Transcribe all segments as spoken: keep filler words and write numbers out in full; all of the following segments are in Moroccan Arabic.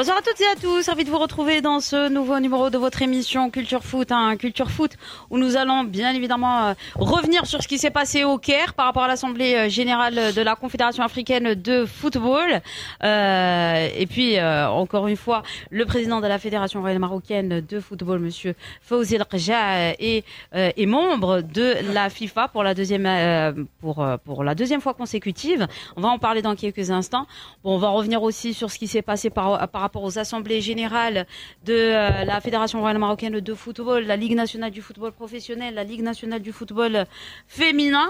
Bonsoir à toutes et à tous, ravi de vous retrouver dans ce nouveau numéro de votre émission Culture Foot, hein, Culture Foot, où nous allons bien évidemment euh, revenir sur ce qui s'est passé au Caire par rapport à l'Assemblée euh, générale de la Confédération africaine de football. Euh, et puis, euh, encore une fois, le président de la Fédération royale marocaine de football, monsieur Fawzi Lekjaa, est, euh, est membre de la FIFA pour la deuxième, euh, pour, euh, pour la deuxième fois consécutive. On va en parler dans quelques instants. Bon, on va revenir aussi sur ce qui s'est passé par, par rapport aux assemblées générales de euh, la Fédération royale marocaine de football, la Ligue nationale du football professionnel, la Ligue nationale du football féminin.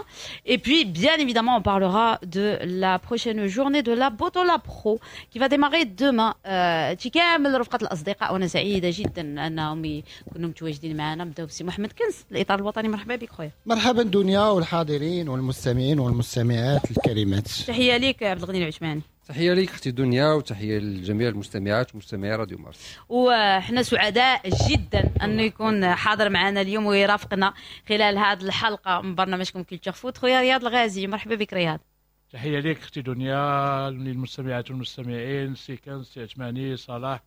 Et puis, bien évidemment, on parlera de la prochaine journée de la Botola Pro qui va démarrer demain. آه، كامل رفقة الأصدقاء، وأنا سعيدة جدا أنهم يكونوا متواجدين معنا. نبداو بسي محمد كنز، الإطار الوطني، مرحبا بك خويا. مرحبا دنيا والحاضرين والمستمعين والمستمعات الكريمات. تحية لك عبد الغني العثماني. تحية لك اختي دنيا وتحية لجميع المستمعات ومستمعي راديو مارس. وحنا سعداء جدا انه يكون حاضر معنا اليوم ويرافقنا خلال هذه الحلقة من برنامجكم Culture Foot خويا رياض الغازي، مرحبا بك رياض. تحية لك اختي دنيا، للمستمعات والمستمعين، سي كنز، سي عثماني، صلاح،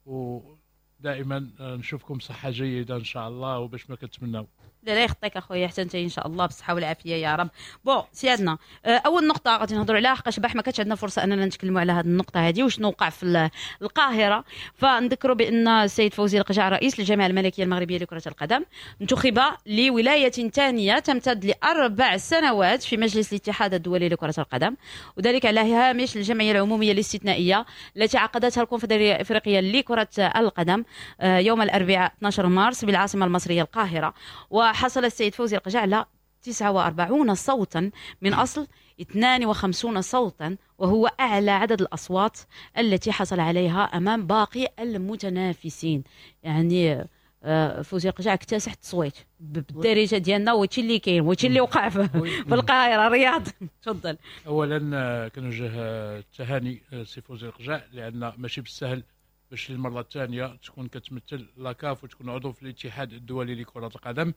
ودائما نشوفكم صحة جيدة ان شاء الله وباش ما كتمناو. لا لا يخطيك اخويا، حتى انت ان شاء الله بالصحة والعافية يا رب. bon سيادنا، آه، اول نقطة غادي نهضروا عليها، حقاش البارح ما كانتش عندنا فرصة اننا نتكلموا على هذه النقطة هذه وشنو وقع في القاهره. فنذكروا بان السيد فوزي القجع، رئيس الجامعة الملكية المغربية لكرة القدم، انتخب لولاية ثانية تمتد لاربع سنوات في مجلس الاتحاد الدولي لكرة القدم، وذلك على هامش الجمعية العمومية الاستثنائية التي عقدتها الكونفدراليه الافريقية لكرة القدم آه، يوم الاربعاء اثنا عشر مارس بالعاصمة المصرية القاهره. وحصل السيد فوزي القجع على تسعة وأربعين صوتا من أصل اثنين وخمسين صوتا، وهو أعلى عدد الأصوات التي حصل عليها أمام باقي المتنافسين. يعني آه، فوزي القجع اكتسح التصويت بالدارجة ديالنا، وهادشي اللي كاين وهادشي اللي وقع في, في القاهره. رياض، تفضل. اولا آه، كنوجه التهاني سي فوزي القجع، لان ماشي بالسهل باش للمرة الثانية تكون كتمثل la CAF وتكون عضو في الاتحاد الدولي لكرة القدم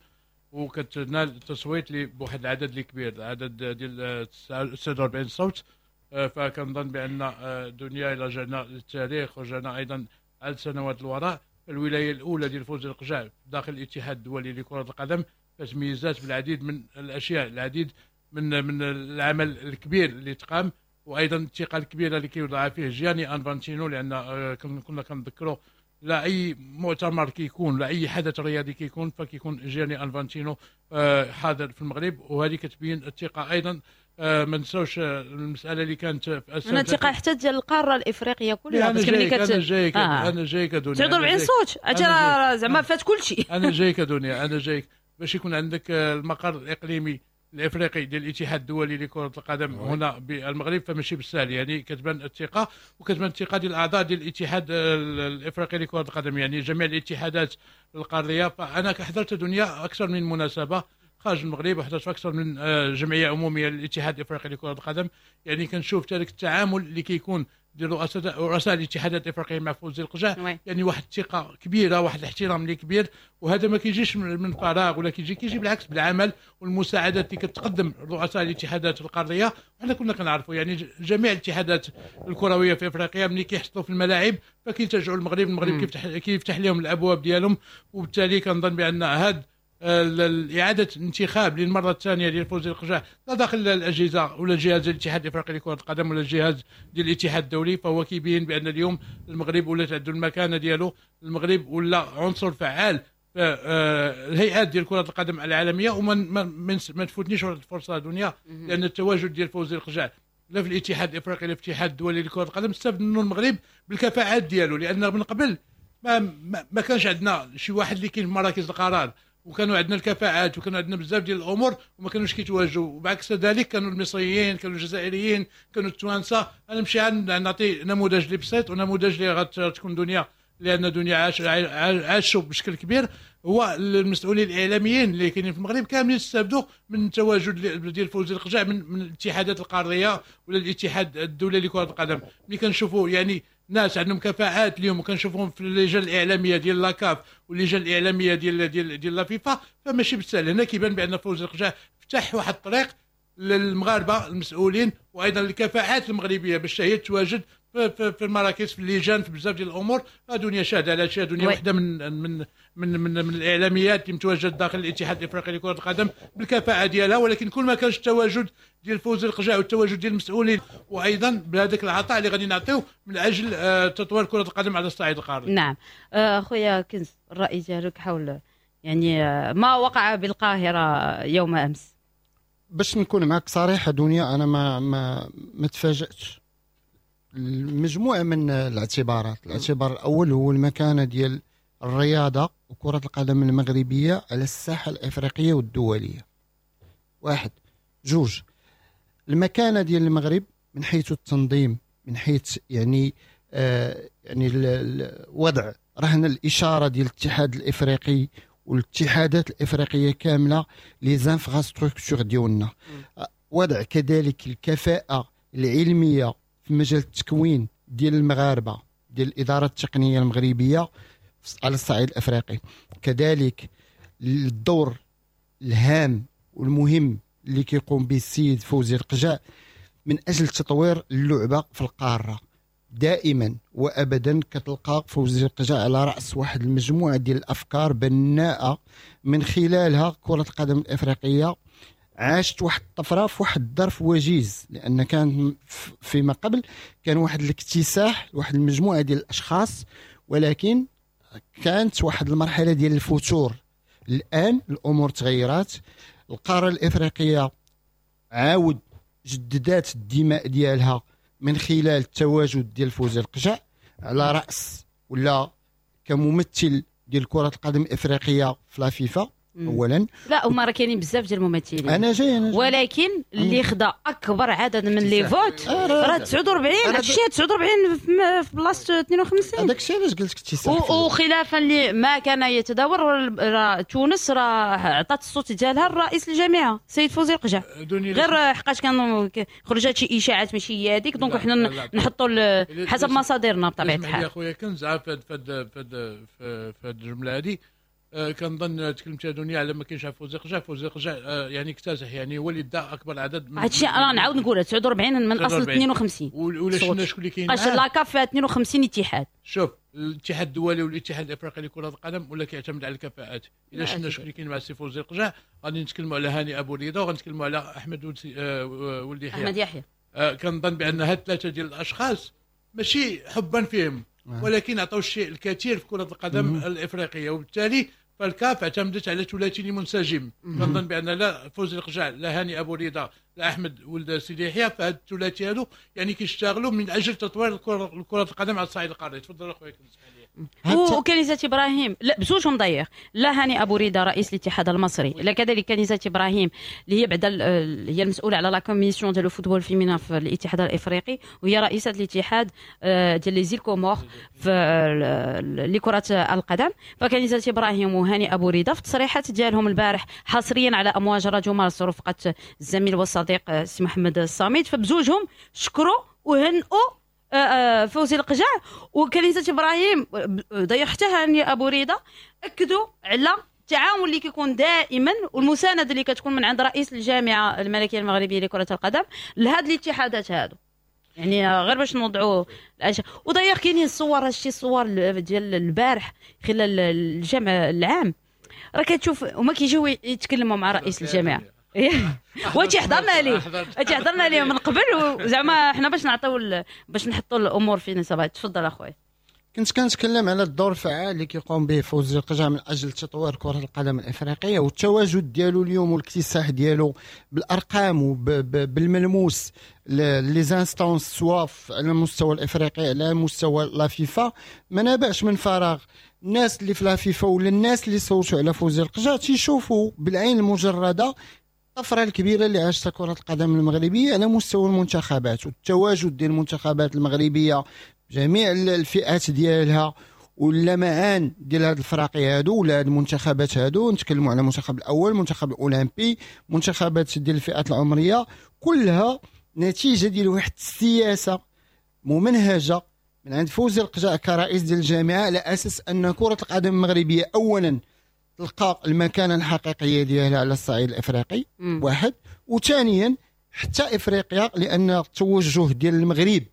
وكتنال التصويت بواحد العدد اللي كبير، العدد ديال تسعة وأربعين صوت. آه، فكنظن بان آه، دنيا الى رجعنا للتاريخ ورجعنا ايضا عدد سنوات الوراء، الولاية الاولى ديال فوزي القجع داخل الاتحاد الدولي لكرة القدم فتميزات بالعديد من الاشياء، العديد من من العمل الكبير اللي تقام، وايضا الثقة الكبيرة اللي كيوضعها فيه جياني انفانتينو، لان آه، كنا كنذكروا لا اي مؤتمر كيكون، لا اي حدث رياضي كيكون، فكيكون جياني انفانتينو آه، حاضر في المغرب، وهذه كتبين الثقة ايضا. آه، ما نساوش المسالة اللي كانت في انا الثقة حتى ديال القارة الافريقية كلها. انا جايك، انا جايك آه. انا جايك دنيا. تسعة وأربعين صوت زعما فات كل شيء. انا جايك دنيا، انا جايك. باش يكون عندك المقر الاقليمي الافريقي ديال الاتحاد الدولي لكرة القدم هنا بالمغرب فماشي بالسهل. يعني كتبان الثقه، وكتبان الثقة ديال الاعضاء ديال الاتحاد الافريقي لكرة القدم، يعني جميع الاتحادات القاريه. فانا حضرت دنيا اكثر من مناسبة خارج المغرب، وحضرت اكثر من آه، جمعية عموميه للاتحاد الافريقي لكرة القدم، يعني كنشوف ذلك التعامل اللي كيكون ديال رؤساء رؤساء الاتحادات الافريقية مع فوزي القجع، يعني واحد الثقة كبيره، واحد الاحترام اللي كبير، وهذا ما كيجيش من فراغ ولا كيجي كيجي بالعكس بالعمل والمساعدات اللي كتقدم رؤساء الاتحادات القاريه. وحنا كنا كنعرفوا يعني جميع الاتحادات الكروية في افريقيا ملي كيحصلوا في الملاعب فكيلتجئوا المغرب، المغرب كيفتح كيفتح لهم الابواب ديالهم. وبالتالي كنظن بان هذا اعاده الانتخاب للمرة الثانية ديال فوزي القجع، لا داخل الاجهزة ولا الجهاز الاتحاد الافريقي لكرة القدم ولا الجهاز ديال الاتحاد الدولي، فهو كيبين بان اليوم المغرب ولات عنده المكانة ديالو، المغرب ولا عنصر فعال في آه، الهيئات ديال كره القدم العالميه. وما ما, ما تفوتنيش الفرصة دنيا، لان التواجد ديال فوزي القجع لا في الاتحاد الافريقي لا في الاتحاد الدولي لكرة القدم استفد منه المغرب بالكفاءات ديالو، لان من قبل ما ما, ما كانش عندنا شي واحد اللي كاين في مراكز القرار، وكانوا عندنا الكفاءات وكانوا عندنا بزاف ديال الامور وما كانوش كيتواجدوا. وبعكس ذلك كانوا المصريين، كانوا الجزائريين، كانوا التوانسه. انا نمشي نعطي نموذج اللي بسيط ونموذج اللي غتكون دنيا، لان دنيا عاش عاشوا بشكل كبير، هو المسؤولين الاعلاميين اللي كاينين في المغرب كاملين استافدوا من التواجد ديال فوزي القجع من, من الاتحادات القارية ولا الاتحاد الدولي لكرة القدم. ملي كنشوفوا يعني ناس عندهم كفاءات اليوم وكنشوفهم في اللجان الاعلامية ديال la CAF واللجان الاعلامية ديال ديال ديال la FIFA فماشي بالسهل. هنا كيبان بان فوزي القجع فتح واحد الطريق للمغاربة المسؤولين وايضا الكفاءات المغربية باش هي تواجد في في, في, في المراكز، في اللجان، في بزاف ديال الامور. دنيا شاهده على شيء، دنيا وحده من من من من, من الاعلاميات اللي متواجد داخل الاتحاد الافريقي لكرة القدم بالكفاءه ديالها، ولكن كل ما كانش التواجد ديال فوزي القجع والتواجد ديال المسؤولين وايضا بهذاك العطاء اللي غادي نعطيو من اجل آه، تطوير كره القدم على الصعيد القاري. نعم خويا كنز، الراي ديالك حول يعني ما وقع بالقاهرة يوم امس؟ باش نكون معك صريحه دنيا، انا ما ما ما تفاجاتش. المجموعة من الاعتبارات، الاعتبار الاول هو المكانة ديال الرياضة وكره القدم المغربية على الساحة الافريقية والدولية. واحد. جوج، المكانة ديال المغرب من حيث التنظيم، من حيث يعني آه يعني الوضع رهن الاشارة ديال الاتحاد الافريقي والاتحادات الافريقية كاملة، les infrastructures ديالنا، وضع كذلك الكفاءة العلمية في مجال التكوين ديال المغاربة ديال الادارة التقنية المغربية على الصعيد الافريقي، كذلك الدور الهام والمهم اللي كيقوم به السيد فوزي القجع من اجل تطوير اللعبة في القارة. دائما وابدا كتلقى فوزي القجع على راس واحد المجموعة ديال الافكار بناءه من خلالها كره القدم الافريقية عاشت واحد الطفرة في واحد الظرف وجيز، لان كان فيما قبل كان واحد الاكتساح واحد المجموعة ديال الاشخاص، ولكن كانت واحد المرحلة ديال الفتور. الان الامور تغيرات، القارة الافريقية عاود جددات الدماء ديالها من خلال التواجد ديال فوزي القجع على راس ولا كممثل ديال كره القدم الافريقية في la FIFA اولا. لا هما راه كاينين بزاف ديال الممثلين، انا جاي انا جاي. ولكن اللي خدا اكبر عدد من les votes راه تسعة وأربعين، هادشي تسعة وأربعين في بلاصة اثنين وخمسين. هذاك الشيء علاش قلت لك اكتساح. وخلافا لما كان يتداول، راه تونس راه عطات الصوت ديالها لرئيس الجامعة السيد فوزي القجع، غير حقاش كانوا خرجت شي اشاعات ماشي هي هذيك، donc حنا نحطوا حسب مصادرنا بطبيعة الحال. يا خويا كنز في هاد في هاد الجملة هذه كنظن تكلمت دنيا على ما كاينش فوزي قجع. فوزي قجع يعني اكتسح، يعني هو اللي دا اكبر عدد من هادشي. انا نعاود نقولها تسعة وأربعين من اصل اثنين وخمسين. ولا شفنا شكون اللي كاين قاش la CAF فيها اثنين وخمسين اتحاد. شوف الاتحاد الدولي والاتحاد الافريقي لكرة القدم ولا كيعتمد على الكفاءات. الا شفنا شكون اللي كاين مع السي فوزي قجع غادي نتكلموا على هاني ابو ريده وغنتكلموا على احمد ولد يحيى احمد يحيى. كنظن بان هاد ثلاثة ديال الاشخاص ماشي حبا فيهم، ولكن عطاو الشيء الكثير في كرة القدم الإفريقية، وبالتالي فالكاف اعتمدت على ثلاثي منسجم. كنظن بأن لا فوزي القجع لا هاني أبو رضا لا أحمد ولد سيدي يحيى، فهاد الثلاثي هادو يعني كيشتغلوا من أجل تطوير كرة القدم على الصعيد القاري. تفضل أخويا كنسمح لي. وكنيزة ابراهيم لا بزوجهم ضيق، لا هاني ابو ريده رئيس الاتحاد المصري، لا كذلك كنيزة ابراهيم اللي هي بعد هي المسؤولة على la commission ديال ال football féminin في الاتحاد الافريقي، وهي رئيسه الاتحاد ديال les îles Comores في لكرة القدم. فكنيزة ابراهيم وهاني ابو ريده في التصريحات ديالهم البارح حصريا على امواج راديو مارس رفقه الزميل والصديق السي محمد الصامد، فبزوجهم شكروا وهنئوا فوزي القجع وكنيزة ابراهيم ضيع حتى هاني ابو ريده، اكدوا على التعاون اللي كيكون دائما والمسانده اللي كتكون من عند رئيس الجامعة الملكية المغربية لكرة القدم لهاد الاتحادات هادو. يعني غير باش نوضعوا الاشياء. وضيع كاينين الصور، هادشي الصور ديال البارح خلال الجمع العام راه كتشوف هما كيجيو يتكلموا مع رئيس الجامعة وانت حضرنا ليه انت حضرنا ليه من قبل، وزعما حنا باش نعطيو باش نحطوا الامور في نصابها. تفضل اخويا. كنت كنتكلم على الدور الفعال اللي كيقوم به فوزي القجع من اجل تطوير كره القدم الافريقية والتواجد ديالو اليوم والاكتساح ديالو بالارقام وبالملموس les instances سواء على المستوى الافريقي على مستوى la FIFA ما نابعش من فراغ. الناس اللي في la FIFA ولا الناس اللي صوتوا على فوزي القجع تيشوفوا بالعين المجردة الطفرة الكبيرة اللي عاشتها كره القدم المغربية على مستوى المنتخبات والتواجد ديال المنتخبات المغربية جميع الفئات ديالها واللمعان ديال هاد الفراقي هادو ولا هاد المنتخبات هادو. نتكلموا على المنتخب الاول، المنتخب الاولمبي، منتخبات ديال الفئات العمرية، كلها نتيجة ديال واحد السياسة ممنهجه من عند فوزي القجع كرئيس ديال الجامعة على اساس ان كره القدم المغربية اولا تلقى المكانة الحقيقية ديالها على الصعيد الافريقي واحد، وثانيا حتى افريقيا، لان التوجه ديال المغرب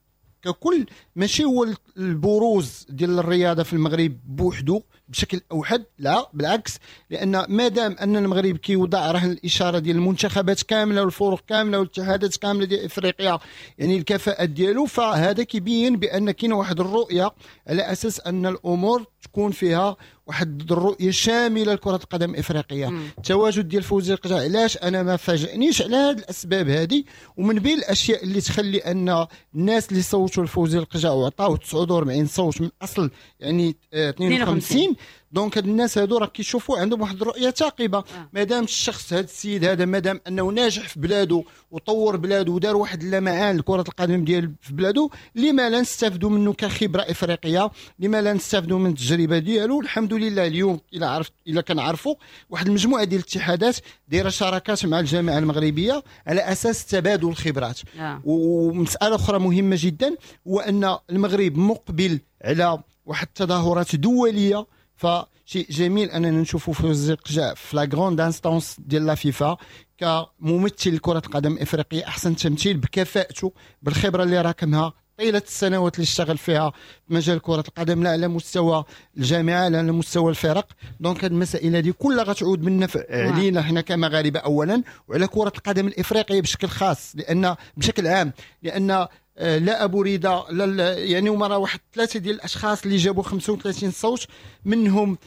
ككل ماشي هو البروز ديال الرياضة في المغرب بوحدو بشكل اوحد، لا بالعكس، لان ما دام ان المغرب كيوضع رهن الاشارة ديال المنتخبات كاملة والفرق كاملة والاتحادات كاملة ديال افريقيا يعني الكفاءة ديالو، فهذا كيبين بان كاين واحد الرؤية على اساس ان الامور تكون فيها واحد الرؤية شاملة لكرة القدم الافريقية. التواجد ديال فوزي القجع علاش انا ما فاجئنيش على هذه الاسباب هذه، ومن بين الاشياء اللي تخلي ان الناس اللي صوتوا لفوزي القجع وعطاوه تسعة وأربعين صوت من اصل يعني اثنين وخمسين، donc هاد الناس هادو راه كيشوفوا عندهم واحد الرؤية ثاقبة. آه. مادام الشخص هاد السيد هذا مادام انه ناجح في بلادو وطور بلادو ودار واحد اللمعان لكرة القدم ديال في بلادو، لما لا نستافدوا منه كخبرة افريقية، لما لا نستافدوا من التجربة ديالو. الحمد لله اليوم الى عرفت الى كنعرفوا واحد المجموعة ديال الاتحادات دايرة شراكات مع الجامعة المغربية على اساس تبادل الخبرات. آه. ومسالة اخرى مهمة جدا هو ان المغرب مقبل على واحد التظاهرات دولية، فشيء جميل اننا نشوفوا فوزي القجع في la grande instance ديال la FIFA كممثل كره القدم الافريقية، احسن تمثيل بكفاءته بالخبرة اللي راكمها طيلة السنوات اللي اشتغل فيها في مجال كره القدم، لا على مستوى الجامعة لا على مستوى الفرق. donc هذه المسائل هذه كلها غتعود بالنفع علينا حنا كمغاربه اولا، وعلى كره القدم الافريقية بشكل خاص، لان بشكل عام، لان لا ابو ريده لا يعني هما راه واحد ثلاثة ديال الاشخاص اللي جابوا خمسة وثلاثين صوت، منهم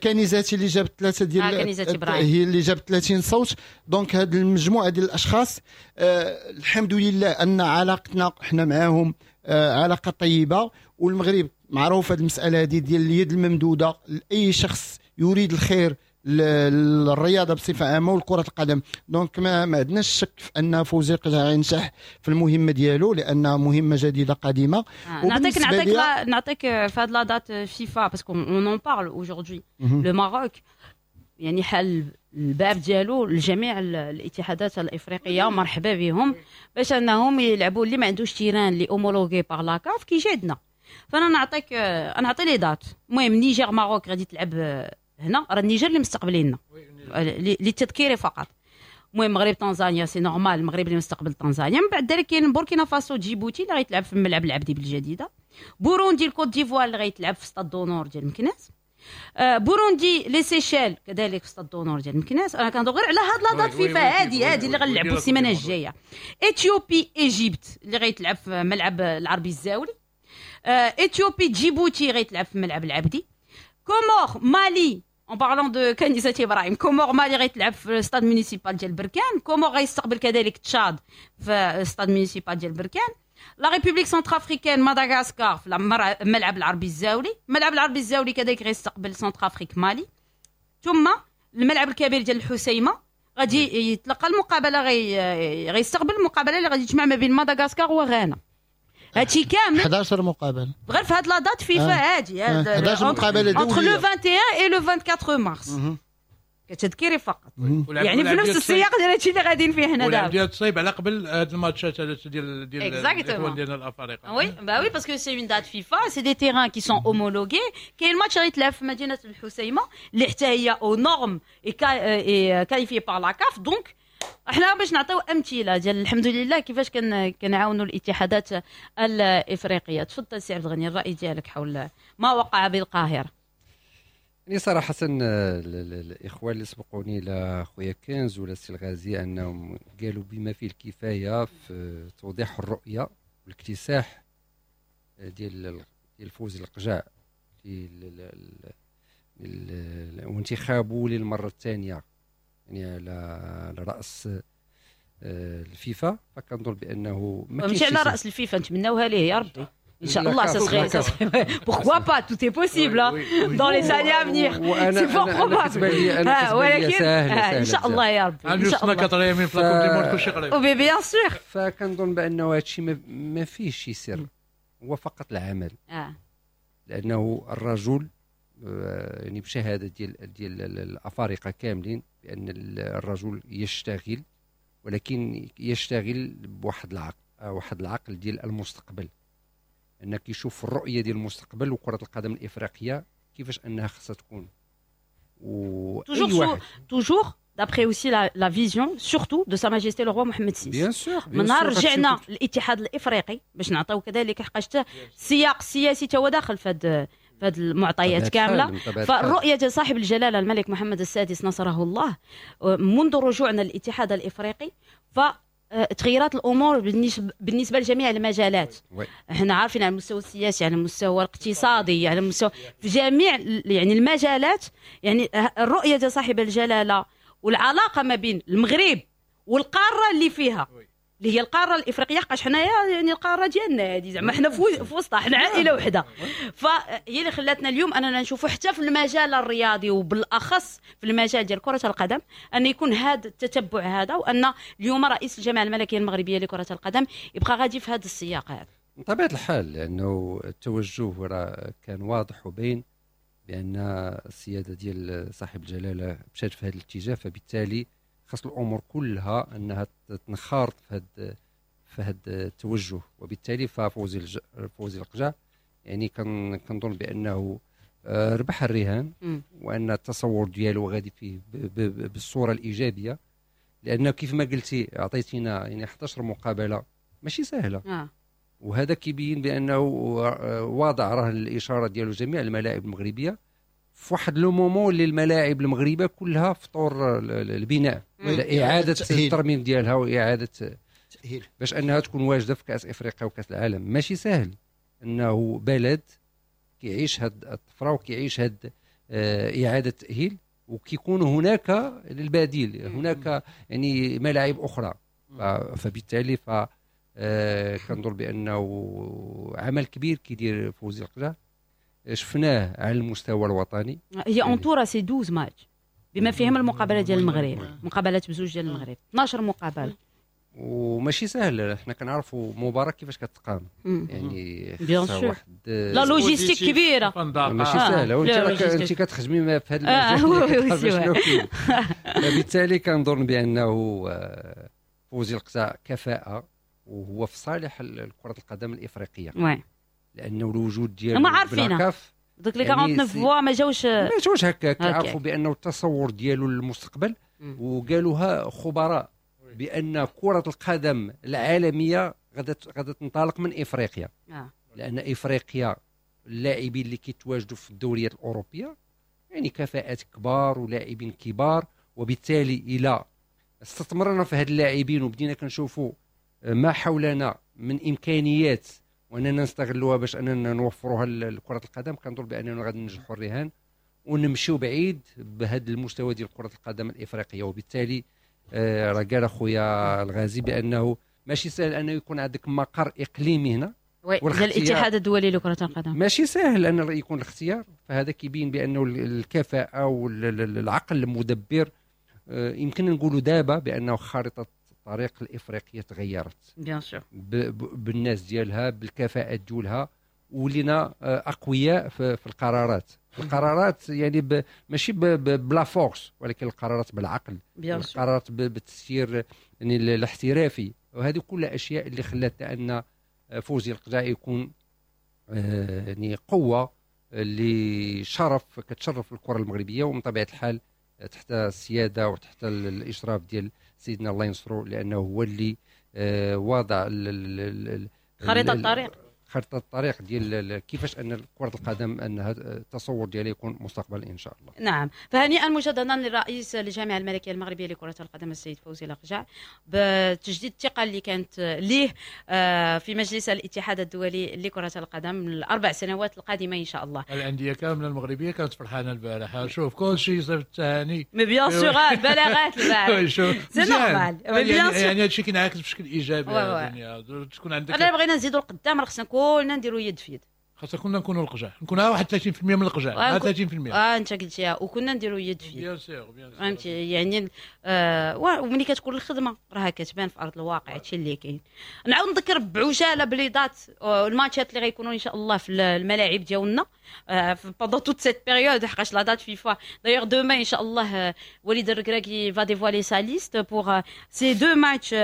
كنيزاتي اللي جابت ثلاثة ديال آه هي اللي جابت ثلاثين صوت. donc هاد المجموعة ديال الاشخاص آه الحمد لله ان علاقتنا حنا معاهم آه علاقة طيبة، والمغرب معروف هاد المسالة هذه ديال اليد الممدوده لاي شخص يريد الخير للرياضة بصفة عامة والكره القدم. donc ما, ما عندناش شك في ان فوزي القجع ينجح في المهمة ديالو، لان مهمة جديدة قديمة. آه. نعطيك نعطيك لا نعطيك في هاد la date FIFA parce qu'on en parle aujourd'hui، le Maroc يعني حل الباب ديالو لجميع الاتحادات الافريقية، مرحبا بهم باش انهم يلعبوا. اللي ما عندوش terrain اللي homologué par la CAF كيجي عندنا. فانا نعطيك نعطي les dates. المهم نيجر Maroc غادي تلعب هنا، راه النيجر اللي مستقبليننا للتذكير فقط. المهم المغرب تنزانيا c'est normal، المغرب اللي مستقبل تنزانيا. من بعد ذلك كاين بوركينا فاسو جيبوتي اللي غيتلعب في الملعب العبدي بالجديده، بوروندي الكوت ديفوار اللي غيتلعب في stade d'honneur ديال مكناس، آه بوروندي les Seychelles كذلك في stade d'honneur ديال مكناس. انا كنهضر غير على هاد la date FIFA هادي هادي اللي غنلعبوا السيمانة الجاية. Éthiopie Égypte اللي غيتلعب في ملعب العربي الزاولي، آه Éthiopie جيبوتي غيتلعب في ملعب العبدي، Comores Mali en parlant de كنيزاتي ابراهيم، Comores Mali غيتلعب في stade municipal ديال بركان، Comores غيستقبل كذلك تشاد في stade municipal ديال بركان، la République centrafricaine مدغاسكار في الملعب العربي الزاولي، الملعب العربي الزاولي كذلك غيستقبل Centrafrique مالي، ثم الملعب الكبير ديال الحسيمه غادي يتلقى المقابلة، غي غيستقبل المقابلة اللي غادي تجمع ما بين مدغاسكار وغانا. هادشي كامل احد عشر مقابله غير في هاد la date FIFA هادي، احد عشر مقابله دولية entre le واحد وعشرين et le أربعة وعشرين مارس كتذكيري فقط، يعني في نفس السياق ديال هادشي اللي غاديين فيه حنا دابا. ديال تصيب على قبل هاد الماتشات ديال ديال الاخوان ديالنا الافارقة. oui bah oui parce que c'est une date FIFA، c'est des terrains qui sont homologués. كاين الماتش غيتلعب في مدينة الحسيمه اللي حتى هي aux normes et qualifiée par la CAF. donc احنا باش نعطيو امثلة ديال الحمد لله كيفاش كنعاونوا الاتحادات الافريقية. تفضل سي عبد الغني، الراي ديالك حول ما وقع بالقاهرة. يعني صراحة الاخوان اللي سبقوني لا خويا كنز ولا السي الغازي انهم قالوا بما فيه الكفاية في توضيح الرؤية والاكتساح ديال ديال فوزي القجع وانتخابه للمرة الثانية يعني على راس الفيفا. فكنظن بانه ما ماشي على راس الفيفا، نتمناوها ليه يا ربي ان شاء الله. ça serait pourquoi pas، tout est possible dans les années à venir، c'est fort probable. ولكن ان شاء الله يا ربي ان شاء الله quatrième في la Coupe du monde كلشي قريب. oui bien sûr. فكنظن بانه هادشي ما فيهش شي سر، هو فقط العمل. لانه الرجل يعني بشهادة ديال ديال الافارقة كاملين بان الرجل يشتغل، ولكن يشتغل بواحد العقل، واحد العقل ديال المستقبل، انك يشوف الرؤية ديال المستقبل وكره القدم الافريقية كيفاش انها خاصها تكون. toujours toujours d'après aussi la vision surtout de Sa Majesté le roi Mohammed six. bien sûr. من نهار رجعنا الاتحاد الافريقي باش نعطيو كذلك، حقاش السياق السياسي تا هو داخل في هاد في هاد المعطيات كاملة. فالرؤيه ديال صاحب الجلاله الملك محمد السادس نصره الله منذ رجوعنا للاتحاد الافريقي ف تغيرات الامور بالنسبة بالنسبة لجميع المجالات. احنا عارفين على المستوى السياسي، على المستوى الاقتصادي، على المستوى في جميع يعني المجالات. يعني الرؤية ديال صاحب الجلاله والعلاقة ما بين المغرب والقاره اللي فيها اللي هي القارة الافريقية، حقاش حنايا يعني القارة ديالنا هذه زعما حنا في وسطها، حنا عائلة وحده. فهي اللي خلاتنا اليوم اننا نشوفوا حتى في المجال الرياضي وبالاخص في المجال ديال كره القدم ان يكون هذا التتبع هذا، وان اليوم رئيس الجامعة الملكية المغربية لكرة القدم يبقى غادي في هذا السياق هذا. من طبيعة الحال، لانه التوجه راه كان واضح وبين بان السيادة ديال صاحب الجلاله مشات في هذا الاتجاه، فبالتالي خاص الامور كلها انها تنخرط في هذا في هذا التوجه. وبالتالي ففوزي الج... فوزي القجع يعني كان كنظن بانه ربح الرهان، وان التصور ديالو غادي فيه ب... ب... بالصورة الايجابية، لانه كيف ما قلتي عطيتينا يعني إحدى عشرة مقابله ماشي سهلة. آه. وهذا كيبين بانه واضع راه الاشارة ديالو جميع الملاعب المغربية في واحد le moment اللي الملاعب المغربية كلها في طور البناء، اعاده الترميم ديالها واعاده التاهيل باش انها تكون واجدة في كاس افريقيا وكاس العالم. ماشي سهل انه بلد كيعيش هاد الطفرة وكيعيش هاد آه، اعاده التاهيل وكيكون هناك البديل، هناك يعني ملاعب اخرى. فبالتالي ف آه، كنظن بانه عمل كبير كيدير فوزي القجع، شفناه على المستوى الوطني. هي en tout راه c'est douze matchs بما فيهم المقابلة ديال المغرب، مقابلات بزوج ديال المغرب، اثنا عشر مقابله. وماشي سهل، حنا كنعرفوا مباراة كيفاش كتقام، يعني bien sûr واحد la logistique كبيره. ماشي آه. سهلة، وانت راك انت كتخدمي في هذا المجال. فبالتالي كنظن بانه آه، فوزي القجع كفاءة وهو في صالح كره القدم الافريقيه، oui لانه الوجود ديالو هما عارفينها دوك les quarante-neuf voix ما جاوش ما جاوش هكا، كيعرفوا بانه التصور ديالو للمستقبل، وقالوها خبراء بان كره القدم العالمية غادا غادا تنطلق من افريقيا. آه. لان افريقيا اللاعبين اللي كيتواجدوا في الدوريات الاوروبية يعني كفاءات كبار ولاعبين كبار، وبالتالي الى استثمرنا في هاد اللاعبين وبدينا كنشوفوا ما حولنا من امكانيات واننا نستغلوها باش اننا نوفروها لكرة القدم، كنظن باننا غادي ننجحوا الرهان ونمشيو بعيد بهذا المستوى ديال كره القدم الافريقيه. وبالتالي آه راه قال اخويا الغازي بانه ماشي سهل انه يكون عندك مقر اقليمي هنا. oui، الاتحاد الدولي لكرة القدم. ماشي سهل ان يكون الاختيار، فهذا كيبين بانه الكفاءة والعقل المدبر آه، يمكن نقولوا دابا بانه خارطة الطريق الافريقية تغيرت. bien sûr. بالناس ديالها، بالكفاءات ديالها، ولينا آه، اقوياء في, في القرارات القرارات يعني ب ماشي ب la force ولكن القرارات بالعقل، القرارات بالتسيير يعني الاحترافي. وهذه كلها اشياء اللي خلاتنا ان فوزي القجع يكون آه، يعني قوة اللي شرف كتشرف الكره المغربيه، ومن طبيعة الحال تحت السيادة وتحت الاشراف ديال سيدنا الله ينصرو، لانه هو اللي آه، واضع خريطة الطريق. خريطة الطريق ديال كيفاش ان كره القدم انها التصور ديالها يكون مستقبل ان شاء الله. نعم، فهنيئا مجددا للرئيس للجامعة الملكية المغربية لكرة القدم السيد فوزي لقجع بتجديد الثقة اللي كانت ليه آه، في مجلس الاتحاد الدولي لكرة القدم الاربع سنوات القادمة ان شاء الله. الاندية كاملة المغربية كانت فرحانة البارح، شوف كل شيء صيفط التهاني. mais bien sûr، البلاغات البارح، c'est normal. يعني يعني هادشي كينعكس بشكل ايجابي على الدنيا تكون عندك. انا بغينا نزيدوا القدام، راه خصنا كلنا نديروا يد في يد. خاصنا كنا نكونوا القجع، نكون واحد ثلاثين في المية من القجع، ثلاثين في المية. اه انت قلتيها، وكنا نديروا يد في يد. bien sûr، bien sûr. فهمتي يعني آه وملي كتكون الخدمة راها كتبان في ارض الواقع، هادشي اللي كاين. نعاود نذكر بعجاله ب les dates آه، الماتشات اللي غيكونوا ان شاء الله في الملاعب ديالنا pendant toute cette période، حقاش la date FIFA d'ailleurs demain ان شاء الله وليد الركراكي va dévoiler sa liste pour ces deux matchs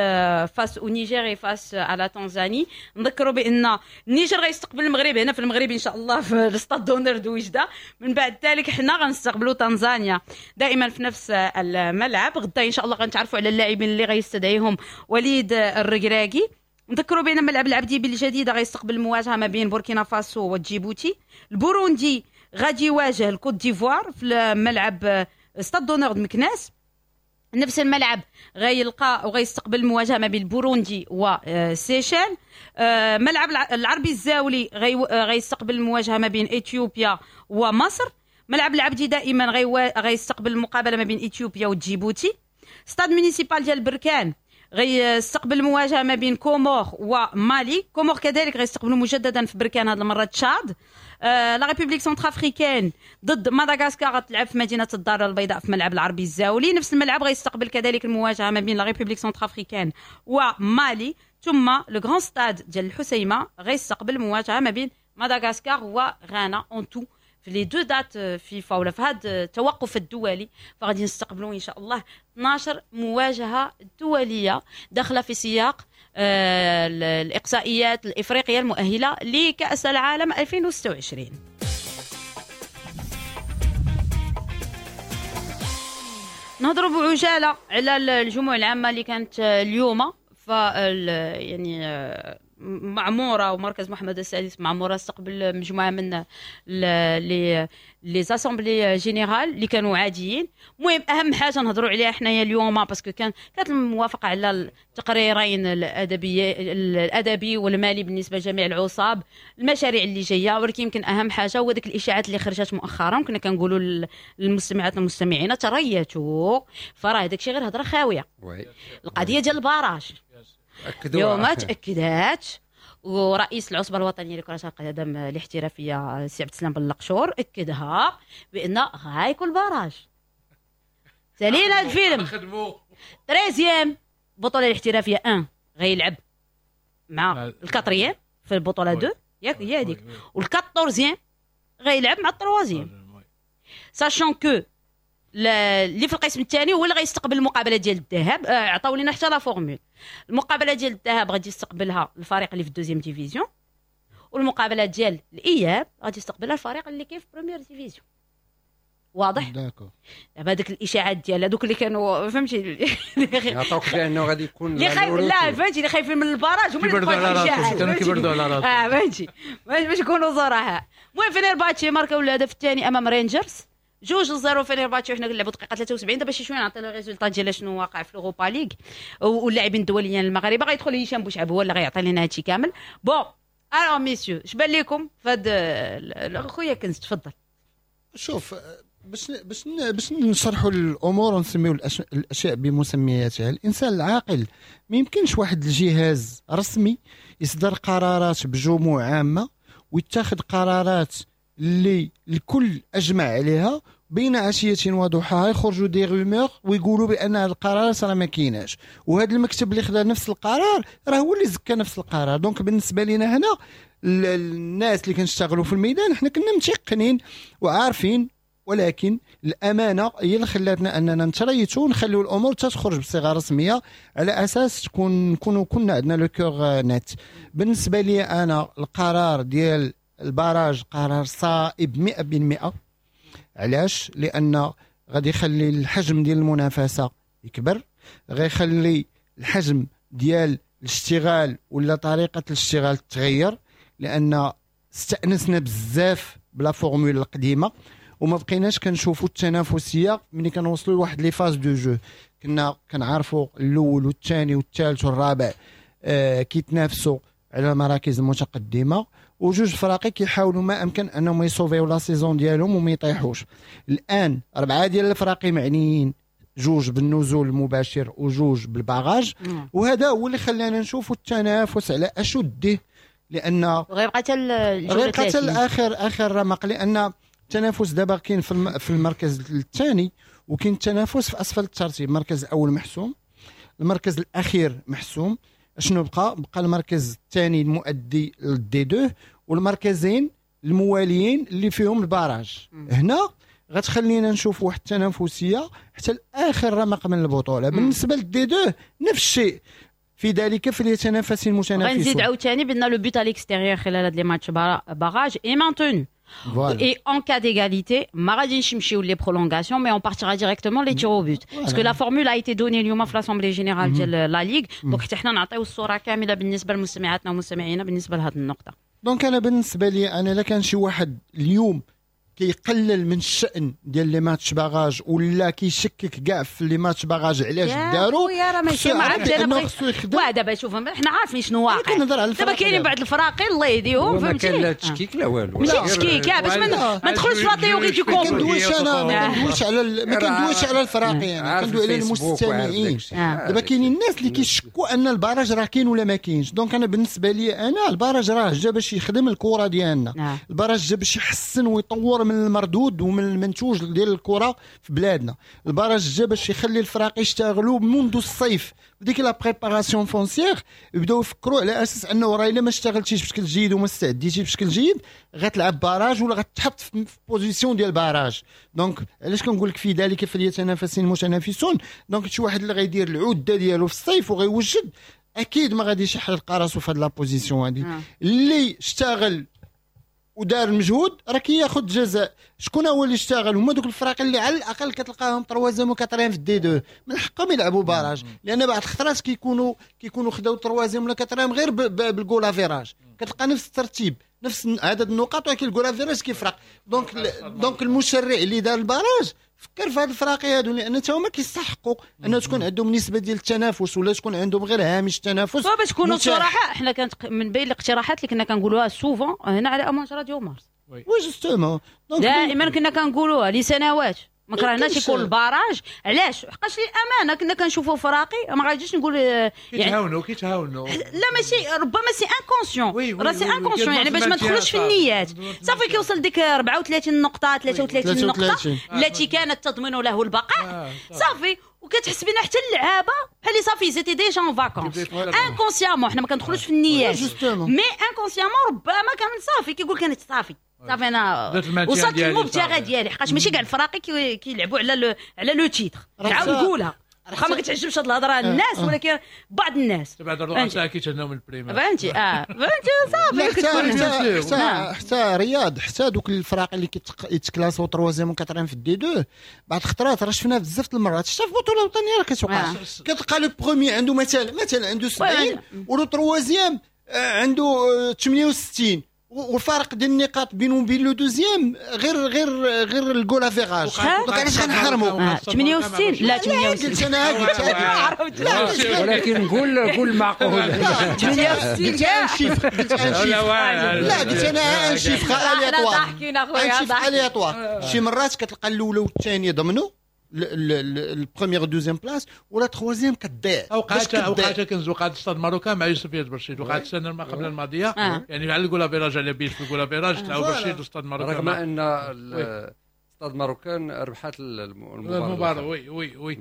face au Niger et face à la Tanzanie. نذكروا بان النيجر غيستقبل المغرب هنا في المغرب ان شاء الله في ال stade d'honneur de وجده. من بعد ذلك حنا غنستقبلوا تنزانيا دائما في نفس الملعب. غدا ان شاء الله غنتعرفوا على اللاعبين اللي غيستدعيهم وليد الركراكي. نذكروا بان ملعب العبدي بالجديده غيستقبل المواجهة ما بين بوركينا فاسو وجيبوتي. البوروندي غادي يواجه الكوت ديفوار في الملعب stade d'honneur مكناس. نفس الملعب غيلقى وغيستقبل المواجهة ما بين البوروندي وسيشيل. ملعب العربي الزاولي غيستقبل المواجهة ما بين اثيوبيا ومصر. ملعب العبدي دائما غيستقبل المقابلة ما بين اثيوبيا وجيبوتي. stade municipal ديال بركان غيستقبل المواجهة ما بين كومور ومالي. كومور كذلك غيستقبلوا مجددا في بركان هذه المرة تشاد. آه la République centrafricaine ضد مدغاسكار غتلعب في مدينة الدار البيضاء في ملعب العربي الزاولي. نفس الملعب غيستقبل كذلك المواجهة ما بين la République centrafricaine ومالي. ثم le grand stade ديال الحسيمه غيستقبل المواجهة ما بين مدغاسكار وغانا. en tout في les deux dates فيفا ولا في هذا التوقف الدولي فغادي نستقبلوا ان شاء الله اثنا عشر مواجهة دولية داخله في سياق آه، الاقصائيات الافريقية المؤهله لكاس العالم ألفين وستة وعشرين. نهضروا بعجاله على الجموع العامة اللي كانت اليوم، ف يعني آه، معموره ومركز محمد السادس معموره استقبل مجموعة من les les assemblées générales اللي كانوا عاديين. المهم اهم حاجة نهضروا عليها حنايا اليوم، parce que كان كانت الموافقة على التقريرين الادبي الادبي والمالي بالنسبة لجميع العصاب، المشاريع اللي جايه. ولكن يمكن اهم حاجة هو ديك الاشاعات اللي خرجت مؤخرا. كنا كنقولوا للمستمعات والمستمعين تريتوا، فراه داكشي غير هضره خاويه. القضية ديال ال barrage اليوم تاكدات، ورئيس العصبة الوطنية لكرة القدم الاحترافية السي عبد السلام بلقشور اكدها بان غايكون barrage. سالينا الفيلم. treizième البطولة الاحترافية واحد غيلعب مع ال quatrième في البطولة اثنين، ياك هي هذيك، وال quatorzième غيلعب مع ال troisième، sachant que اللي في القسم الثاني هو اللي غيستقبل المقابلة ديال الذهاب. آه، عطاو لنا حتى la formule. المقابلة ديال الذهاب غادي يستقبلها الفريق اللي في ال deuxième division، والمقابلة ديال الاياب غادي يستقبلها الفريق اللي كاين في première division. واضح؟ d'accord. دابا هذوك الاشاعات ديال هذوك اللي كانوا، فهمتي؟ يعطوك بانه غادي يكون اللي خايف، لا، فهمتي، اللي خايفين من ال barrage هما اللي الاشاعات كانوا كيبردوا على راسهم. اه فهمتي، باش يكونوا صراحه. المهم فينيرباتشي ماركاو الهدف الثاني امام رينجرز جوج zéro فينيرباتشي، وحنا كنلعبوا دقيقة ثلاثة وسبعين. دابا شي شوية نعطي le résultat ديال شنو واقع في l'Europa League واللاعبين الدوليين المغاربه. غيدخل هشام بوشعب هو اللي غيعطي لنا هادشي كامل. bon alors messieurs، اش بان لكم فهاد؟ خويا كنز، تفضل. شوف، باش باش باش نشرحوا الامور ونسميو الاشياء بمسمياتها، الانسان العاقل ما يمكنش واحد الجهاز رسمي يصدر قرارات بجموع عامة ويتخذ قرارات اللي الكل اجمع عليها، بين عشية وضحاها يخرجوا des rumeurs ويقولوا بان هذه القرارات راه ما كايناش، وهذا المكتب اللي خدا نفس القرار راه هو اللي زكى نفس القرار. donc بالنسبة لنا هنا الناس اللي كنشتغلوا في الميدان، حنا كنا متيقنين وعارفين، ولكن الامانة هي اللي خلاتنا اننا نتريثوا ونخليو الامور تخرج بصيغة رسمية على اساس تكون نكونوا كنا عندنا le cœur net. بالنسبة لي انا القرار ديال ال barrage قرار صائب مية في المية. علاش؟ لان غادي يخلي الحجم ديال المنافسة يكبر، غيخلي الحجم ديال الاشتغال ولا طريقه الاشتغال تغير، لان استأنسنا بزاف ب la formule القديمة وما بقيناش كنشوفوا التنافسية ملي كنوصلوا لواحد les phases de jeu. كنا كنعرفوا الاول والثاني والثالث والرابع آه كيتنافسوا على المراكز المتقدمه، وجوج فراقي كيحاولوا ما امكن انهم يصوفيو la saison ديالهم وما يطيحوش. الان اربعة ديال الفراقي معنيين، جوج بالنزول المباشر وجوج بال barrage، وهذا هو اللي خلانا نشوفوا التنافس على اشده، لان غيبقى حتى غيبقى حتى الاخر اخر رمق، لان التنافس دابا كاين في في المركز الثاني وكاين التنافس في اسفل الترتيب. المركز الاول محسوم، المركز الاخير محسوم. شنو بقى؟ بقى المركز الثاني المؤدي لل دي اثنين والمركزين المواليين اللي فيهم ال barrage. هنا غتخلينا نشوف واحد التنافسية حتى لاخر رمق من البطوله. بالنسبة لل دي اثنين نفس الشيء. في ذلك فليتنافس المتنافسون. غنزيد عاوتاني بان le but à l'extérieur خلال هاد les matchs barrages est maintenu. Et en cas d'égalité, ما غاديش نمشيو les prolongations, mais on partira directement les tirs au but. Parce que la formule a été donnée اليوم في l'assemblée générale ديال la ligue، donc حتى حنا نعطيو الصورة كاملة بالنسبة لمستمعاتنا ومستمعينا بالنسبة لهذه النقطة. donc انا بالنسبة لي انا لا كان شي واحد اليوم كيقلل من الشأن ديال les matchs barrages ولا كيشكك كاع في les matchs barrages علاش داروا، يا راه ماشي ما عرفتش انا بغيت واه دابا شوف حنا عارفين شنو واقع. دابا كاينين بعض الفراقي الله يهديهم، فهمتي، ما كاين لا تشكيك لا والو، ماشي تشكيك باش ما ندخلوش في la théorie du complot. ما كندويش انا ما كندويش على ما كندويش على الفراقي، انا كندوي على المستمعين. دابا كاينين الناس اللي كيشكوا ان ال barrage راه كاين ولا ما كاينش. donc انا بالنسبة لي انا ال barrage راه جا باش يخدم الكره ديالنا، ال barrage جا باش يحسن ويطور من المردود ومن المنتوج ديال الكره في بلادنا. ال barrage جا باش يخلي الفراق يشتغلوا منذ الصيف بديك la préparation foncière، يبداو يفكروا على اساس انه راه الا ما اشتغلتيش بشكل جيد وما استعديتيش بشكل جيد غتلعب barrage ولا غتحط في position ديال barrage. donc علاش كنقول لك في ذلك فليتنافس المتنافسون. donc شي واحد اللي غيدير العدة ديالو في الصيف وغيوجد اكيد ما غاديش يحرق راسو في هاد la position هادي. اللي اشتغل ودار المجهود راه كياخذ جزاء. شكون هو اللي اشتغل؟ هما دوك الفرق اللي على الاقل كتلقاهم troisième و quatrième في ال D deux، من حقهم يلعبوا barrage، لان بعض الخطرات كيكونوا كيكونوا خداو troisième ولا quatrième غير بال goal average، كتلقى نفس الترتيب نفس عدد النقاط ولكن ال goal average كيفرق. donc donc المشرع اللي دار ال barrage فكر في هاد الفراقي هادو، لان تا هما كيستحقوا ان تكون عندهم نسبه ديال التنافس ولا تكون عندهم غير هامش التنافس. باش نكونوا صراحة حنا كانت من بين الاقتراحات اللي كنا كنقولوها souvent هنا على امواج راديو مارس. oui justement دائما كنا كنقولوها لسنوات، ما كرهناش يكون ال barrage. علاش؟ حقاش للامانة كنا كنشوفوا فراقي ما غاديش نقول يعني كيتهاونوا كيتهاونوا لا ماشي، ربما c'est inconscient، راه c'est inconscient يعني باش ما ندخلوش في النيات. صافي كيوصل ديك أربعة وثلاثين نقطة ثلاثة وثلاثين نقطة التي كانت تضمن له البقاء، صافي وكتحس بنا حتى اللعابه بحال اللي صافي c'était déjà en vacances inconsciemment. حنا ما كندخلوش في النيات mais inconsciemment ربما كان صافي كيقول كانت صافي صافي انا وصلت للمبتغى ديالي. حقاش ماشي كاع الفراقي كيلعبوا على على le titre، نعاود نقولها واخا ما كتعجبش هاد الهضرة الناس، ولكن بعض الناس بعد الرؤساء كيتهناو من ال primes، فهمتي؟ اه فهمتي صافي. حتى حتى حتى رياض حتى دوك الفراق اللي كيتكلاسو troisième و quatrième في ال D deux بعض الخطرات راه شفناها بزاف د المرات حتى في البطولة الوطنية راه كتوقع، كتلقى le premier عنده مثلا مثلا عنده سبعين و le troisième عنده ثمانية وستين، والفارق ديال النقاط بينه وبين le deuxième غير غير غير ال goal average. donc علاش غنحرموا ثمانية وستين؟ لا ثمانية وستين قلت انا قلت لا، ولكن نقول قول معقول ثمانية وستين قلت un chiffre، قلت un chiffre، لا قلت انا un chiffre aléatoire، un chiffre aléatoire. شي مرات كتلقى الاولى والثانية ضمنوا ال première deuxième place ولا troisième كتضيع. اوقات اوقات كنز وقعت ستاد marocain مع يوسف برشيد، وقعت السنة ما قبل الماضية آه. يعني على ال goal average على بيش في ال goal average تاع برشيد وستاد marocain، رغم ان ستاد marocain ربحت المباراة. oui oui oui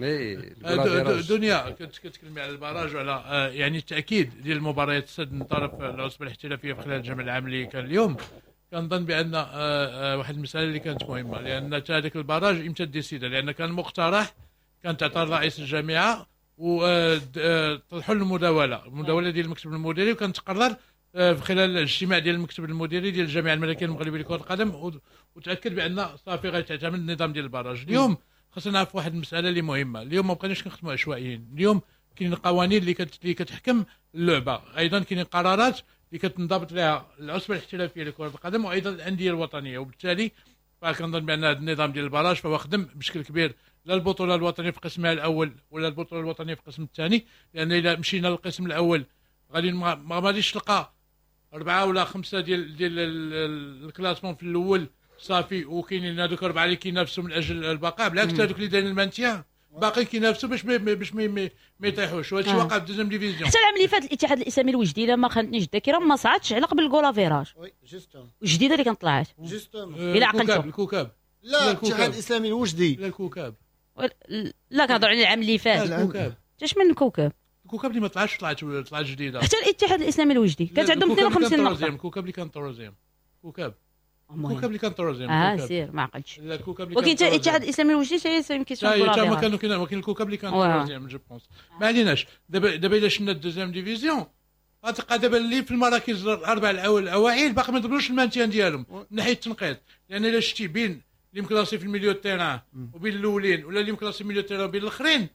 دنيا كنت كتكلمي على ال barrage وعلى يعني التاكيد ديال المباريات السد من طرف العصبة الاحترافية في خلال الجمع العام اللي كان اليوم. كنظن بان واحد المسالة اللي كانت مهمة، لان حتى هذاك ال barrage امتى décida، لان كان مقترح كان تعطى رئيس الجامعة وطرحوا المداوله المداوله ديال المكتب المديري، وكان تقرر في خلال الاجتماع ديال المكتب المديري ديال الجامعة الملكية المغربية لكرة القدم، وتاكد بان صافي غيتعتمد النظام ديال ال barrage. اليوم خاصنا نعرف واحد المسالة اللي مهمة، اليوم ما بقيناش كنخدموا عشوائيين، اليوم كاين قوانين اللي اللي كتحكم اللعبة، ايضا كاين قرارات اللي كتنضبط لها العصبة الاحترافية لكرة القدم وايضا الاندية الوطنية، وبالتالي فكنظن بان هذا النظام ديال ال barrage فهو خدم بشكل كبير لا البطولة الوطنية في قسمها الاول ولا البطولة الوطنية في القسم الثاني، لان الا مشينا للقسم الاول غادي ما غاديش تلقى اربعة ولا خمسة ديال ديال ال classement في الاول صافي، وكاينين هذوك اربعة اللي كينافسوا من اجل البقاء، بالعكس هذوك اللي دايرين ال maintien باقي كينافسوا باش ما باش ما يطيحوش، وهذا الشيء وقع في deuxième division. حتى العام اللي فات الاتحاد الاسلامي الوجدي الا ما خانتنيش الذاكرة ما صعدش على قبل ال goal average oui justement الجديدة اللي كانت طلعت justement الى عقلتو الكوكب، لا الاتحاد الاسلامي الوجدي، لا الكوكب، لا كنهضر على العام اللي فات. الكوكب اش من الكوكب؟ الكوكب اللي ما طلعش طلعت طلعت جديدة. حتى الاتحاد الاسلامي الوجدي كانت عندهم اثنين وخمسين نقطة. الكوكب اللي كان troisième كوكب الكوكب اللي كان troisième. اه سير ما عقلتش. ولكن حتى الاتحاد الاسلامي الوجدي حتى c'est une question. لا ما كانوا كاين، ولكن الكوكب اللي كان troisième je pense. ما عليناش. دابا دابا الا شفنا ال deuxième division غتلقى دابا اللي في المراكز الاربع الاوائل باقي ما ضمنوش ال maintien ديالهم من ناحية التنقيط، لان الا شتي بين اللي مكلاسي في ال milieu terrain وبين الاولين ولا اللي مكلاسي في ال milieu terrain وبين الاخرين،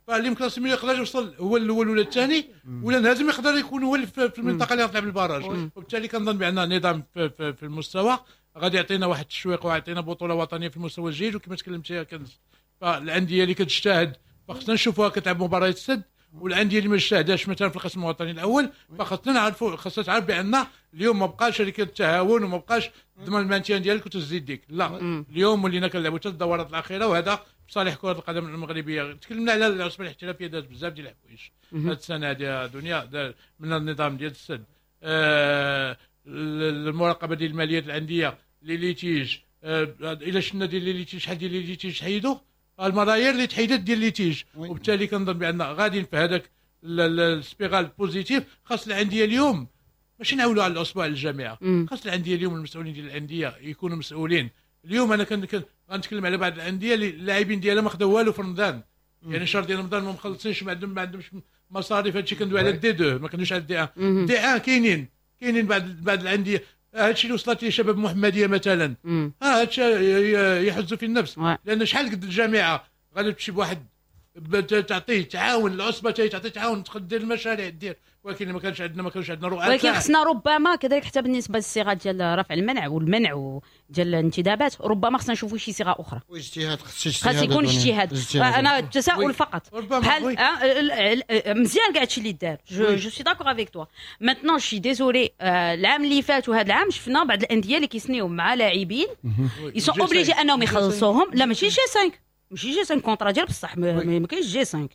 فاللي مكلاسي milieu يقدر يوصل هو الاول ولا الثاني، ولا لازم يقدر يكون هو في المنطقة اللي غتلعب ال barrage. وبالتالي كنظن بان نظام في, في, في المستوى غادي يعطينا واحد التشويق ويعطينا بطوله وطنية في المستوى الجيد. وكما تكلمتي كنز، فالانديه اللي كتجتهد فخصنا نشوفوها كتلعب مباريات السد، والاندية اللي ما اجتهداش مثلا في القسم الوطني الاول فخصنا نعرفوا، خصنا تعرف بان اليوم ما بقاش هذيك التهاون وما بقاش ضمن ال maintien ديالك وتزيد ديك، لا اليوم ولينا كنلعبوا حتى الدورات الاخيرة، وهذا بصالح كره القدم المغربية. تكلمنا على العصبة الاحترافية، دارت بزاف ديال الحوايج هذه السنة هذه دنيا، من النظام ديال السد، آه المراقبة ديال الماليات الاندية، les litiges، آه الى شفنا ديال les litiges شحال ديال les litiges حيدوا، الملايير اللي تحيدت ديال litiges. وبالتالي كنظن بان غاديين في هذاك ال spirale positive. خاص الاندية اليوم ماشي نعولوا على العصبة للجامعة، خاص الاندية اليوم المسؤولين ديال الاندية يكونوا مسؤولين. اليوم انا كن غنتكلم على بعض الاندية اللي اللاعبين ديالها ما خداو والو في رمضان، يعني شهر ديال رمضان ما مخلصينش، ما عندهم ما عندهمش مصاريف. هادشي كندوي على ال D deux، ما كندويش على ال D un. D un كاينين كاينين بعض بعض الاندية، هادشي اللي وصلت ليه شباب محمديه مثلا، ها هادشي يحز في النفس، لان شحال قد الجامعة غادي تمشي بواحد تعطيه تعاون العصبة، تعطيه تعاون تدير المشاريع دير، ولكن ما كانش عندنا ما كانش عندنا رؤساء. ولكن خصنا ربما كذلك حتى بالنسبة للصيغه ديال رفع المنع والمنع ديال الانتدابات، ربما خصنا نشوفوا شي صيغة اخرى. واجتهاد، خص اجتهاد، خاص يكون اجتهاد. انا تساؤل فقط، بحال مزيان كاع هادشي اللي دار، je suis d'accord avec toi. maintenant je suis désolée، العام اللي فات وهذا العام شفنا بعض الاندية اللي كيسنيو مع لاعبين ils sont obligés انهم يخلصوهم. لا ماشي G خمسة، ماشي G خمسة، contrat ديال بصح، ما كاينش G خمسة،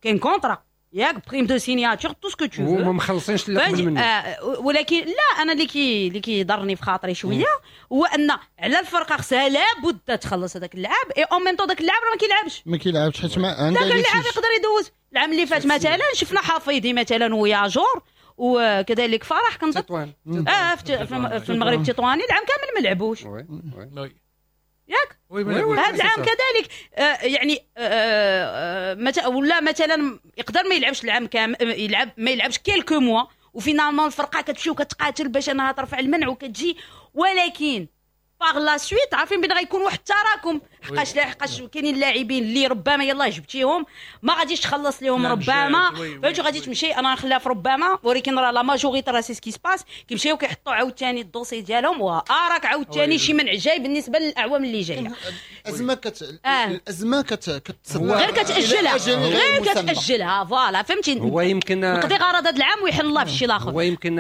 كاين contrat ياك، prime de signature، tout ce que tu veux، وما مخلصينش اللي قبل منه. آه ولكن لا، انا اللي كي اللي كيضرني في خاطري شوية هو ان على الفرقة خصها لابد تخلص هذاك اللاعب، et en même temps داك اللاعب راه ما كيلعبش، ما كيلعبش حيت ما عنده لا اللاعب يقدر يدوز. العام اللي فات مثلا شفنا حفيظي مثلا وياجور وكذلك فرح كنظن تطوان، اه في المغرب التطواني العام كامل ما لعبوش، ياك. هذا العام كذلك آه يعني آه آه ولا مثلا يقدر ما يلعبش العام كامل، يلعب ما يلعبش quelques mois، و finalement الفرقة كتمشي وكتقاتل باش انها ترفع المنع وكتجي، ولكن par la suite عارفين بان غيكون واحد التراكم، حقاش لا حقاش كاينين لاعبين اللي ربما يلاه جبتيهم ما غاديش تخلص لهم ربما، فهمتي، غادي تمشي انا نخليها في ربما، ولكن راه la majorité راه c'est ce qui se passe، كيمشيو كيحطوا عاوتاني ال dossier ديالهم واراك عاوتاني شي منع جاي بالنسبة للاعوام اللي جاية. الازمة كت الازمة كت غير كتاجلها، غير كتاجلها voilà، فهمتي. هو يمكن نقضي غرض هذا العام ويحل الله في الشيء الاخر. هو يمكن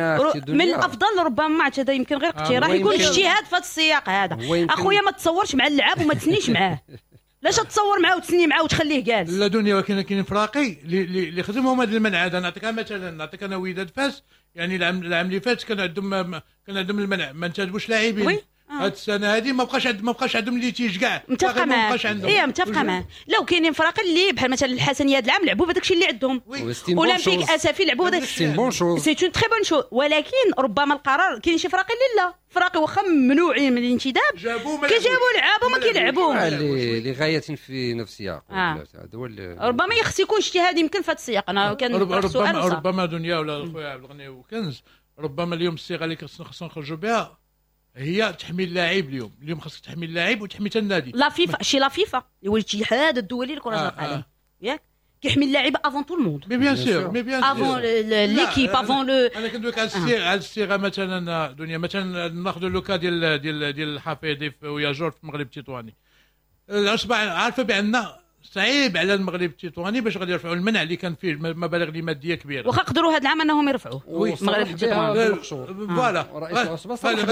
من الافضل ربما هذا يمكن غير اقتراح يكون اجتهاد في هذا السياق هذا. اخويا ما تصورش مع اللعاب وما تسنيش معاه، لاش تصور معاه وتسني معاه وتخليه جالس؟ لا دنيا، ولكن كاين فراقي اللي اللي خدمهم هذا المنع هذا. نعطيك مثلا، نعطيك انا وداد فاس، يعني العام العام اللي فات كان عندهم كان عندهم المنع، ما انتدبوش لاعبين. هاد السنة هذه ما بقاش عند ما بقاش عندهم litige كاع. متفقه معاك، اي متفقه معاك. لو كاينين فراق اللي بحال مثلا الحسنيه هاد العام لعبوا بهذاك الشيء اللي عندهم، اولمبيك اسفي لعبوا بهذاك، c'est une très bonne chose. ولكن ربما القرار كاين شي فراق اللي لا، فراقي واخا ممنوعين من الانتداب كيجابوا لعابه وما كيلعبوش لغاية في نفسها. هذا هو ربما خص يكون اجتهاد يمكن في هذا السياق. انا كان ربما ربما دنيا ولا خويا عبد الغني وكنز، ربما اليوم الصيغة اللي خصنا نخرجوا بها هي تحمي اللاعب. اليوم اليوم خاصك تحمي اللاعب وتحمي حتى النادي. la FIFA، شي la FIFA اللي هو الاتحاد الدولي لكرة القدم، ياك كيحمي اللاعب avant tout le monde، mais bien sûr، mais bien sûr avant l'équipe، avant le. انا كندوي على الصيغة، على الصيغة مثلا دنيا، مثلا ناخذ le cas ديال ديال ديال الحفيظي وياجور في المغرب التطواني. العصبة عارفه بان صعيب على المغرب التطواني باش غادي يرفعوا المنع اللي كان فيه مبالغ اللي مادية كبيرة، واخا قدروا هذا العام انهم يرفعوه المغرب التطواني. voilà، رئيس العصبة صرح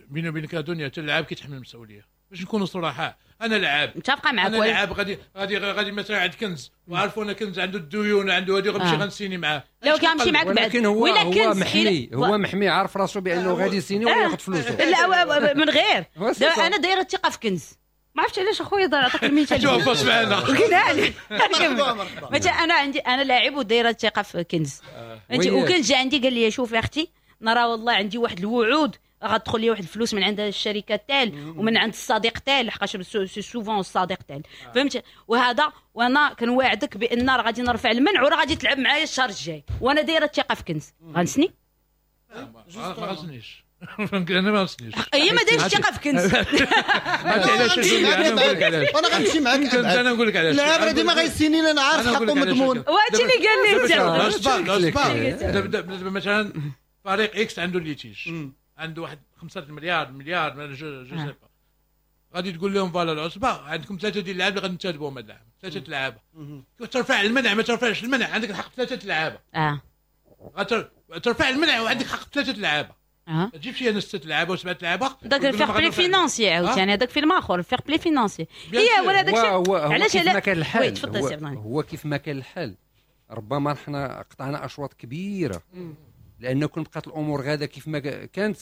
بيني وبينك دنيا، حتى اللاعب كيتحمل المسؤولية باش نكونوا صراحة. انا لعاب متفقه معاك، انا لعاب غادي غادي غادي مثلا عند كنز، وعرفونا كنز عنده الديون عنده هذه، غنمشي غنسيني معاه. لو كنمشي معاك بعد، ولكن هو هو محمي، هو محمي، عارف راسو بانه غادي يسيني وياخذ فلوسه. لا من غير انا دايرة الثقة في كنز، ما عرفتش علاش اخويا دار عطاك المثال. شوف معنا مثلا انا عندي انا لاعب ودايره الثقة في كنز، انت وكنز جا عندي قال لي شوفي اختي نرى والله عندي واحد الوعود غتدخل لي واحد الفلوس من عند الشركة تال ومن عند الصديق تال، لحقاش c'est souvent الصديق تال، فهمت؟ وهذا وانا كنواعدك بان راه غادي نرفع المنع وراه غادي تلعب معايا الشهر الجاي، وانا دايرة الثقة في كنز. غنسني؟ ما غنسنيش. انا ما غنسنيش. هي ما دايرش الثقة في كنز. علاش؟ انا نقول لك علاش. انا غنمشي معاك. انا نقول لك علاش. اللاعب راه ديما غيسيني، انا عارف حقه مضمون. وهادشي اللي قال لي دابا مثلا فريق X عنده litige، عنده واحد خمسة مليار مليار je je sais pas، غادي تقول لهم voilà العصبة عندكم ثلاثة ديال اللعابه اللي غادي ننتدبوهم هذا العام، ثلاثة لعابه. ترفع المنع ما ترفعش المنع عندك الحق ثلاثة لعابه. اه ترفع المنع وعندك حق ثلاثة لعابه. اه ما تجيبش انا ستة لعابه وسبعة لعابه. داك ال fair-play financier عاوتاني، هذاك فيلم اخر ال fair-play financier. هي ولا داك الشيء علاش كيف ما كان الحال. هو كيف ما كان الحال ربما حنا قطعنا اشواط كبيرة، لانه كون بقات الامور غاده كيف ما كانت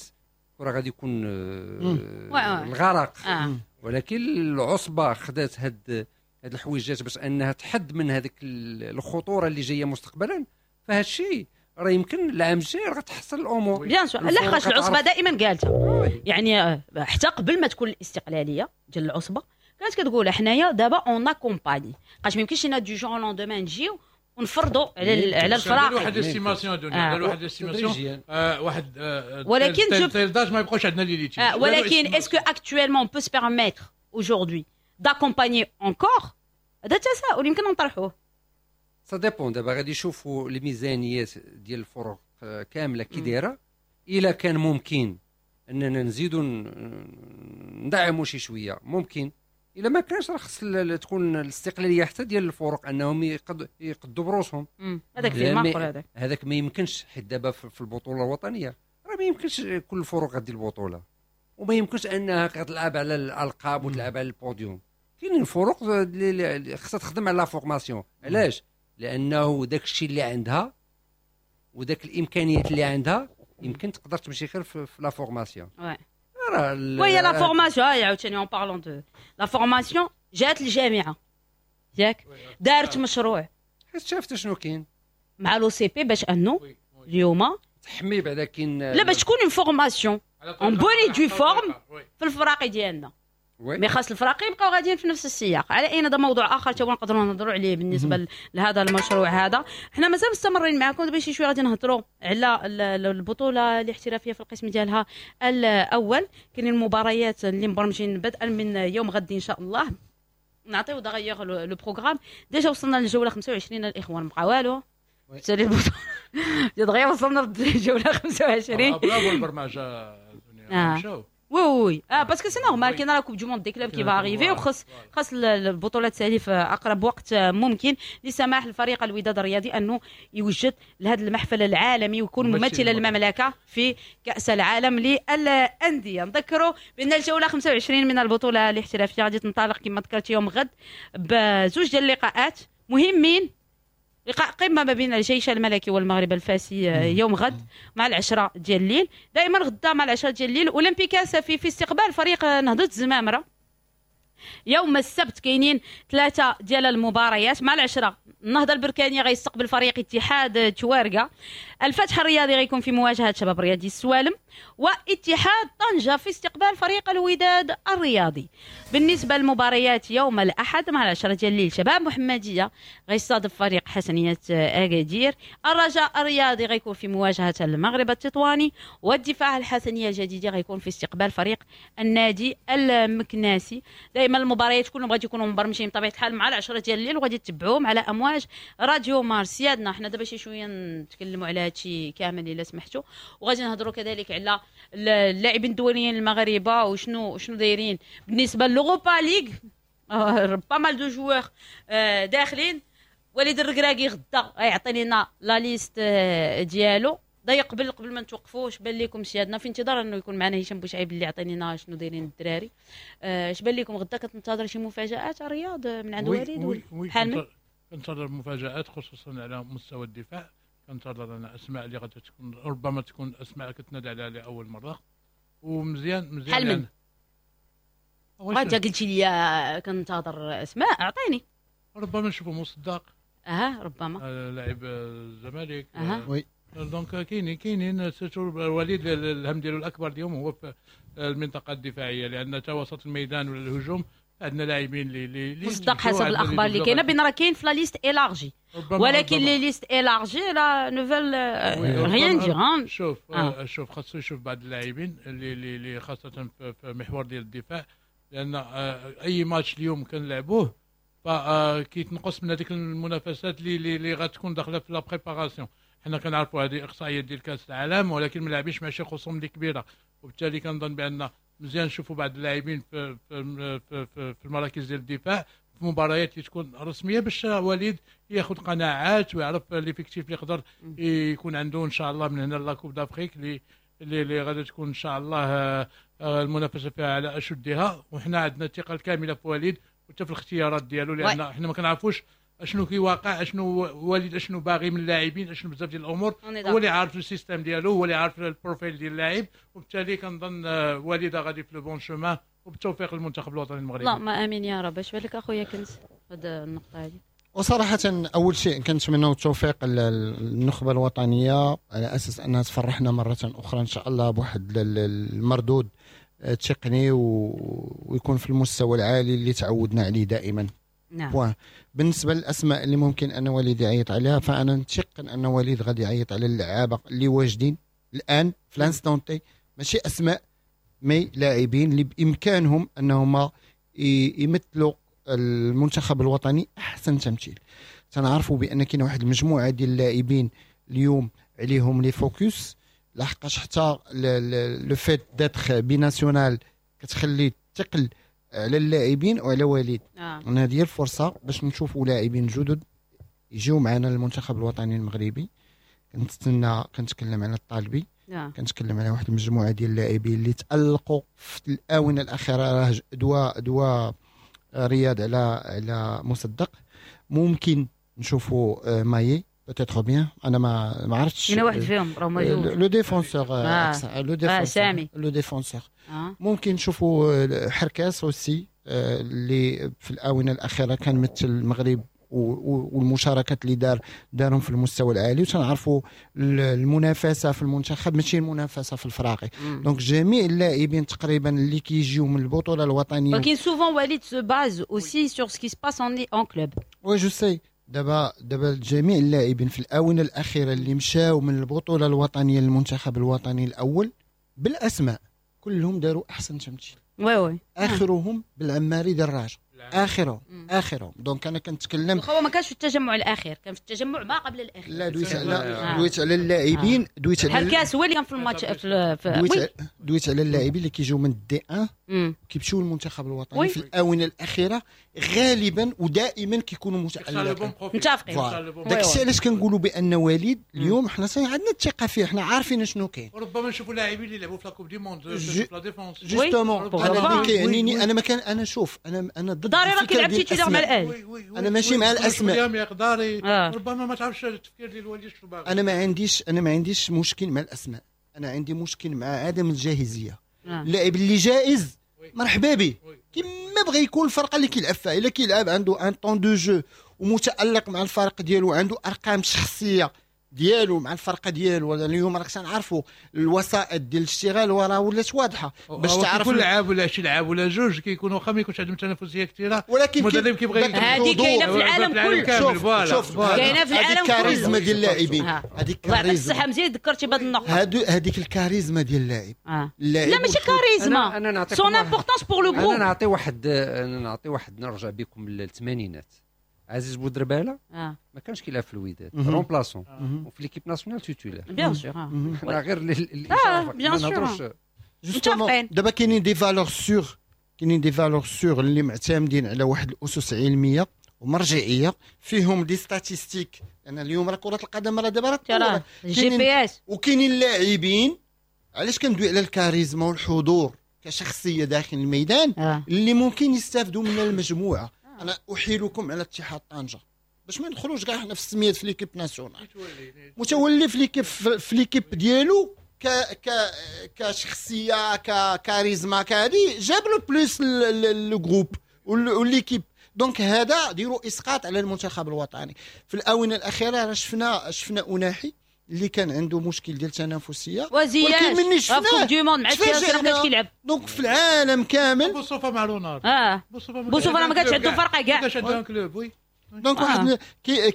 راه غادي يكون الغرق. آه. ولكن العصبة خدات هاد هاد الحويجات باش انها تحد من هذيك الخطورة اللي جاية مستقبلا. فهاد الشيء راه يمكن العام الجاي راه غتحصل الامور bien sûr. لحقاش العصبة دائما قالتها، يعني حتى قبل ما تكون الاستقلالية ديال العصبة كانت كتقول حنايا دابا on accompagne، حقاش ما يمكنش لنا du jour au lendemain نجيو ونفرضوا على على الفراق. واحد l'estimation دنيا، داروا واحد l'estimation واحد، ولكن telle date ما يبقاوش عندنا les litiges. ولكن est-ce que actuellement on peut se permettre aujourd'hui d'accompagner encore؟ هذا تساؤل يمكن نطرحوه. ça dépend. دابا غادي يشوفوا الميزانيات ديال الفرق كاملة كي دايرة. الا كان ممكن اننا نزيدوا ندعموا شي شوية ممكن، الا ما كانش راه خص تكون الاستقلالية حتى ديال الفرق انهم يقدوا بروسهم. هذاك فيلم اخر، هذاك هذاك ما يمكنش، حيت دابا في البطولة الوطنية راه ما يمكنش كل الفرق غادي البطولة، وما يمكنش انها كتلعب على الالقاب وتلعب على البوديوم. كاينين فرق اللي خصها تخدم على la formation. علاش؟ لانه داك الشيء اللي عندها وداك الامكانيات اللي عندها يمكن تقدر تمشي غير في la formation. oui la formation عاوتاني en parlant de la formation، جات الجامعة ياك دارت مشروع حيت شافت شنو كاين مع l'OCP باش انه اليوم تحمي بعدا كاين لا باش تكون une formation en bonne et due forme في الفراقي ديالنا. mais خاص الفراقي يبقاو غاديين في نفس السياق. على اين هذا موضوع اخر تا هو نقدروا نهضروا عليه بالنسبة لهذا المشروع هذا. حنا مازال مستمرين معكم دابا شي شوية غادي نهضروا على البطولة الاحترافية في القسم ديالها الاول. كاينين المباريات اللي مبرمجين بدءا من يوم غد ان شاء الله. نعطيو d'ailleurs le programme. déjà وصلنا للجوله خمسة وعشرين الاخوان، بقى والو سالي البطولة دغيا وصلنا للجوله خمسة وعشرين. برافو البرمجة مشاو. oui oui اه parce que c'est normal، كاين la Coupe du monde des clubs qui va arriver، وخص خاص البطولة تسالي في اقرب وقت ممكن لسماح الفريق الوداد الرياضي انه يوجد لهذا المحفل العالمي ويكون ممثلا للمملكة في كاس العالم للاندية. نذكروا بان الجولة خمسة وعشرين من البطولة الاحترافية غادي تنطلق كما ذكرت يوم غد بزوج ديال اللقاءات مهمين، لقاء قمة ما بين الجيش الملكي والمغرب الفاسي يوم غد مع العشرة ديال الليل. دائما غدا مع العشرة ديال الليل اولمبيك آسفي في استقبال فريق نهضة الزمامره. يوم السبت كاينين ثلاثة ديال المباريات مع العشرة، النهضة البركانيه غيستقبل فريق اتحاد توارقه، الفتح الرياضي غيكون في مواجهة شباب رياضي السوالم، واتحاد طنجه في استقبال فريق الوداد الرياضي. بالنسبة للمباريات يوم الاحد مع العشرة ديال الليل شباب محمديه غيستضيف فريق حسنيه اكادير، الرجاء الرياضي غيكون في مواجهة المغرب التطواني، والدفاع الحسنيه الجديدة غيكون في استقبال فريق النادي المكناسي. دائما المباريات كلهم غادي يكونوا مبرمجين بطبيعة الحال مع العشرة ديال الليل، وغادي تتبعوهم على امواج راديو مارس. سيادنا حنا دابا شي شوية نتكلموا على هادشي كامل الا سمحتوا، وغادي نهضروا كذلك على اللاعبين الدوليين المغاربة وشنو شنو دايرين بالنسبة ل l'Europa League. pas mal de joueurs داخلين. وليد الركراكي غدا غيعطي لنا la liste ديالو. ضيق قبل قبل ما نتوقفوا اش بان لكم سيادنا، في انتظار انه يكون معنا هشام بوشعيب اللي يعطينا لنا شنو دايرين الدراري. اش بان لكم غدا كتنتظر شي مفاجات رياض من عند وليد؟ بحال كنتظر مفاجات خصوصا على مستوى الدفاع. كنتظر انا اسماء اللي غادي تكون ربما تكون اسماء كتنادى عليها لاول مرة، ومزيان مزيان. بحال من وانت قلتي لي كنتظر اسماء، اعطيني. ربما نشوفوا مصدق. اها ربما آه لاعب الزمالك. أه. oui donc كاينين كاينين surtout وليد الهم ديالو الاكبر اليوم هو في المنطقة الدفاعية، لان تا وسط الميدان ولا الهجوم عندنا لاعبين اللي اللي مصدق حسب الاخبار اللي كاينه بان راه كاين في la liste élargie، ولكن les listes élargies là ne veulent rien dire. شوف آه. شوف خاصو يشوف بعض اللاعبين اللي اللي خاصة في محور ديال الدفاع، لان اي ماتش اليوم كنلعبوه فكيتنقص من هذيك المنافسات اللي اللي غتكون داخله في la préparation. حنا كنعرفوا هذه اقصائيات ديال كاس العالم، ولكن ما لاعبينش مع شي خصوم اللي كبيرة، وبالتالي كنظن بان مزيان نشوفوا بعض اللاعبين في في في, في, في المراكز ديال الدفاع في مباريات اللي تكون رسمية، باش وليد ياخذ قناعات ويعرف l'effectif اللي يقدر يكون عنده ان شاء الله من هنا la Coupe d'Afrique اللي اللي غادي تكون ان شاء الله المنافسة فيها على اشدها. وحنا عندنا الثقة الكاملة في وليد وحتى في الاختيارات ديالو، لان حنا ما كنعرفوش اشنو كيواقع، اشنو وليد اشنو باغي من اللاعبين، اشنو بزاف ديال الامور، هو اللي عارف ال système ديالو، هو اللي عارف ال profil ديال اللاعب، وبالتالي كنظن وليد غادي في le bon chemin، وبالتوفيق للمنتخب الوطني المغربي. اللهم امين يا رب. اش بالك اخويا كنز هذه النقطة هذه؟ وصراحة أول شيء كنتمنى التوفيق للنخبة الوطنية على أساس أنها تفرحنا مرة أخرى إن شاء الله بواحد المردود تقني ويكون في المستوى العالي اللي تعودنا عليه دائما. نعم. بالنسبة للأسماء اللي ممكن أن وليد يعيط عليها، فأنا نتيقن أن وليد غادي يعيط على اللعابة اللي واجدين الآن في l'instant T، ماشي أسماء mais لاعبين اللي بإمكانهم أنهم يمثلوا المنتخب الوطني احسن تمثيل. تنعرفوا بان كاين واحد المجموعة ديال اللاعبين اليوم عليهم les focus، لحقاش حتى le fait d'être binational كتخلي الثقل على اللاعبين وعلى وليد. آه. هذه هي الفرصة باش نشوفوا لاعبين جدد يجيو معنا للمنتخب الوطني المغربي. كنتسنى، كنتكلم على الطالبي، آه. كنتكلم على واحد المجموعة ديال اللاعبين اللي تالقوا في الاونة الاخيرة، راه دوا دوا رياض على على مصدق. ممكن نشوفوا مايي peut-être bien، انا ما ما عرفتش كاين واحد فيهم راه موجود le défenseur، le défenseur سامي le défenseur. ممكن نشوفوا حركاس aussi اللي في الاونة الاخيرة كان مثل المغرب والمشاركات اللي دار دارهم في المستوى العالي، وتنعرفوا المنافسة في المنتخب ماشي المنافسة في الفراقي. donc جميع اللاعبين تقريبا اللي كيجيو من البطولة الوطنية، ولكن souvent وليد se base aussi sur ce qui se passe en club. oui je sais. دابا دابا جميع اللاعبين في الاونة الاخيرة اللي مشاو من البطولة الوطنية للمنتخب الوطني الاول بالاسماء كلهم داروا احسن تمثيل. oui oui. اخرهم بالعماري ديال الرجاء، اخرهم اخرهم. donc انا كنتكلم هو ما كانش في التجمع الاخير، كان في التجمع ما قبل الاخير. لا دويت على آه. دويت على اللاعبين، دويت على الكاس هو اللي كان في الماتش في, في دويت, دويت على اللاعبين اللي كيجيو من D واحد كيمشيو للمنتخب الوطني في الاونة الاخيرة غالبا ودائما كيكونوا متالقين. متفقين. داك الشيء علاش كنقولوا بان وليد اليوم حنا عندنا الثقة فيه، حنا عارفين شنو كاين. وربما نشوفوا لاعبين اللي لعبوا في la Coupe du monde في la défense justement. انا اللي كيعنيني انا ما كان انا شوف انا انا ضد داري راه كيلعب titulaire مع الاهلي. انا ماشي مع الاسماء. آه. ربما ما تعرفش التفكير ديال الوليد شنو باغي. انا ما عنديش انا ما عنديش مشكل مع الاسماء، انا عندي مشكل مع عدم الجاهزيه. آه. اللاعب اللي جاهز مرحبا به كما بغى يكون الفرقة اللي كيلعب فيها، الا كيلعب عنده un temps de jeu ومتالق مع الفريق ديالو، عنده ارقام شخصية ديالو مع الفرقة ديالو. اليوم راك تنعرفوا الوسائط ديال الاشتغال وراه ولات واضحة باش تعرف كل لاعب ولا شي لاعب ولا جوج كيكونوا واخا ما يكونش عندهم تنافسية كثيرة، ولكن المدرب كيبغي هذه كاينه في العالم كله. شوف شوف كاينه في العالم كله الكاريزما ديال اللاعبين، هذيك الكاريزما. الصحة مزيان ذكرتي بهذه النقطة، هذيك الكاريزما ديال اللاعب. لا ماشي كاريزما، son importance pour le groupe. انا نعطي واحد انا نعطي واحد نرجع بكم للثمانينات. عزيز بودرباله آه. ما كانش كيلعب في الوداد remplaçant، وفي l'équipe nationale titulaire bien sûr. حنا غير اه bien sûr justement. دابا كاينين des valeurs sûres، كاينين des valeurs sûres اللي معتمدين على واحد الاسس علمية ومرجعيه فيهم des statistiques. انا اليوم راه كره القدم راه دابا راه GPS، وكاينين لاعبين. علاش كندوي على الكاريزما والحضور كشخصية داخل الميدان آه. اللي ممكن يستافدوا من المجموعة. انا احيلكم على اتحاد طنجه باش ما ندخلوش كاع حنا في السميات في l'équipe nationale. متولي في l'équipe في l'équipe ديالو ك ك كشخصية ككاريزما كهادي جاب le plus le groupe و l'équipe. donc هذا ديروا اسقاط على المنتخب الوطني. في الاونة الاخيرة راه شفنا شفنا اناحي اللي كان عنده مشكل ديال التنافسية، ولكن مني شفناه Coupe du Monde مع تشيلسي ما كانش كيلعب. donc في العالم كامل بوصوفه مع رونالد، اه بوصوفه ما كانش عنده فرقه كاع، ما كانش عنده club. oui donc واحد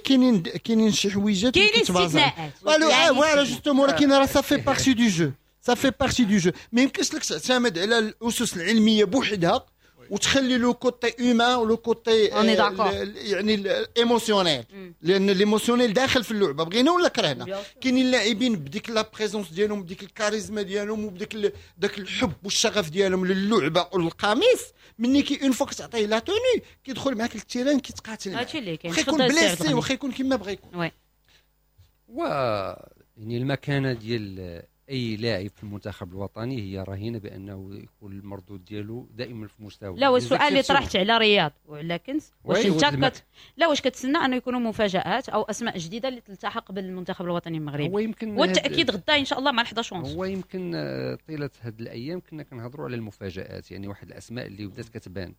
كاينين كاينين شي حويجات كاينين استثناءات voilà voilà justement، ولكن راه ça fait partie du jeu، ça fait partie du jeu. ما يمكنش لك تعتمد على الاسس العلمية بوحدها وتخلي le côté humain و le côté يعني ال émotionnel، لان l'émotionnel داخل في اللعبة بغينا ولا كرهنا. كاينين اللاعبين بديك la présence ديالهم، بديك الكاريزما ديالهم، وبديك داك الحب والشغف ديالهم للعبة والقميص، مني كي une fois كتعطيه la tenue كيدخل معاك لل terrain كيتقاتل، هادشي اللي كاين، واخا يكون blessé واخا يكون كما بغى يكون. oui و يعني المكانة ديال اي لاعب في المنتخب الوطني هي رهينة بانه يكون المردود ديالو دائما في مستوى. لا، والسؤال اللي طرحت على رياض وعلى كنز، واش انت كت... لا واش كتسنى انه يكونوا مفاجات او اسماء جديدة اللي تلتحق بالمنتخب الوطني المغربي؟ هو يمكن والتاكيد غدا ان شاء الله مع الحداش ونص. هو يمكن طيلة هذه الايام كنا كنهضروا على المفاجات، يعني واحد الاسماء اللي بدات كتبان،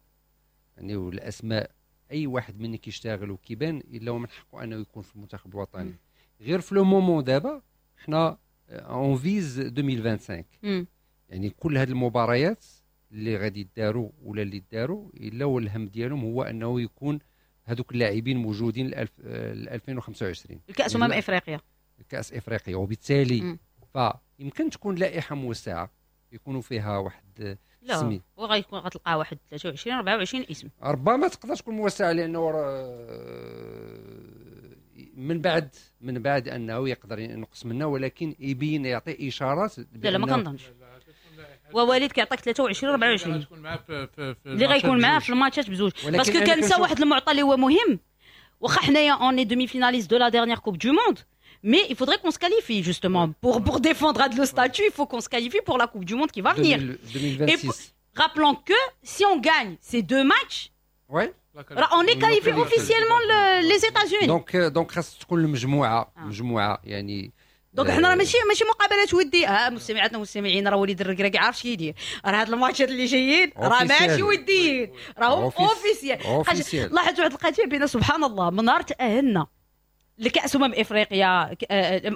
يعني والاسماء اي واحد مني كيشتغل وكيبان الا هو من حقه انه يكون في المنتخب الوطني. غير في le moment دابا حنا on vise ألفين وخمسة وعشرين، يعني كل هذه المباريات اللي غادي يداروا ولا اللي داروا الا هو الهم ديالهم هو انه يكون هذوك اللاعبين موجودين ل ألفين وخمسة وعشرين الكاس امم افريقيا، الكاس افريقيا. وبالتالي فيمكن تكون لائحة موسعه يكونوا فيها واحد لا وغيكون غتلقى واحد ثلاثة وعشرين أربعة وعشرين اسم، ربما تقدر تكون موسعه لانه من بعد من بعد انه يقدر ينقص منه، ولكن يبين يعطي اشارات. لا لا ما كنظنش. ووليد كيعطيك ثلاثة وعشرين أربعة وعشرين اللي غيكون معاه في الماتشات بزوج، parce que كنسى واحد المعطى اللي هو مهم، واخا حنايا on est demi-finaliste de la dernière Coupe du Monde، mais il faudrait qu'on se qualifie justement pour pour défendre le statut, il faut qu'on se qualifie pour la Coupe du Monde qui va venir deux mille vingt-six. Et rappelons que si on gagne ces deux matchs, ouais, on est qualifié officiellement le, les États-Unis. Donc donc خاص تكون المجموعة مجموعة يعني. donc حنا راه ماشي ماشي مقابلات وديه. اه مستمعاتنا والمستمعين راه وليد الركراكي عارف شي يدير، راه هاد الماتشات اللي جايين راه ماشي وديين، راهم officiels. لاحظت واحد القضية بين سبحان الله من نهار تاهلنا لكاس امم افريقيا،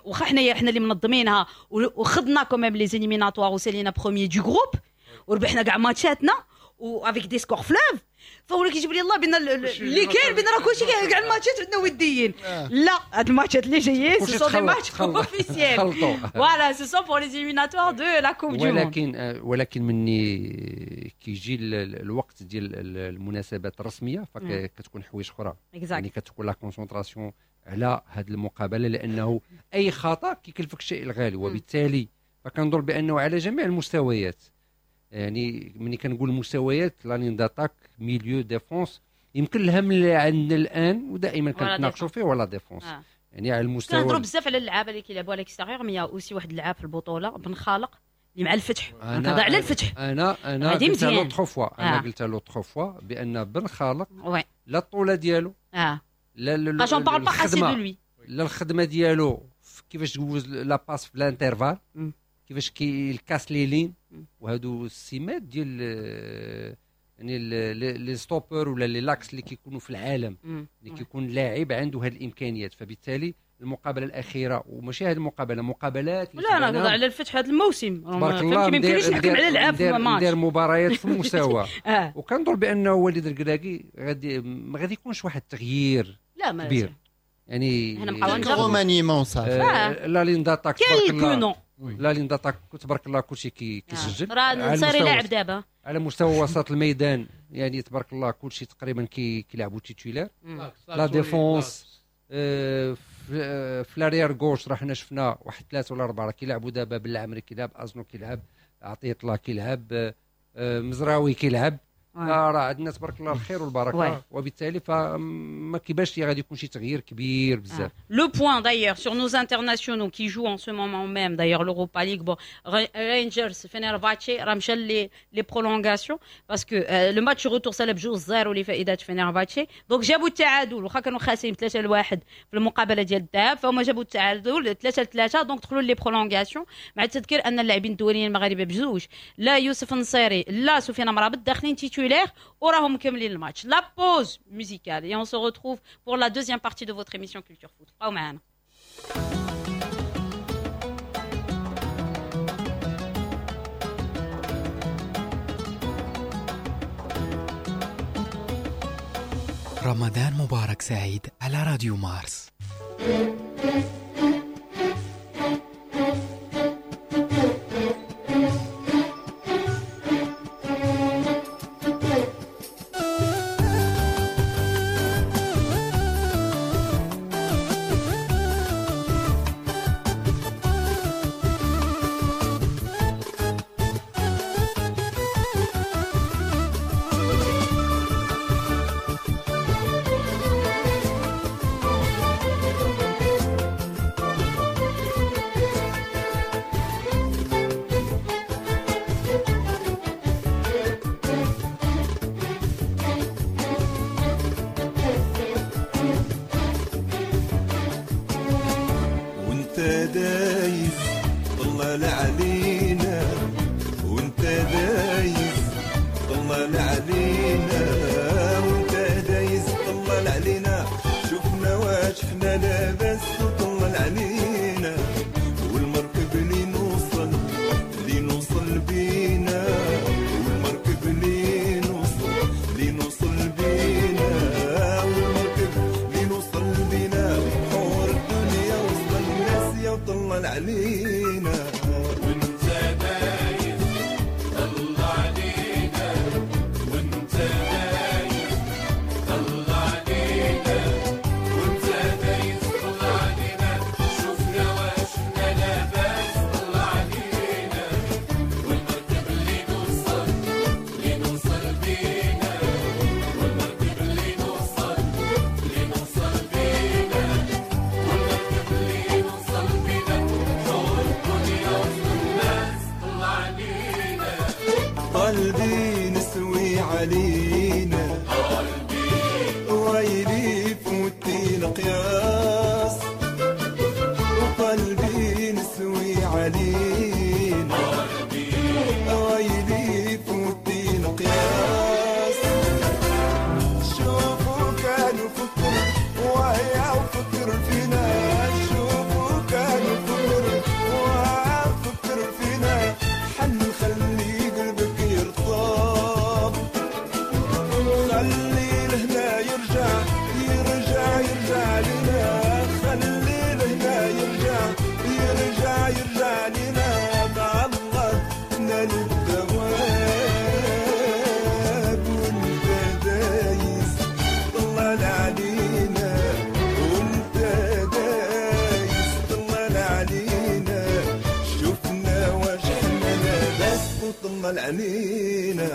واخا حنايا حنا اللي منظمينها وخدنا quand même les éliminatoires وسالينا premiers du groupe وربحنا كاع ماتشاتنا و avec des scores fleuves، فهو كيجيب لي الله بان اللي كاين بان راه كلشي كاع الماتشات عندنا وديين. لا هاد الماتشات اللي جايين ce sont des matchs officiels، voilà ce sont pour les éliminatoires de la Coupe du Monde. ولكن ولكن مني كيجي الوقت ديال المناسبات الرسمية فكتكون حوايج اخرى، يعني كتكون la concentration على هاد المقابلة، لانه اي خطا كيكلفك الشيء الغالي. وبالتالي فكنظن بانه على جميع المستويات، يعني ملي كنقول مستويات la ligne d'attaque milieu défense، يمكن الهم اللي عندنا الان ودائما كنتناقشوا فيه هو la défense. آه. يعني على المستوى كنهضروا بزاف على اللعابه اللي كيلعبوا على l'extérieur، mais aussi واحد اللعاب في البطولة بن خالق اللي مع الفتح. كنهضر على الفتح. انا انا قلت l'autre fois، انا قلت l'autre fois بان بن خالق لا الطولة ديالو اه لا لا j'en parle pas assez de lui، لا الخدمة ديالو كيفاش تجوز la passe في l'intervalle، كيفاش كي casse les lignes، وهادو السمات ديال يعني les stoppeurs ولا les l'axe اللي كيكونوا في العالم، اللي كيكون لاعب عنده هاد الامكانيات. فبالتالي المقابلة الاخيرة، وماشي هذه المقابلة، مقابلات لا انا نهضر على الفتح هذا الموسم، فهمتي ما يمكنليش نحكم على لعاب في الماتش، ندير مباريات في المستوى. آه. وكنظن بانه وليد الكراكي غادي ما غادي يكونش واحد التغيير لا ما كبير، يعني remaniement صافي. la ligne d'attaque تبارك الله، la ligne d'attaque تبارك الله كلشي كيسجل، راه نصيري لاعب دابا على مستوى وسط الميدان، يعني تبارك الله كلشي تقريبا كيلعبوا titulaires. la défense في l'arrière gauche راه حنا شفنا واحد ثلاثة ولا اربعة راه كيلعبوا دابا، بالعمري كيلعب، ازنو كيلعب، عطية الله كيلعب، مزراوي كيلعب، راه عندنا تبارك الله الخير والبركة. وبالتالي فما كيبانش لي غادي يكون شي تغيير كبير بزاف. Le point d'ailleurs sur nos internationaux qui jouent en ce moment même d'ailleurs l'Europa League, bon Rangers Fenerbahçe راه مشى les les prolongations parce que le match retour سالب جوج صفر لفائدة فينيرباتشي، donc جابوا التعادل واخا كانوا خاسرين ثلاثة لواحد في المقابلة ديال الذهاب، فهما جابوا التعادل ثلاثة لثلاثة، donc دخلوا les prolongations. مع التذكير ان اللاعبين الدوليين المغاربة بجوج، لا يوسف النصيري لا سفيان مرابط داخلين titulaires وراهم مكملين الماتش. La pause musicale et on se retrouve pour la deuxième partie de votre émission Culture Foot. بقاو معنا. رمضان مبارك سعيد على راديو مارس. قلبي نسوي علينا قلبي ويلي فوتي القياس وقلبي نسوي علينا قلبي ويلي فوتي القياس. شوفوا كانوا فكر وهي وفكر فينا، شوفوا كانوا فكر وهي فكر فينا، حن خلي قلبك يرطب، خلي لهنا يرجع يرجع يرجع لنا، خلي لهنا يرجع يرجع يرجع لنا، مع الله نال الثواب وانت دايس طلع علينا، وانت دايس طلع علينا، شفنا واش حنا لاباس وطلع علينا.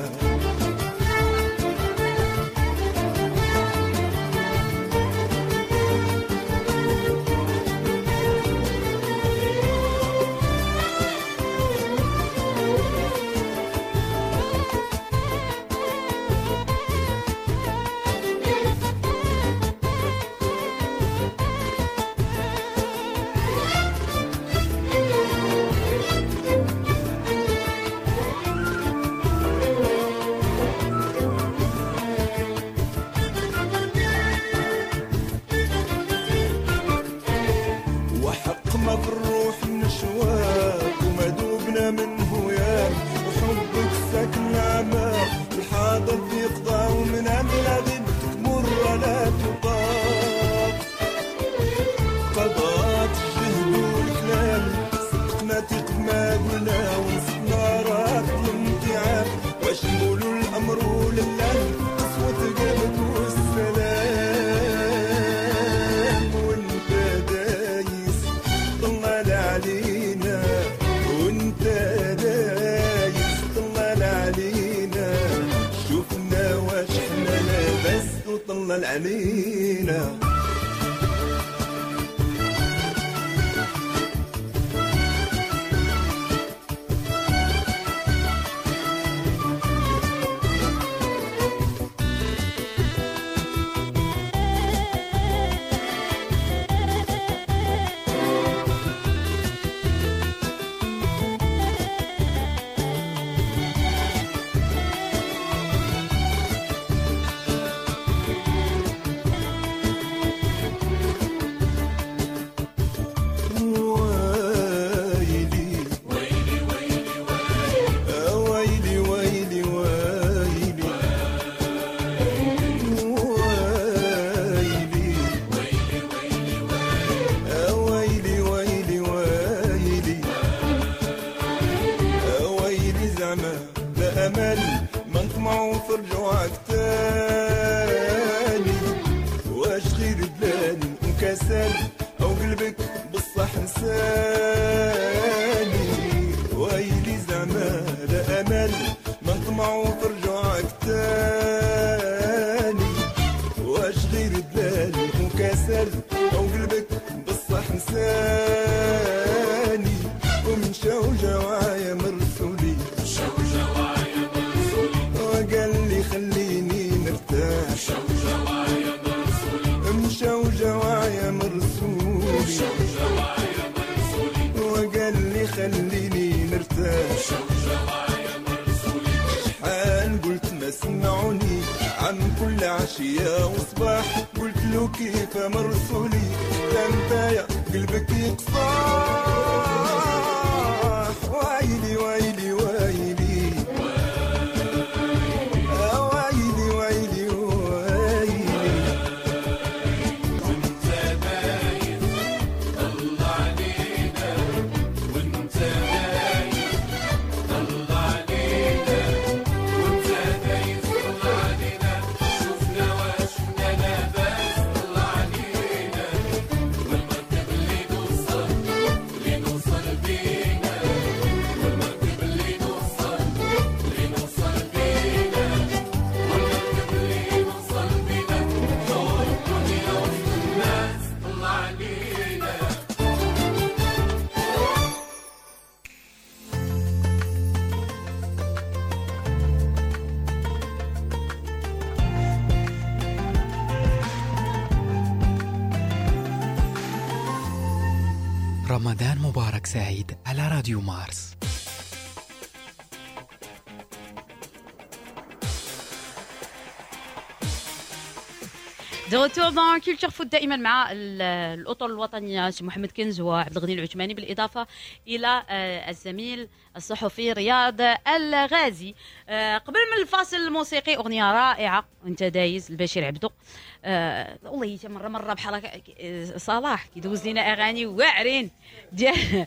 وحق ما بالروح نشواك وما دوبنا منه ياك، وحبك ساكن عماك الحاضر في قضاء ومن عمل غيبتك مرة لا تطاق، قضاء الجهد والكلام صدقنا ثق ما قلنا ونصفنا راك الامتعاب، واش نقولوا الأمر لله قسوة قلبك والسلام، وانت دايس طلع علينا، وانت دايس طلع علينا، شوفنا واش حنا لاباس وطلع علينا. نطمعوا في رجوعك تاني. واش غير دلال وكسل او قلبك بصح نساني، ويلي زعما لا امل ما نطمعوا في رجوعك تاني. واش غير دلال وكسل او قلبك بصح نساني، ومشاو جوايا مرسولي، مشاو جوايا مرسولي، وقال لي خليني نرتاح، مشاو جوايا مرسولي، مشاو جوايا مرسولي، مشاو جوايا مرسولي، وقال لي خليني نرتاح، مشاو جوايا مرسولي. شحال قلت ما سمعوني عن كل عشية وصباح، قلت له كيف مرسولي تنتايا قلبك يقصاح. ويلي ويلي ويلي ويلي ويلي ويلي، وانت باين طلع علينا، وانت باين طلع علينا، وانت باين طلع علينا، شفنا وشفنا لاباس طلع علينا، والمركب اللي نوصل اللي نوصل بينا، والمركب اللي نوصل اللي نوصل بينا، والمركب اللي نوصل بينا، دور الدنيا وسط الناس طلع علينا. رمضان مبارك سعيد على راديو مارس. de retour dans Culture Foot دائما مع ال- الاطر الوطنية سي محمد كنز وعبد الغني العثماني، بالاضافة الى آه، الزميل الصحفي رياض الغازي. آه، قبل من الفاصل الموسيقي اغنية رائعة وانت دايز البشير عبدو. آه، والله مرة مرة بحال هكا، آه، صلاح كيدوز لنا اغاني واعرين ديال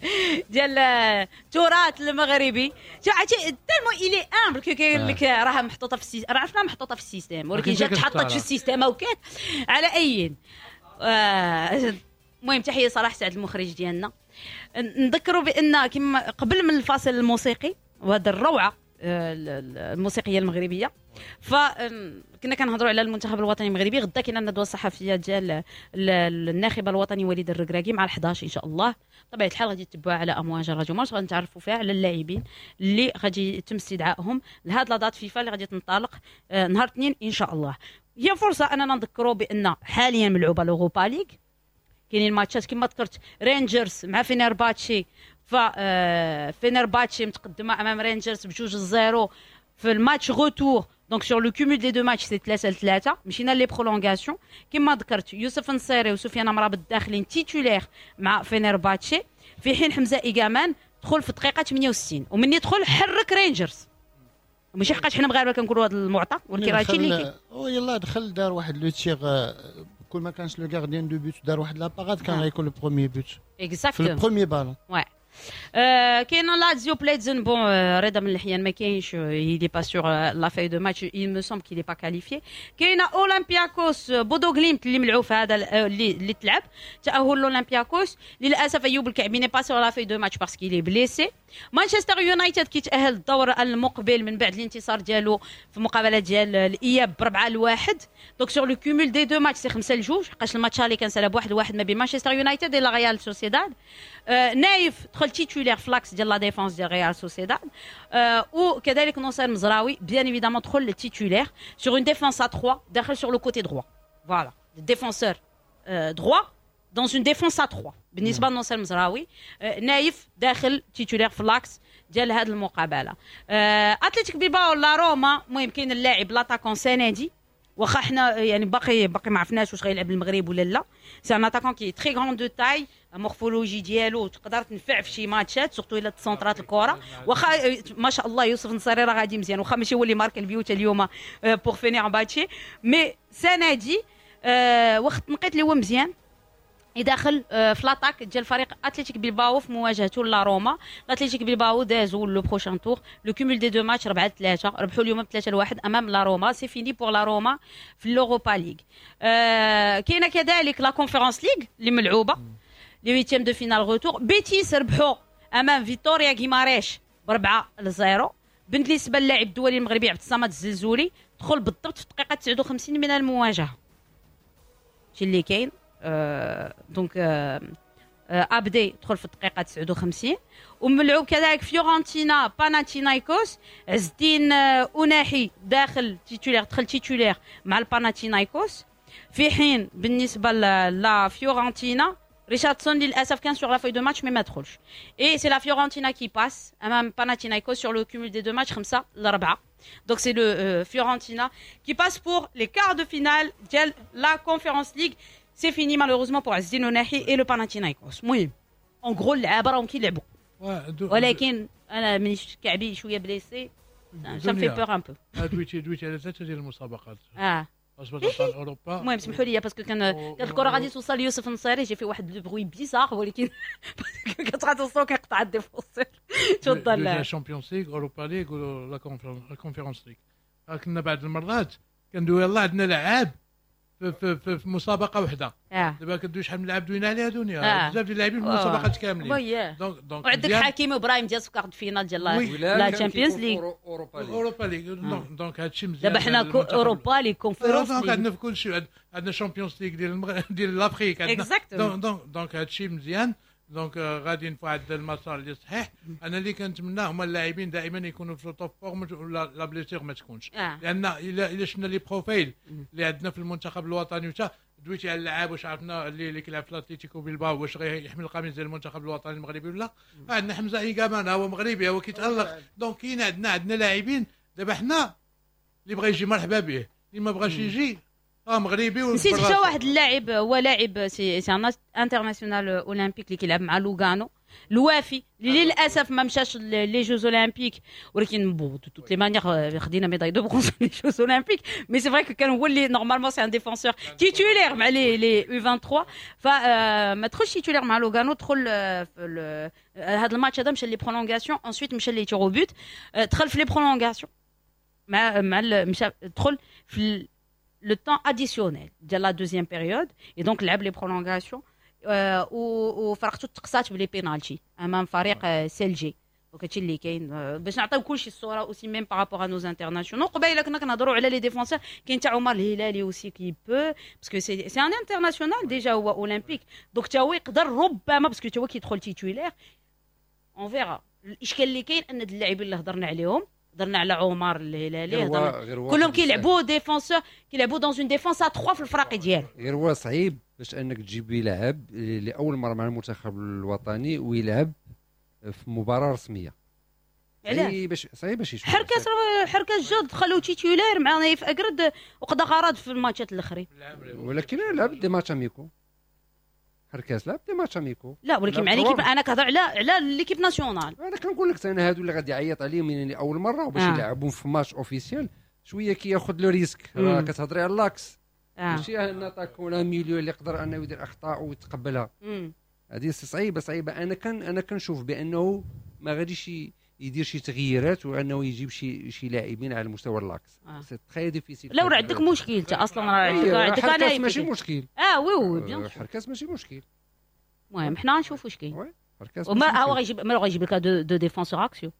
ديال التراث المغربي. عرفتي tellement il est humble كيقول لك راها محطوطة في ال système، راه عرفنا محطوطة في ال système، ولكن جات تحطت في ال système وكات على اي. آه، المهم تحية صلاح سعد المخرج ديالنا. نذكروا بان كما قبل من الفاصل الموسيقي وهذا الروعة آه، الموسيقية المغربية، فكنا كنهضروا على المنتخب الوطني المغربي. غدا كاينه الندوة الصحفية ديال الناخب الوطني وليد الركراكي مع الحداش ان شاء الله. بطبيعة الحال غادي تتبعوا على امواج راديو مارس، غادي نتعرفوا فيها على اللاعبين اللي غادي يتم استدعائهم لهاد la date FIFA اللي غادي تنطلق نهار الاثنين ان شاء الله. هي فرصة اننا نذكروا بان حاليا ملعوبه l'Europa League، كاينين ماتشات كما ذكرت رينجرز مع فينرباتشي، ف فينرباتشي متقدمة امام رينجرز بجوج zéro في ال match retour، donc sur le cumul des deux matchs c'est ثلاثة لثلاثة. مشينا les prolongations كما ذكرت، يوسف نصيري وسفيان مرابط داخلين titulaires مع فينرباتشي، في حين حمزة ايغامان دخل في الدقيقة ثمانية وستين، ومن يدخل حرك رينجرز. ماشي حقاش حنا مغاربة كنقولوا هذا المعطى، ولكن راه هادشي اللي كاين. يلاه دخل دار واحد le tir، كل ما كانش le gardien de but دار واحد la parade كان غيكون le premier but exactement في ال premier ballon. oui كاين لازيو بليتزن، bon رضا من الحيان ما كاينش، il est pas sur la feuille de match، il me semble qu'il est pas qualifié. كاينه اولمبياكوس بودو غليمت اللي ملعوب في هذا اللي اللي تلعب تاهل الاولمبياكوس. للاسف ايوب الكعبي n'est pas sur la feuille de match parce qu'il est blessé. مانشستر يونايتد كيتاهل الدور المقبل من بعد الانتصار ديالو في مقابله ديال الاياب بربعة لواحد، donc sur le cumul des deux matchs c'est خمسة لجوج، حقاش الماتش اللي كان سالا بواحد لواحد ما بين مانشستر يونايتد و ريال سوسيداد. آه نايف دخل titulaire ف l'axe ديال la défense ديال ريال سوسيداد، آه وكذلك نصير مزراوي bien évidemment دخل titulaire sur une défense à trois داخل sur le côté droit، voilà défenseur droit dans une défense à trois بالنسبة لنصير مزراوي. آه نايف داخل titulaire في l'axe ديال هذه المقابلة. آه اتلتيك بيلباو لا روما، المهم كاين اللاعب l'attaquant سنادي، واخا حنا يعني باقي باقي ما عرفناش واش غيلعب المغرب ولا لا. c'est un attaquant qui est très grand de taille، morphologie ديالو تقدر تنفع في شي ماتشات surtout الا تسونطرات الكره. واخا ما شاء الله يوسف نصيري راه غادي مزيان، واخا ماشي هو اللي مارك البيوت اليوم pour فينيرباتشي، mais سنادي واخا التنقيط اللي هو مزيان، يدخل في l'attaque ديال فريق اتلتيك بيلباو في مواجهته لا روما. الاتليتيك بيلباو دازوا le prochain tour، le cumul des deux matchs أربعة ثلاثة، ربحوا اليوم ثلاثة لواحد امام لا روما. c'est fini pour la Roma في l'Europa League. آه كاينه كذلك la Conference League اللي ملعوبه les huitièmes de finale retour. بيتيس ربحوا امام فيتوريا غيماريش بأربعة لزيرو. بالنسبة للاعب الدولي المغربي عبد الصمد الزلزولي دخل بالضبط في الدقيقة تسعة وخمسين من المواجهة. شي اللي كاين آه donc آه آه ابدي دخل في الدقيقة تسعة وخمسين. وملعوب كذلك فيورنتينا باناتينايكوس، عز الدين آه أوناحي داخل titulaire، دخل titulaire مع الباناتينايكوس. في حين بالنسبة لا فيورنتينا ريشاردسون للاسف كان sur la feuille de match mais ما دخلش. et c'est la Fiorentina qui passe امام باناتينايكوس sur le cumul des deux matchs خمسة لأربعة. donc c'est le Fiorentina qui passe pour les quarts de finale ديال la Conference League. c'est fini malheureusement pour عز الدين أوناحي et le Panathinaikos. المهم en gros اللعابه راهم كيلعبوا، ولكن انا مانيش كعبي شوية blessé، ça me fait peur un peu. دويتي دويتي على ثلاثة ديال المسابقات. اه ابطال اوروبا. المهم سمحوا لي parce que كان كانت الكره غادي توصل ليوسف النصيري، j'ai fait واحد le bruit bizarre، ولكن كانت غادي كيقطع ال défenseur. تفضل. Champions League، Europa League ولا Conference League. كنا بعض المرات كندوي يلاه عندنا لعاب في, في, في, في مسابقة وحده. آه. دابا كندوي شحال من لاعب دوينا عليها دنيا. آه. بزاف ديال اللاعبين في المسابقات كاملين. donc donc وعندك حكيمي وابراهيم دياز في quart de finale ديال la Champions League، Europa League. donc donc هادشي مزيان. دابا حنا Europa League، Conference League، عندنا في كل شيء، عندنا Champions League ديال المغرب ديال l'Afrique، عندنا donc donc donc هادشي مزيان. donc غاديين في واحد المسار اللي صحيح. انا اللي كنتمنى هما اللاعبين دائما يكونوا في top forme ولا la blessure ما تكونش. آه. لان الا الا شفنا les profils اللي عندنا في المنتخب الوطني، وتا دويتي على اللعاب واش عرفنا اللي اللي كيلعب في الاتليتيكو بيلباو واش غيحمل القميص ديال المنتخب الوطني المغربي ولا. عندنا حمزة ايكامان هو مغربي هو كيتالق. donc كاين عندنا عندنا لاعبين. دابا حنا اللي بغى يجي مرحبا به، اللي ما بغاش يجي اه مغربي. نسيت حتى واحد اللاعب، هو لاعب c'est c'est un international olympique اللي كيلعب مع لوغانو، الوافي اللي للاسف ما مشاش les Jeux Olympiques، ولكن bon de toutes les manières خدينا médaille de bronze les Jeux Olympiques. mais c'est vrai que كان هو اللي normalement c'est un défenseur titulaire مع les les U ثلاثة وعشرين، فما دخلش titulaire مع لوغانو. دخل في هذا الماتش هذا، مشى les prolongations، ensuite مشى les tirs au but، دخل في les prolongations مع مع مشى دخل في le temps additionnel ديال la deuxième période et donc لعب les prolongations وفرقته تقصات ب les penaltys امام فريق سيلجي. donc هادشي اللي كاين باش نعطيو كلشي الصورة aussi même par rapport à nos internationaux. قبيلة كنا كنهضروا على les défenseurs، كاين تاع عمر الهلالي aussi qui peut، parce que c'est c'est un international déjà هو olympique، donc تا هو يقدر ربما parce que تا هو كيدخل titulaire، on verra. الاشكال اللي كاين ان اللاعبين اللي هضرنا عليهم، هضرنا على عمر الهلالي، هضرنا كلهم كيلعبوا défenseur، كيلعبوا dans une défense à ثلاثة في الفرق ديالو. غير هو صعيب باش انك تجيب لاعب لاول مرة مع المنتخب الوطني ويلعب في مباراة رسمية. علاش؟ باش صعيب باش يشوف. حركاس حركاس جا دخلوا titulaire مع نايف اكرد وقضى غرض في الماتشات الاخرين. ولكن لعب des matchs amicaux، حركاس لعب des matchs amicaux. لا ولكن مع l'équipe، انا كنهضر على على l'équipe nationale. انا كنقول لك انا هادو اللي غادي يعيط عليهم يعني اول مرة وباش آه. يلعبون في match officiel شوية كياخذ le risque. راه كتهضري على l'axe آه. ماشي un attaquant ولا milieu اللي يقدر انه يدير اخطاء ويتقبلها. هذه صعيبة صعيبة. انا كان انا كنشوف بانه ما غاديش يدير شي تغييرات وانه يجيب شي شي لاعبين على مستوى l'axe. آه. c'est très difficile. لا وراه عندك مشكل انت اصلا، راه عندك عندك انا ماشي مشكل. اه oui oui bien، حركاس ماشي مشكل. المهم حنا نشوفوا اش كاين. وما هو غيجيب، ما غيجيب لك deux deux défenseurs axiaux.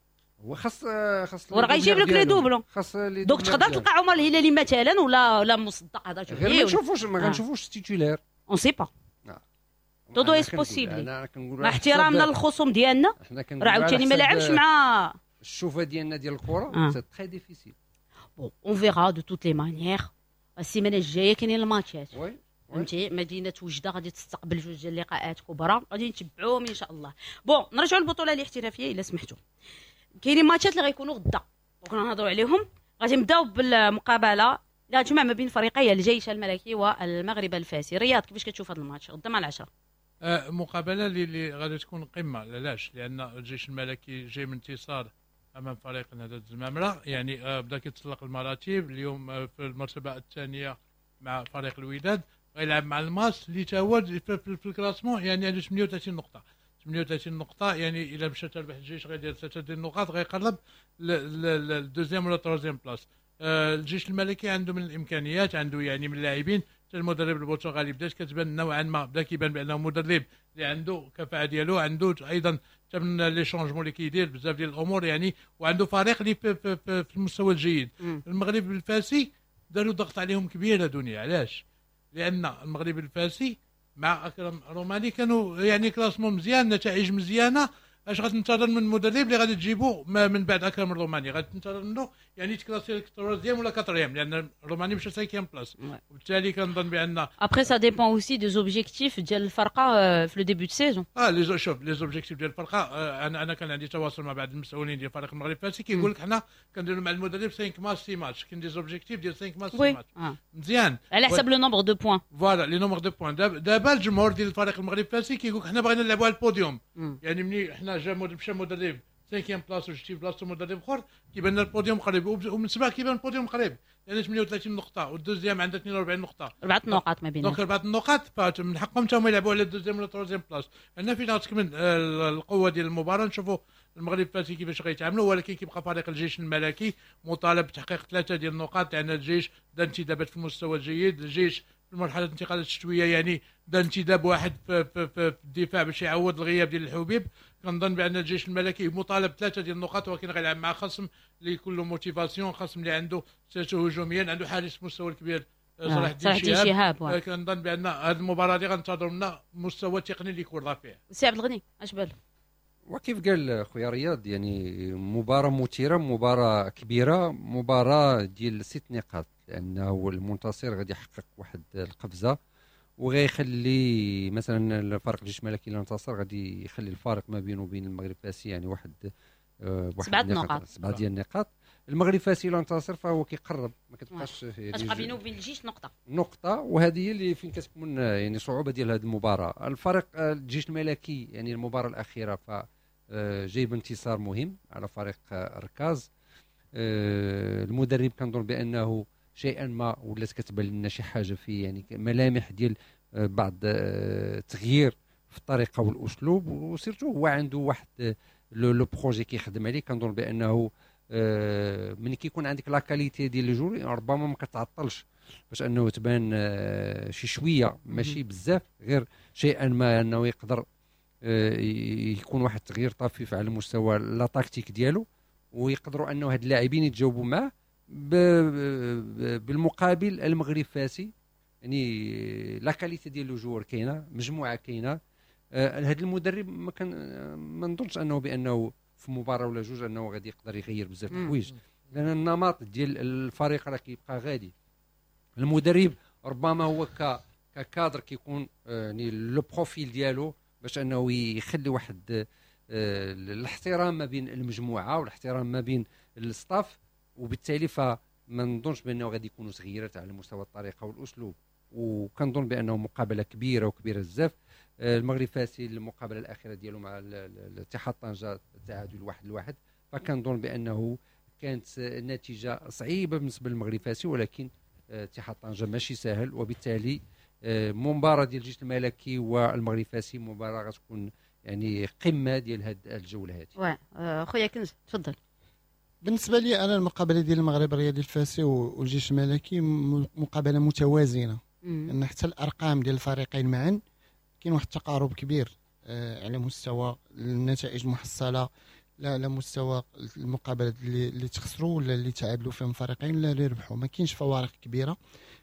هو خاص خاص وراه غيجيب لك les doublons. خاص les donc تقدر تلقى عمر الهلالي مثلا ولا ولا مصدق هذا. غير ما نشوفوش ما غنشوفوش titulaire. on sait pas، tout est possible. مع احترامنا للخصوم ديالنا، راه عاوتاني ما لعبش مع الشوفه ديالنا ديال الكره، c'est très difficile. bon on verra de toutes les manières. السيمانة الجاية كاينين الماتشات، فهمتي، مدينة وجده غادي تستقبل جوج ديال اللقاءات كبرى، غادي نتبعوهم ان شاء الله. bon نرجعوا للبطولة الاحترافية الا سمحتوا. كاينين ماتشات اللي غيكونوا غدا، donc نهضروا عليهم. غادي نبداو بالمقابلة لا تجمع ما بين فريقي الجيش الملكي والمغرب الفاسي. رياض، كيفاش كتشوف هذا الماتش غدا مع العشرة؟ آه مقابله اللي غادي تكون قمه. علاش؟ لان الجيش الملكي جاي من انتصار امام فريق نهضة الزمامره، يعني آه بدا كيتسلق المراتب اليوم آه في المرتبة الثانية مع فريق الوداد. غيلعب مع الماس اللي تا هو في, في, في ال classement يعني عنده ثمانية وثلاثين نقطة، ثمانية وثلاثين نقطة، يعني الا مشى تربح الجيش غيدير ثلاثة ديال النقاط، غيقرب لل deuxième ولا troisième place. آه الجيش الملكي عنده من الامكانيات، عنده يعني من اللاعبين، حتى المدرب البرتغالي بدات كتبان نوعا ما، بدا كيبان بانه مدرب اللي عنده كفاءة ديالو، عنده ايضا حتى من les changements اللي كيدير بزاف ديال الامور يعني، وعنده فريق اللي في, في, في, في المستوى الجيد. مم. المغرب الفاسي داروا ضغط عليهم كبير دنيا، علاش؟ لان المغرب الفاسي مع اكرم روماني كانوا يعني classement مزيان، نتائج مزيانه. اش غتنتظر من المدرب اللي غادي تجيبو من بعد اكرم الروماني؟ غادي تنتظر منه يعني تكلاسي لك troisième ولا quatrième، لان الروماني مشى cinquième place، وبالتالي كنظن بان après ça dépend aussi des objectifs ديال الفرقة في le début de saison. اه les شوف les objectifs ديال الفرقة، آه انا انا كان عندي تواصل مع بعض المسؤولين ديال فريق المغرب الفاسي، كيقول لك حنا كنديروا مع المدرب خمسة ماتش ستة ماتش، كاين des objectifs ديال خمسة ماتش ستة ماتش مزيان على حسب le nombre de points. voilà les nombres de points. دابا الجمهور ديال الفريق المغرب الفاسي كيقول لك حنا بغينا نلعبوا على البوديوم، يعني ملي حنا جا مشى مدرب cinquième place وجبتي بلاصتو مدرب اخر كيبان لنا البوديوم قريب، ومن سبع كيبان البوديوم قريب، لان ثمانية وثلاثين نقطة وال deuxième عندها اثنين وأربعين نقطة، اربعة نقاط ما بينهم، donc اربعة النقاط، فمن حقهم حتى هما يلعبوا على ال deuxième ولا troisième place. هنا فين غتكمن القوة ديال المباراة، نشوفوا المغرب الفاسي كيفاش غيتعاملوا، ولكن كيبقى فريق الجيش الملكي مطالب بتحقيق ثلاثة ديال النقاط، لان الجيش دار انتدابات في المستوى الجيد، الجيش في مرحلة الانتقالات الشتوية يعني دار انتداب واحد في, في, في, في الدفاع باش يعوض الغياب ديال الحبيب. كنظن بان الجيش الملكي مطالب ثلاثة ديال النقاط، ولكن غيلعب مع خصم اللي كله motivation، خصم اللي عنده surtout هجوميا، عنده حارس مستوى الكبير صلاح الدين شهاب. كنظن بان هذه المباراة اللي غنتظروا منا مستوى تقني اللي يكون رفيع. سي عبد الغني اش بالك؟ وكيف قال خويا رياض، يعني مباراة مثيرة، مباراة كبيرة، مباراة ديال ست نقاط، لأنه المنتصر غادي يحقق واحد القفزة وغيخلي مثلا الفريق الجيش الملكي اللي انتصر غادي يخلي الفارق ما بينه وبين المغرب الفاسي يعني واحد واحد سبعة نقاط، سبعة ديال النقاط. المغرب الفاسي الا انتصر فهو كيقرب، ما كتبقاش كتبقى بينه وبين الجيش نقطة نقطة، وهذه هي اللي فين كتكون يعني صعوبة ديال هذه المباراة. الفريق الجيش الملكي يعني المباراة الأخيرة ف جايب انتصار مهم على فريق الركاز. المدرب كنظن بانه شيئا ما ولات كتبان لنا شي حاجة في يعني ملامح ديال بعض التغيير في الطريقة والاسلوب، و surtout هو عنده واحد le projet كيخدم عليه. كنظن بانه ملي كيكون عندك la qualité ديال les joueurs ربما ما كتعطلش باش انه تبان شي شوية، ماشي بزاف، غير شيئا ما انه يقدر يكون واحد التغيير طفيف على مستوى la tactique ديالو، ويقدروا انه هاد اللاعبين يتجاوبوا معاه. بالمقابل المغرب فاسي يعني la qualité ديال les joueurs كاينه، مجموعة كاينه. هاد المدرب ما كان ما نظنش انه بانه في مباراة ولا جوج انه غادي يقدر يغير بزاف الحوايج، لان النمط ديال الفريق راه كيبقى غادي. المدرب ربما هو ك كادر كيكون يعني le profil ديالو باش انه يخلي واحد الاحترام ما بين المجموعة والاحترام ما بين ال staff، وبالتالي فما نظنش بانه غادي يكونوا تغييرات على مستوى الطريقة والاسلوب. وكنظن بانه مقابله كبيرة وكبيره بزاف. المغرب فاسي المقابلة الاخيرة ديالو مع الاتحاد طنجه تعادل واحد لواحد، فكنظن بانه كانت النتيجة صعيبة بالنسبة للمغرب فاسي، ولكن اتحاد طنجه ماشي سهل، وبالتالي مباراة ديال الجيش الملكي والمغرب الفاسي مباراة غتكون يعني قمة ديال هاد الجولة هذه. واه خويا كنز تفضل. بالنسبة لي انا المقابلة ديال المغرب الرياضي الفاسي والجيش الملكي مقابله متوازنة، لان حتى الارقام ديال الفريقين معا كاين واحد التقارب كبير على مستوى النتائج المحصلة، لا على مستوى المقابلات اللي, اللي تخسروا ولا اللي تعادلوا فيهم الفريقين ولا اللي ربحوا، ما كاينش فوارق كبيرة،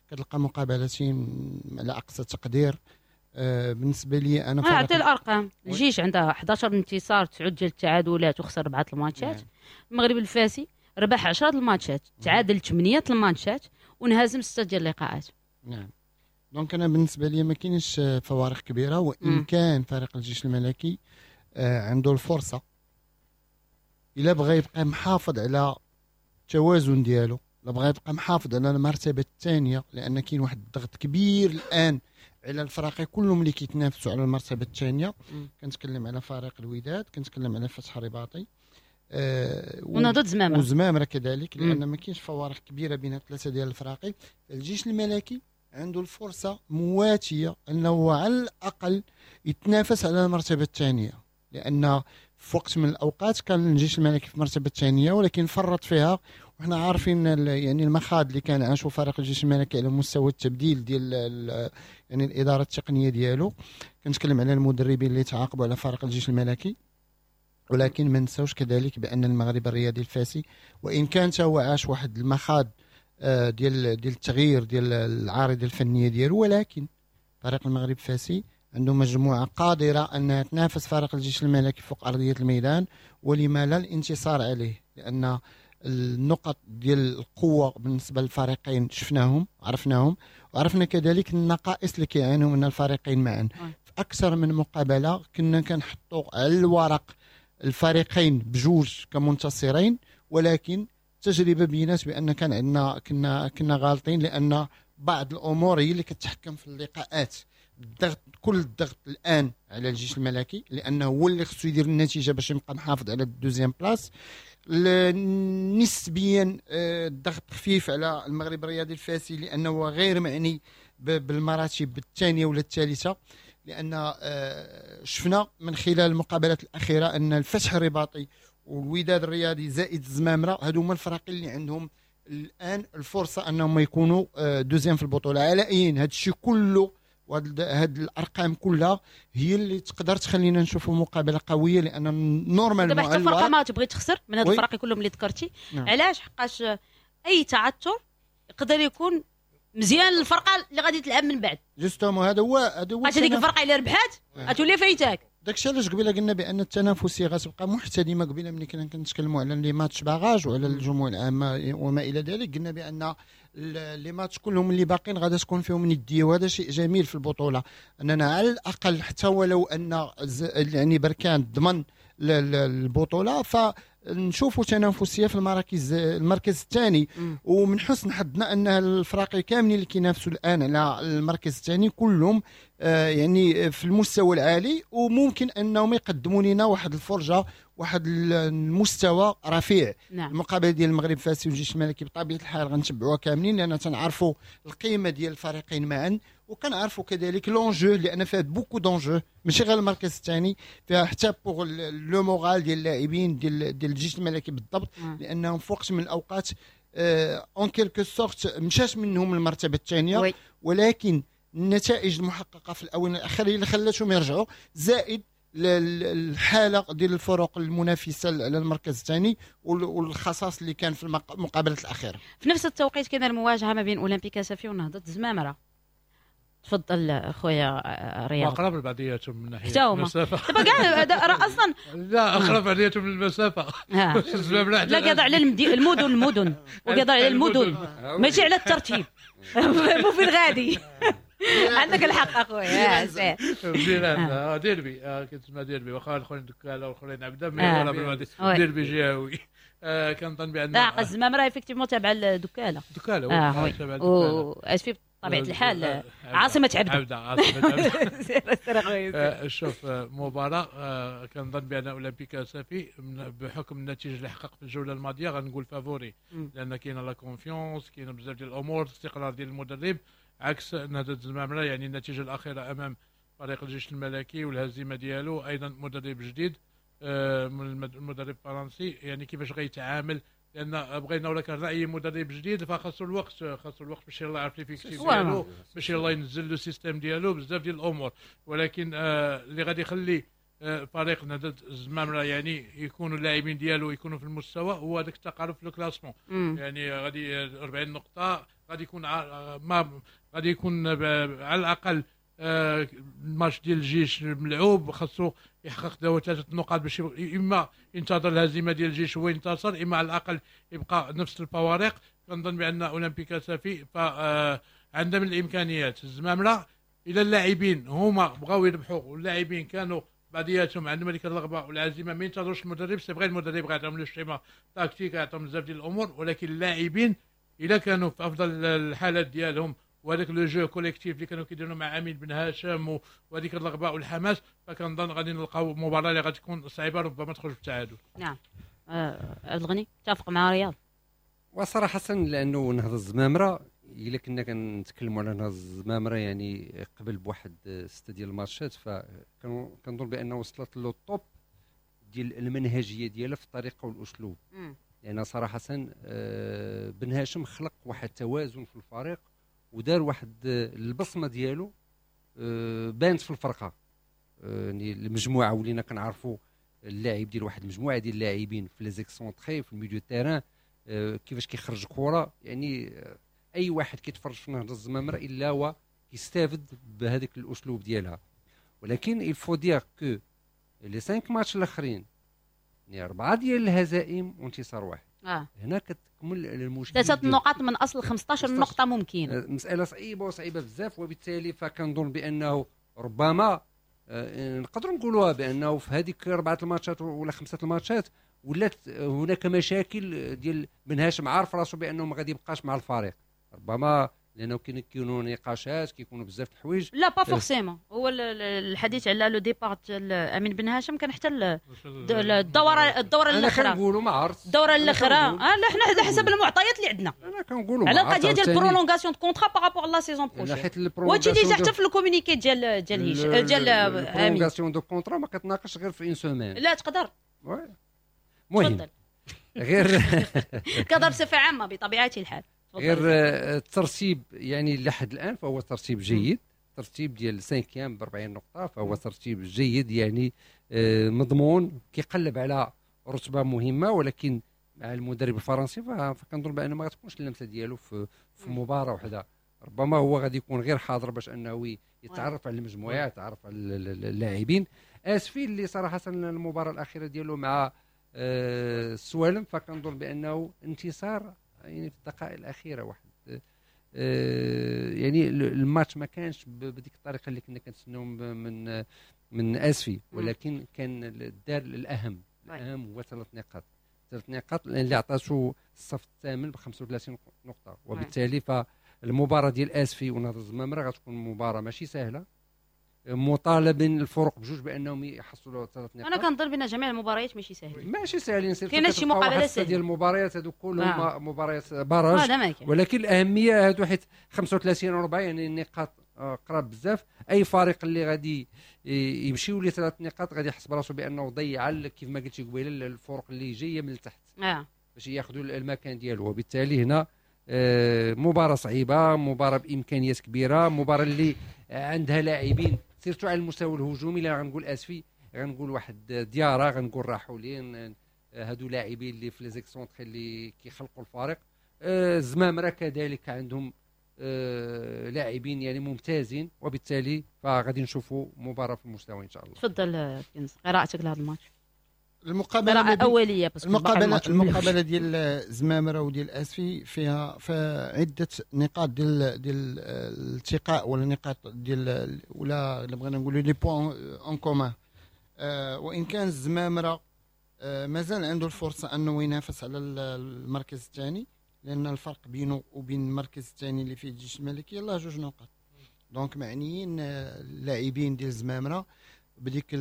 كتلقى مقابلتين على اقصى تقدير. آه بالنسبة لي انا اعطي الارقام، الجيش عندها أحد عشر انتصار، تسعة ديال التعادلات وخسر اربعة الماتشات. نعم. المغرب الفاسي ربح عشرة الماتشات، تعادل ثمانية الماتشات وانهزم ستة ديال اللقاءات. نعم. donc انا بالنسبة لي ما كاينش فوارق كبيرة، وان م. كان فريق الجيش الملكي آه عنده الفرصة الا بغى يبقى محافظ على التوازن ديالو، الا بغى يبقى محافظ على المرتبة الثانية، لان كاين واحد الضغط كبير الان على الفرق كلهم اللي كيتنافسوا على المرتبة الثانية. كنتكلم على فريق الوداد، كنتكلم على فتح الرباطي، آه ونهضة زمامرة وزمامره كذلك، لان ما كاينش فوارق كبيرة بين الثلاثة ديال الفراقي. الجيش الملكي عنده الفرصة مواتيه انه على الاقل يتنافس على المرتبة الثانية، لان في وقت من الاوقات كان الجيش الملكي في المرتبة الثانية ولكن فرط فيها، وحنا عارفين يعني المخاض اللي كان عاشوا فريق الجيش الملكي على مستوى التبديل ديال يعني الادارة التقنية ديالو. كنتكلم على المدربين اللي تعاقبوا على فريق الجيش الملكي، ولكن ما نساوش كذلك بان المغرب الرياضي الفاسي وان كان هو عاش واحد المخاض ديال ديال التغيير ديال العارضة الفنية ديالو، ولكن فريق المغرب الفاسي عنده مجموعة قادرة انها تنافس فريق الجيش الملكي فوق ارضية الميدان، ولما لا الانتصار عليه، لان النقط ديال القوة بالنسبة للفريقين شفناهم عرفناهم، وعرفنا كذلك النقائص اللي كيعانوا من الفريقين معا. في اكثر من مقابله كنا كنحطوا على الورق الفريقين بجوج كمنتصرين، ولكن التجربة بينات بان كان عندنا كنا كنا غالطين، لان بعض الامور هي اللي كتحكم في اللقاءات. الضغط، كل الضغط الان على الجيش الملكي، لانه هو اللي خصو يدير النتيجة باش يبقى محافظ على ال deuxième place. نسبيا الضغط خفيف على المغرب الرياضي الفاسي، لانه غير معني بالمراتب الثانية ولا الثالثة، لان شفنا من خلال المقابلات الاخيرة ان الفتح الرباطي والوداد الرياضي زائد الزمامره هادو هما الفرق اللي عندهم الان الفرصة انهم يكونوا deuxième في البطولة. على اين هذا الشيء كله وهاد هاد الارقام كلها هي اللي تقدر تخلينا نشوفوا مقابله قوية، لان normalement دابا حتى فرقه ما تبغي تخسر من هاد الفرق كلهم اللي ذكرتي. نعم. علاش؟ حقاش اي تعثر يقدر يكون مزيان للفرقة اللي غادي تلعب من بعد. justement هذا هو هذا هو هذيك الفرقة اللي ربحات غتولي فايتاك. داكشي علاش قبيلة قلنا بان التنافسية غتبقى محتدمه. قبيلة ملي كنا كنتكلموا على les matchs barrages وعلى الجموع العامة وما الى ذلك، قلنا بان les matchs كلهم اللي باقيين غادا تكون فيهم نديه، وهذا شيء جميل في البطولة، اننا على الاقل حتى ولو ان يعني بركان ضمن البطولة فنشوفوا تنافسية في المراكز المركز الثاني. ومن حسن حظنا ان الفراقي كاملين اللي كينافسوا الان على المركز الثاني كلهم آه يعني في المستوى العالي، وممكن انهم يقدموا لنا واحد الفرجة واحد المستوى رفيع. نعم. المقابلة ديال المغرب فاسي والجيش الملكي بطبيعة الحال غنتبعوها كاملين، لان تنعرفوا القيمة ديال الفريقين معا، وكنعرفوا كذلك l'enjeu، لان فيها beaucoup d'enjeux، ماشي غير المركز الثاني، فيها حتى pour le moral ديال اللاعبين ديال ديال الجيش الملكي بالضبط. نعم. لانهم في وقت من الاوقات en quelque sorte مشات منهم المرتبة الثانية، ولكن النتائج المحققه في الاونة الاخيرة اللي خلاتهم يرجعوا، زائد الحالة ديال الفرق المنافسة على المركز الثاني والخصاص اللي كان في المقابلات الاخيرة. في نفس التوقيت كان المواجهة ما بين اولمبيك اسفي ونهضه الزمامره. تفضل خويا رياض. اقرب لبعضياتهم من ناحية المسافة. دابا كاع راه اصلا لا اقرب بعضياتهم من المسافة. لا قاضي على المدن المدن وقاضي على المدن ماشي على الترتيب. مو في الغادي. عندك الحق اخويا. جيران ديربي كتسمى ديربي، واخا الاخرين دكاله والاخرين عبده، ديربي جهوي. كنظن بان لا الزمامره effectivement تابعه لدكاله. دكاله تابعه لدكاله واسفي بطبيعة الحال عاصمة عبده. عبده عاصمة عبده. شوف مباراة كنظن بان اولمبيك اسفي بحكم النتيجة اللي حقق في الجولة الماضية غنقول favori، لان كاينه la confiance، كاينه بزاف ديال الامور، الاستقرار ديال المدرب، عكس نهضة الزمامرة. يعني النتيجة الأخيرة أمام فريق الجيش الملكي والهزيمة ديالو، أيضا مدرب جديد من المدرب الفرنسي، يعني كيفاش غيتعامل، لأن بغينا ولا كان رأي مدرب جديد فخاصو الوقت، خاصو الوقت باش يلا يعرف l'effectif ديالو، باش يلا ينزل le système ديالو، بزاف ديال الأمور. ولكن اللي غادي يخلي فريق نهضة الزمامرة يعني يكونوا اللاعبين ديالو يكونوا في المستوى هو هذاك التقارب في ال classement. يعني غادي أربعين نقطة غادي يكون ما غادي يكون على الاقل الماتش ديال الجيش ملعوب، خاصو يحقق دابا ثلاثة نقاط باش اما ينتظر الهزيمة ديال الجيش هو ينتصر، اما على الاقل يبقى نفس الفوارق. كنظن بان اولمبيك اسفي فعندها من الامكانيات. الزمامره الى اللاعبين هما بغاو يربحوا، واللاعبين كانوا بعضياتهم عندهم هذيك الرغبة والعزيمة، ما ينتظروش المدرب. c'est vrai المدرب غيعطيهم le schéma tactique، غيعطيهم بزاف ديال الامور، ولكن اللاعبين الا كانوا في افضل الحالات ديالهم وهذاك le jeu collectif اللي كانوا كيديروا مع امين بن هاشم وهذيك الرغبة والحماس، فكنظن غادي نلقاو مباراة اللي غتكون صعيبة، ربما تخرج بالتعادل. نعم. عبد الغني تفق مع رياض؟ وصراحة لانه نهضة الزمامره الا كنا كنتكلموا على نهضة الزمامره يعني قبل بواحد ستة ديال الماتشات، فكنظن بان وصلت le top ديال المنهجية ديالها في الطريقة والاسلوب. لان يعني صراحة بن هاشم خلق واحد التوازن في الفريق ودار واحد البصمة ديالو بانت في الفرقة. يعني المجموعة ولينا كنعرفوا اللاعب ديال واحد المجموعة ديال اللاعبين في les excentrés في ال milieu terrain كيفاش كيخرج كره. يعني اي واحد كيتفرج في نهضة الزمامره الا هو كيستافد بهذاك الاسلوب ديالها. ولكن il faut dire que les cinq matchs الاخرين يعني اربعة ديال الهزائم وانتصار واحد. آه. هنا كتكمل المشكل. ثلاثة نقاط من اصل خمسطاش نقطة ممكن. مسالة صعيبة وصعيبه بزاف، وبالتالي فكنظن بانه ربما آه نقدروا نقولوها بانه في هذيك اربعة الماتشات ولا خمسة الماتشات ولات هناك مشاكل ديال بن هاشم عارف راسو بانه ما غادي يبقاش مع الفريق، ربما لانه كيكونوا نقاشات كيكونوا بزاف الحوايج. لا pas forcément، هو الحديث على le départ ديال امين بن هاشم كان حتى الدورة الدورة الاخرى. انا كنقولوا ما عرفت الدورة الاخرى. اه لا حنا على حسب المعطيات اللي عندنا انا كنقولوا على القضية ديال prolongation de contrat par rapport la saison prochaine، وهادشي déjà حتى في ال communiqué ديال ديال هيش ديال امين. prolongation de contrat ما كتناقش غير في une semaine. لا تقدر. المهم غير كضرب بصفة عامة بطبيعة الحال. غير الترتيب يعني لحد الان فهو ترتيب جيد، ترتيب ديال cinquième ب أربعين نقطة فهو ترتيب جيد يعني مضمون، كيقلب على رتبه مهمة. ولكن مع المدرب الفرنسي فكنظن بان ما غتكونش اللمسة ديالو في في مباراة واحدة، ربما هو غادي يكون غير حاضر باش انه يتعرف على المجموعة، يتعرف على اللاعبين. اسفي اللي صراحة المباراة الاخيرة ديالو مع السوالم فكنظن بانه انتصار يعني في الدقائق الاخيرة واحد آه يعني الماتش ما كانش بديك الطريقة اللي كنا كنتسناو من من اسفي، ولكن كان الدار الاهم الاهم هو ثلاث نقاط، ثلاث نقاط اللي عطاتو الصف الثامن ب خمسة وثلاثين نقطة. وبالتالي فالمباراه ديال اسفي ونهضه الزمامره غتكون مباراة ماشي سهلة، مطالبين الفرق بجوج بانهم يحصلوا ثلاث نقاط. انا كنظن بان جميع المباريات ماشي ساهلين، ماشي ساهلين، كاينه شي مقابله سهلة ديال المباريات هادو كلهم آه. مباريات barrage آه ولكن الاهمية هادو حيت خمسة وثلاثين و أربعين يعني النقاط قراب بزاف. اي فريق اللي غادي يمشيو ليه ثلاث نقاط غادي يحس براسو بانه ضيع كيف ما قلتي قبيلة الفرق اللي جاية من التحت آه. باش ياخذوا المكان ديالو. وبالتالي هنا مباراة صعيبة، مباراة بامكانيات كبيرة، مباراة اللي عندها لاعبين surtout على المستوى الهجومي. لا غنقول اسفي، غنقول واحد ديارة، غنقول راحولين، هادو لاعبين اللي في les excentrés اللي كيخلقوا الفارق. الزمامره كذلك عندهم لاعبين يعني ممتازين، وبالتالي فغادي نشوفوا مباراة في المستوى ان شاء الله. تفضل كنز، قراءتك لهذا الماتش. المقابلة اوليه المقابلة المقابلة ديال زمامرة وديال اسفي فيها عده نقاط ديال ديال الالتقاء ولا نقاط ديال ولا الا بغينا نقولوا les points en commun. آه وان كان الزمامره آه مازال عنده الفرصة انه ينافس على المركز الثاني، لان الفرق بينه وبين المركز الثاني اللي فيه الجيش الملكي يلاه جوج نقاط. donc معنيين اللاعبين ديال الزمامره بديك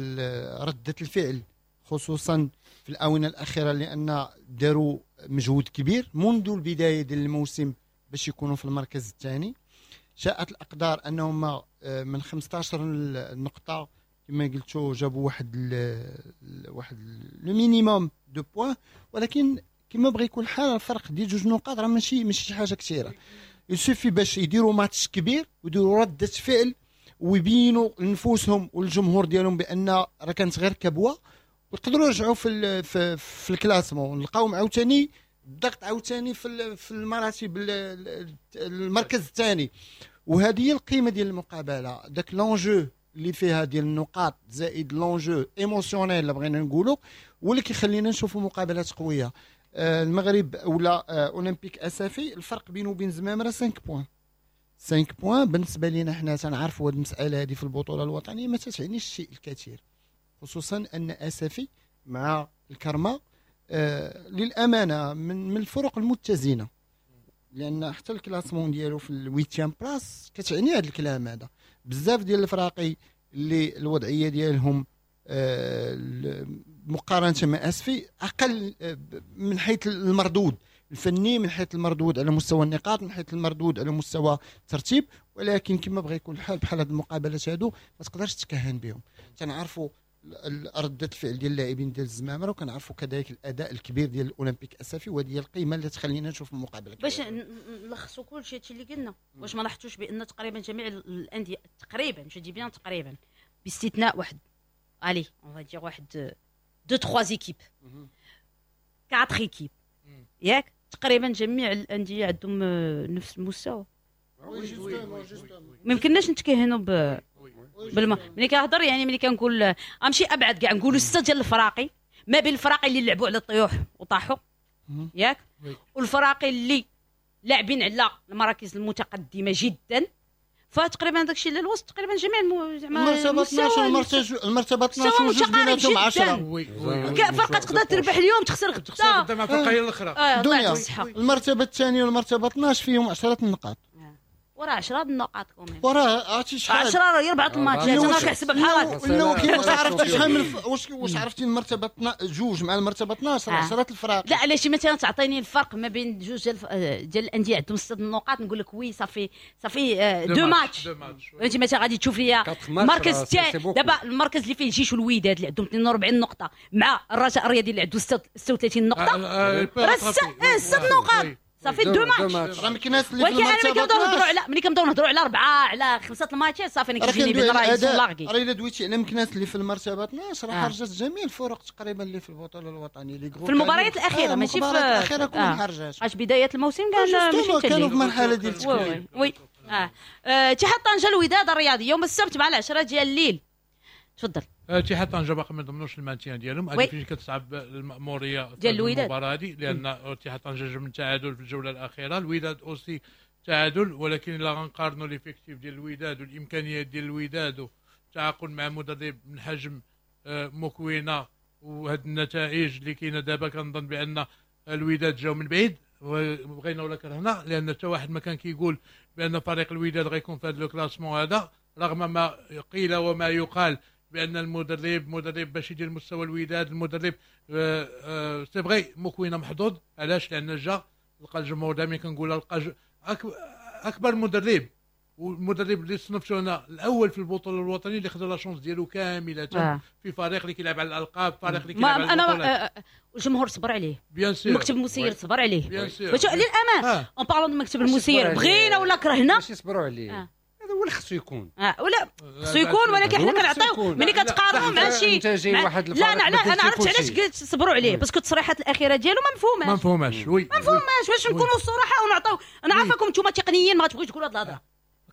رده الفعل خصوصا في الاونة الاخيرة، لان داروا مجهود كبير منذ البداية ديال الموسم باش يكونوا في المركز الثاني. شاءت الاقدار انهم من خمسطاش نقطة كما قلتوا جابوا واحد ال واحد le minimum de points، ولكن كما بغى يكون الحال الفرق ديال جوج نقاط راه ماشي ماشي شي حاجة كثيرة. il suffit باش يديروا ماتش كبير ويديروا رده فعل ويبينوا لنفوسهم والجمهور ديالهم بان راه كانت غير كبوة، ويقدروا يرجعوا في في, في ال classement، نلقاوهم عاوتاني الضغط عاوتاني في في المراتب المركز الثاني. وهذه هي القيمة ديال المقابلة، داك l'enjeu اللي فيها ديال النقاط زائد l'enjeu émotionnel اللي بغينا نقولوا، واللي كيخلينا نشوفوا مقابلات قوية. آه المغرب ولا آه اولمبيك اسفي الفرق بينه وبين زمامرة خمسة points، خمسة points بالنسبة لينا حنا تنعرفوا هذه المسالة هذه في البطولة الوطنية ما تتعنيش الشيء الكثير، خصوصا ان اسفي مع الكرمة آه للامانة من من الفرق المتزنه، لان حتى ال classement ديالو في ال huitième place كتعني هذا الكلام هذا. بزاف ديال الفراقي اللي الوضعية ديالهم آه مقارنة مع اسفي اقل من حيث المردود الفني، من حيث المردود على مستوى النقاط، من حيث المردود على مستوى الترتيب. ولكن كما بغى يكون الحال بحال هاد المقابلات هادو ما تقدرش تكهن بهم. تنعرفوا ردة الفعل ديال اللاعبين ديال الزمامره، وكنعرفوا كذلك الاداء الكبير ديال الاولمبيك اسفي، وهذه هي القيمة اللي تخلينا نشوف المقابلة. باش نلخصوا كل شيء هادشي اللي قلنا، واش ما لاحظتوش بان تقريبا جميع الاندية تقريبا، je dis bien تقريبا، باستثناء واحد allez on va dire واحد deux trois équipes، quatre équipes، ياك تقريبا جميع الاندية عندهم نفس المستوى. ما يمكنناش نتكهنوا ب بالما ملي كنهضر، يعني ملي كنقول غنمشي ابعد كاع، نقولوا ستة ديال الفراقي، ما بين الفراقي اللي لعبوا على الطيوح وطاحوا ياك، والفراقي اللي لاعبين على المراكز المتقدمة جدا، فتقريبا داكشي اللي الوسط تقريبا جميع المو... زعما المرتبة اثنا عشر، المرتبة المرتبة اثنا عشر وجوج بيناتهم عشرة. فرقه تقدر تربح اليوم تخسر غدا، تخسر غدا مع الفرقة الاخرى. آه دنيا المرتبة الثانية والمرتبة اثنا عشر فيهم عشرة النقاط. وراه عشرة النقاط quand même. وراه عرفتي شحال؟ عشرة راه اربعة الماتشات، انا كنحسبها بحال لا، ولكن واش عرفتي شحال من واش واش عرفتي المرتبة جوج مع المرتبة اثنا عشر؟ عشرة الفرق. لا، علاش مثلا تعطيني الفرق ما بين جوج ديال ديال الاندية عندهم ست النقاط، نقول لك oui صافي صافي deux matchs. انت مثلا غادي تشوف لي المركز الثاني دابا، المركز اللي فيه الجيش والوداد اللي عندهم اثنين وأربعين نقطة مع الرجاء الرياضي اللي عنده ستة وثلاثين نقطه، راه ست نقاط صافي deux matchs. راه مكناس اللي ولكن انا ملي كنبداو نهضروا على ملي كنبداو نهضروا على اربعه، على خمسة الماتشات، صافي انا كيجيني بان راه largués. راه الا دويتي على مكناس اللي في المرتبة اثنا عشر، راه خرجت جميع الفرق تقريبا اللي في البطولة الوطنيه. les في المباريات الاخيره آه ماشي في المباريات الاخيرة كلهم خرجات. اش بداية الموسم كان ماشي كانوا في مرحلة ديال التكوين. oui اه اتحاد طنجه الوداد الرياضي يوم السبت مع العشرة ديال الليل، تفضل. اتحاد طنجه باقي ما ضمنوش ال maintien ديالهم، هذه فين كتصعب المأموريه ديال الوداد المباراة هذه، لان اتحاد طنجه جا من تعادل في الجولة الاخيره، الوداد aussi تعادل. ولكن الا غنقارنوا l'effectif ديال الوداد والامكانيات ديال الوداد والتعاقد مع مدرب من حجم آه، موكوينا وهاد النتائج اللي كاينه دابا، كنظن بان الوداد جاو من بعيد، بغينا ولا كرهنا، لان حتى واحد ما كان كيقول بان فريق الوداد غيكون في هذا le classement هذا، رغم ما قيل وما يقال بان المدرب مدرب باش يدير مستوى الوداد. المدرب آه، آه، c'est vrai موكوينه محظوظ. علاش؟ لان جا لقى الجمهور، دائما كنقول لقى اكبر مدرب، والمدرب اللي صنفته انا الاول في البطولة الوطنية، اللي خدا la chance ديالو كاملة آه. في فريق اللي كيلعب على الالقاب، فريق اللي كيلعب على انا الجمهور صبر عليه، bien sûr. المكتب المسير صبر عليه. bien sûr. باش للامانة en parlant المكتب المسير، بغينا ولا كرهنا. ماشي صبروا عليه آه. هذا هو اللي خصو يكون. آه ولا خصو يكون، ولكن حنا كنعطيو ملي كتقارنوا مع شي واحد. لا، انا انا عرفت علاش قلت صبروا عليه، parce que التصريحات الاخيرة ديالو ما مفهوماش. ما مفهوماش، oui. ما مفهوماش. باش نكونوا الصراحة ونعطيو، انا عارفاكم انتم تقنيين ما غاتبغيوش تقولوا هذه الهضره،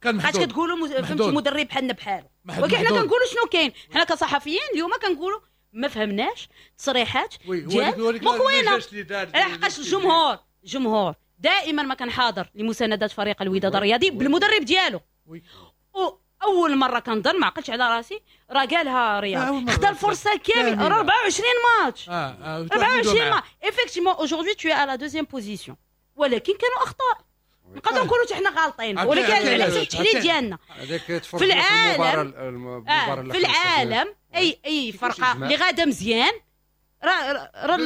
كان بقات كتقولوا فهمتي مدرب بحالنا بحالو، ولكن حنا كنقولوا شنو كاين. حنا كصحفيين اليوم كنقولوا ما فهمناش تصريحات ديال موكوينه، لحقاش الجمهور الجمهور دائما ما كان حاضر لمساندة فريق الوداد الرياضي بالمدرب ديالو. اول مرة كنظن، ما عقلتش على راسي، راه قالها رياض، خدا الفرصة كامل، راه أربعة وعشرين ماتش. اه اه أربعة وعشرين match، effectivement aujourd'hui tu es à la deuxième position، ولكن كانوا اخطاء، نقدروا نقولوا حنا غالطين، ولكن على حسب التحليل ديالنا في العالم آه في العالم اي اي فرقه اللي غاده مزيان راه راه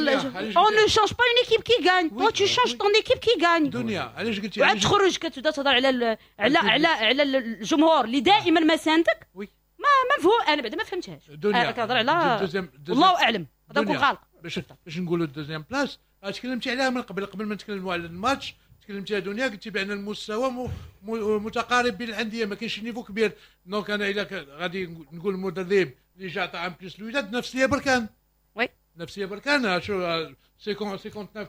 on ne change pas une équipe qui gagne، toi tu changes ton équipe qui gagne. دنيا، علاش قلتي وعاد تخرج كتبدا تهضر على على على على الجمهور اللي دائما ما ساندك، oui. ما ما مفهوم، انا بعدا ما فهمتهاش. دنيا، انا كنهضر على الله اعلم، نقدر نكون غلط. باش باش نقولوا ال deuxième place، تكلمتي عليها من قبل، قبل ما نتكلموا على الماتش تكلمتي يا دنيا، قلتي بان المستوى متقارب بين الانديه، ما كاينش niveau كبير. donc انا الا غادي نقول المدرب اللي جا عطى un plus الوداد، نفسية بركان. oui. نفسية بركان، شو cinquante-neuf.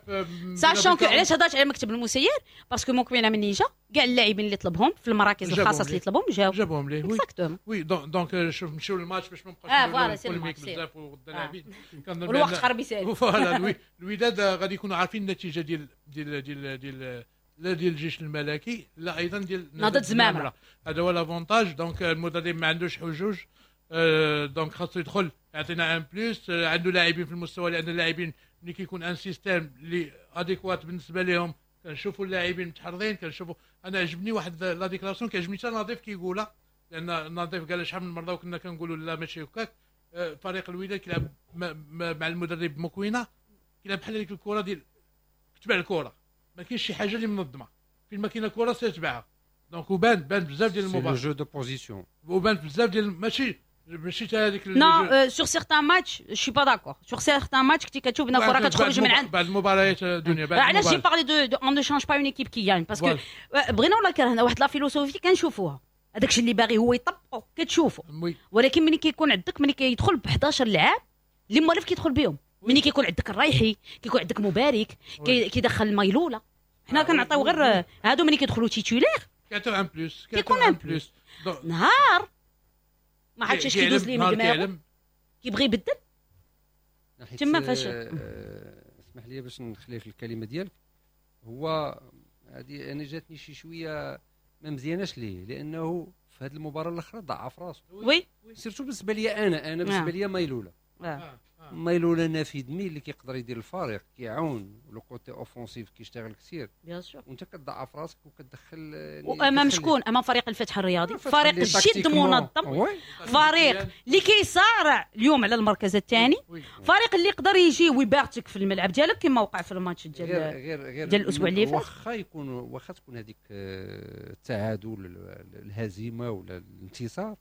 sachant que علاش هضرت على المكتب المسير، parce que موكوينا من جا كاع اللاعبين اللي طلبهم في المراكز الخاصة اللي طلبهم جاو. جابهم ليه. exactement. oui، donc شوف نمشيو للماتش باش ما نبقاوش اه voilà، c'est polémique بزاف وغدا لاعبين. والوقت قرب يسالي. voilà، الوداد غادي يكونوا عارفين النتيجة ديال ديال ديال ديال لا ديال الجيش الملكي لا ايضا ديال نهضة زمامرة. هذا هو l'avantage. donc المدرب ما عندوش حجوج، donc خاصو يدخل يعطينا un plus. عنده لاعبين في المستوى، لان اللاعبين ملي كيكون un système اللي adéquat بالنسبة لهم كنشوفوا اللاعبين متحررين. كنشوفوا انا عجبني واحد la déclaration، كيعجبني حتى نظيف كيقولها، لان نظيف قال شحال من مرة وكنا كنقولوا لا ماشي هكاك. آه، فريق الوداد كيلعب مع المدرب مكوينه كيلعب بحال هذيك الكره ديال تبع الكره. ما كاينش شي حاجة اللي منظمة، فين ما كاينه كره سيتبعها. donc وبان بان بزاف ديال المباريات jeu de position، وبان بزاف ديال ماشي ماشي حتى هذيك non sur certains matchs je suis pas d'accord sur certains matchs كنتي كتشوف ان الكره كتخرج من عند بعد المباريات دنيا. بعد علاش j'ai parlé de on ne change pas une équipe qui gagne parce que بغينا ولا كرهنا واحد la philosophie كنشوفوها، هذاك الشيء اللي باغي هو يطبقو كتشوفو، ولكن ملي كيكون عندك ملي كيدخل ب حداش لعاب اللي موالف كيدخل بهم، ملي كيكون عندك الرايحي كيكون عندك مبارك كيدخل مايلوله، حنا كنعطيو غير هادو ملي كيدخلوا titulaires كيعطيو un plus، كيكون un plus نهار ما عرفتش اش كيدوز ليه من دماغه كيبغي يبدل تما. فاش اسمح لي باش نخليك الكلمة ديالك، هو هذه انا جاتني شي شوية ما مزياناش ليه، لانه في هذه المباراة الاخرى ضعف راسو. oui surtout بالنسبة لي انا انا بالنسبة لي مايلوله آه. مايلوله نافذ مي اللي كيقدر يدير الفريق، كيعاون le côté offensif كيشتغل كثير bien sûr، وانت كتضعف راسك وكتدخل وامام شكون؟ امام فريق الفتح الرياضي، فريق جد منظم، فريق اللي كيصارع اليوم على المركز الثاني، فريق اللي يقدر يجي ويبارتك في الملعب ديالك كما وقع في الماتش ديال غير غير ديال الاسبوع اللي فات. واخا يكون واخا تكون هذيك التعادل الهزيمة ولا الانتصار،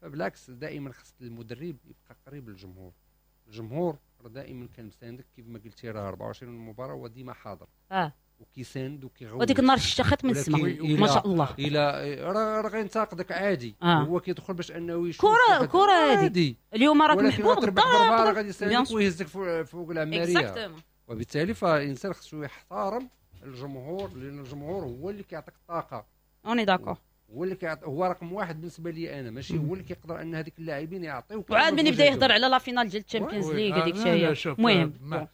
فبالعكس دائما خص المدرب يبقى قريب للجمهور. الجمهور راه دائما كان مساندك كيف ما قلتي، راه أربعة وعشرين مباراة هو ديما حاضر اه وكيساند وكيغوت، وديك النهار الشتا من السماء ما شاء الله، الى راه غينتقدك عادي آه. هو كيدخل باش انه يشوف كره كره هذه اليوم راك محبوب غدا غادي يساندك ويهزك فوق العماريه، وبالتالي فالانسان خصو يحترم الجمهور، لان الجمهور هو اللي كيعطيك الطاقة. on est d'accord، هو اللي كيعط... هو رقم واحد بالنسبة لي انا، ماشي هو اللي كيقدر ان هذيك اللاعبين يعطيوك. وعاد من يبدا يهضر على la finale ديال الشامبيونز ليغ هذيك الشيء. المهم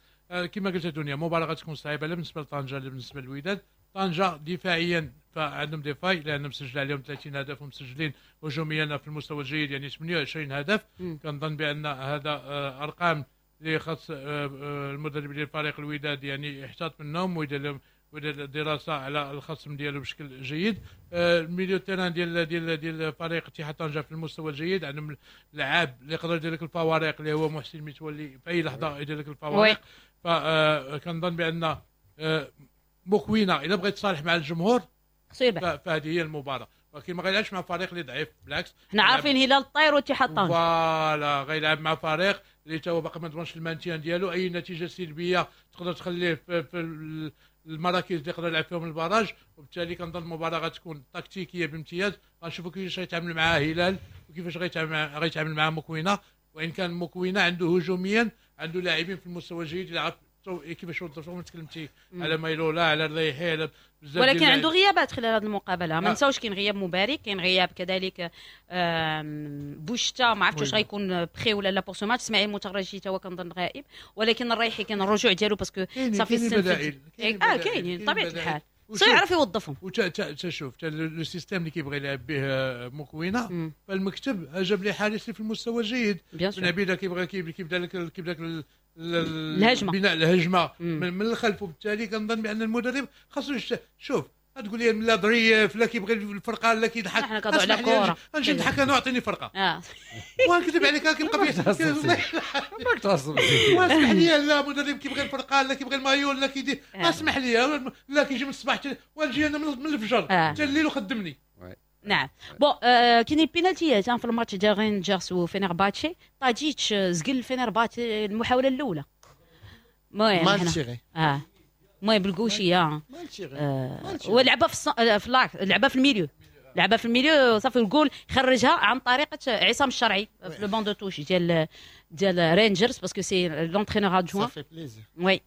كما قلت دنيا مباراة غتكون صعيبة لا بالنسبة لطنجه لا بالنسبة للوداد. طنجه دفاعيا فعندهم des failles لان مسجل عليهم ثلاثين هدف ومسجلين هجوميا في المستوى الجيد، يعني ثمانية وعشرين هدف. كنظن بان هذا ارقام اللي خاص المدرب ديال فريق الوداد يعني يحتاط منهم ويدير لهم ويدير دراسة على الخصم ديالو بشكل جيد. ال milieu terrain ديال ديال ديال فريق اتحاد طنجه في المستوى الجيد، عندهم لعاب اللي يقدر يدير لك الفوارق اللي هو محسن متولي في اي لحظة يدير لك الفوارق. فكنظن بان مكوينه الا بغيت تصالح مع الجمهور خصو يربح، فهذه هي المباراة، ولكن ما غيلعبش مع فريق اللي ضعيف، بالعكس حنا عارفين هلال الطير واتحاد طنجه voilà غيلعب مع فريق اللي تا هو باقي ما ضمنش ال maintien ديالو، اي نتيجة سلبية تقدر تخليه في, في المراكز اللي يقدر يلعب فيهم ال barrage، وبالتالي كنظن المباراة غتكون تكتيكية بامتياز. غنشوفوا كيفاش غيتعامل مع هلال وكيفاش غيتعامل غيتعامل مع مكوينه، وان كان مكوينه عنده هجوميا عنده لاعبين في المستوى الجيد يلعب كيفاش وظفهم. تكلمتي على مايلولا على الريحي على بزاف، ولكن عنده غيابات خلال هذه المقابلة. ما نساوش كاين غياب مبارك، كاين غياب كذلك بوشتا، ما عرفتش واش غيكون prêt ولا لا pour ce match. اسماعيل مترجي تا هو كنظن غائب، ولكن الريحي كان الرجوع ديالو parce que صافي السن اه كاينين بطبيعة الحال خصو يعرف يوظفهم. وتا شوف le système اللي كيبغي يلعب به مكوينه فالمكتب جاب لي حارس في المستوى الجيد، بن عبيده كيبغي كيبدا لك كيبدا لك الهجمة بناء الهجمة من, من الخلف، وبالتالي كنظن بان المدرب خاصو شوف تقول لي لا ظريف لا كيبغي الفرقة لا كيضحك، حنا كنهضروا على كره نجي نضحك انا واعطيني فرقه اه ونكذب عليك كيبقى ماك تعصب. واسمح لي لا مدرب كيبغي الفرقة لا كيبغي المايول لا كيدير، اسمح لي لا كيجي من الصباح ونجي انا من الفجر حتى الليل وخدمني. نعم bon آه كاينين بينالتيات في الماتش ديال رينجرز وفينرباتشي. طاجيتش زقل فينرباتشي المحاولة الاولى، المهم mal tiré اه المهم بال gaucher آه. ولعبها في الص... في l'axe، لعبها في ال milieu، لعبها في ال milieu صافي الجول خرجها عن طريقه عصام الشرعي في le banc de touche ديال ديال رينجرز parce que c'est l'entraîneur adjoint. ça fait plaisir oui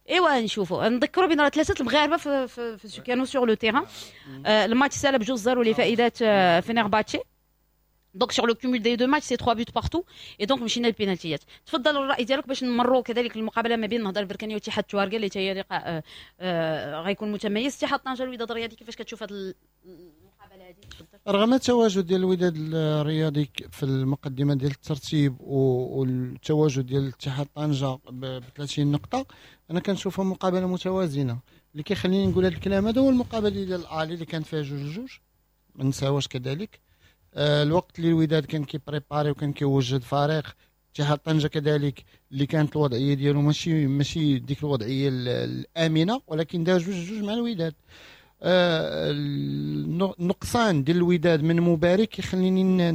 ايوا نشوفوا نذكروا بان راه ثلاثة المغاربة في, في, في كانوا sur le terrain. الماتش سالا بجوج zéro لفائدة فينرباتشي. donc sur le cumul des deux matchs c'est trois buts partout et donc مشينا للبينالتيات. تفضل الراي ديالك باش نمروا كذلك المقابلة ما بين النهضة البركانيه واتحاد تواركه اللي هي لقاء غيكون متميز. اتحاد طنجه الوداد الرياضي كيفاش كتشوف هذه المقابلة هذه؟ تفضل. رغم التواجد ديال الوداد الرياضي في المقدمة ديال الترتيب والتواجد ديال اتحاد طنجه ب ثلاثين نقطة، انا كنشوفها مقابله متوازنة. اللي كيخليني نقول هذا الكلام هذا هو المقابلة ديال الاهلي اللي كانت فيها جوج جوج، ما نساوش كذلك الوقت اللي الوداد كان كي préparer وكان كيوجد فريق، اتحاد طنجه كذلك اللي كانت الوضعية ديالو ماشي ماشي ديك الوضعية الامنة، ولكن دار جوج جوج مع الوداد. آه النقصان ديال الوداد من مبارك يخليني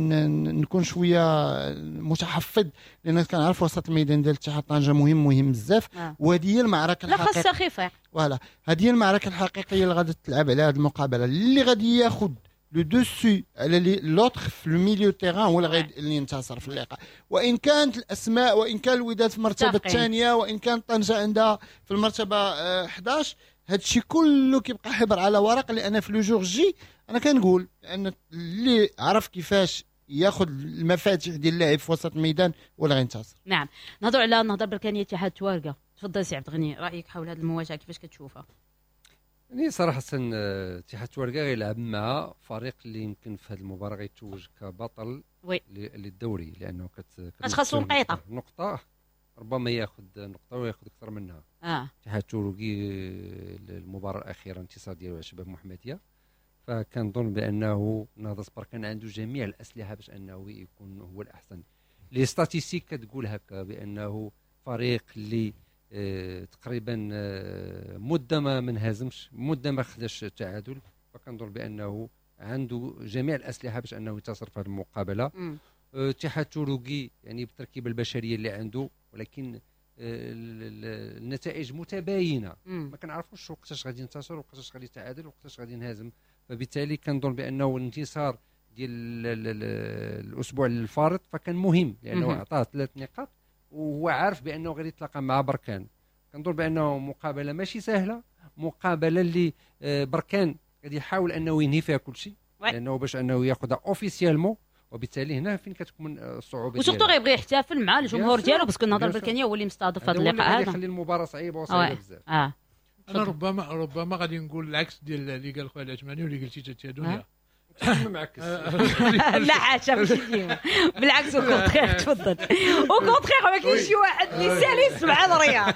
نكون شوية متحفظ، لان كنعرف وسط الميدان ديال اتحاد طنجه مهم مهم بزاف. آه. وهذه هي المعركة الحقيقية، لا خاصها voilà، هذه هي المعركة الحقيقية اللي غادي تلعب على هذه المقابلة. اللي غادي ياخذ le dessus على l'autre في ال milieu terrain هو اللي غادي اللي ينتصر في اللقاء. وان كانت الاسماء، وان كان الوداد في المرتبة الثانية، وان كان طنجه عندها في المرتبة احد عشر، هادشي كله كيبقى حبر على ورق. لان في le jour J انا كنقول ان اللي عرف كيفاش ياخذ المفاتيح ديال اللاعب في وسط الميدان هو اللي غينتصر. نعم، نهضروا على النهضة البركانيه اتحاد توارقه. تفضل سي عبد الغني، رايك حول هذه المواجهة كيفاش كتشوفها؟ يعني صراحة اتحاد توارقه غيلعب مع فريق اللي يمكن في هذه المباراة غيتوج كبطل للدوري، لانه كت خاصو نقيطه نقطة، ربما ياخذ نقطة وياخذ اكثر منها. اتحاد اه. تورقي المباراة الاخيرة انتصار ديالو على شباب محمديه، فكنظن بانه نهضة بركان عنده جميع الاسلحة باش انه يكون هو الاحسن. les statistiques كتقول هكا بانه فريق اللي اه تقريبا اه مده ما منهزمش، مده ما خداش التعادل، فكنظن بانه عنده جميع الاسلحة باش انه ينتصر في هذه المقابلة. اتحاد تورقي يعني بالتركيبة البشرية اللي عنده، ولكن النتائج متباينة، ما كنعرفوش وقتاش غادي ينتصر وقتاش غادي يتعادل وقتاش غادي ينهزم. فبالتالي كنظن بانه الانتصار ديال الاسبوع الفارط فكان مهم، لانه عطاه ثلاث نقاط وهو عارف بانه غادي يتلاقى مع بركان. كنظن بانه مقابله ماشي سهلة، مقابله اللي بركان غادي يحاول انه ينهي فيها كل شيء، لانه باش انه ياخذها officiellement، وبالتالي هنا فين كتكون الصعوبة، و surtout غيبغي يحتفل مع الجمهور ديالو، parce que النهضة البركانيه هو اللي مستضيف هذا اللقاء هذا، يخلي المباراة صعيبة وصعيبه بزاف. اه انا ربما ربما غادي نقول العكس ديال اللي قال خويا العثماني واللي قلتي انت يا دنيا. معكس. لا حاشا ماشي ديما، بالعكس au contraire. تفضل au contraire، ما كاينش شي واحد اللي سالس مع الرياض.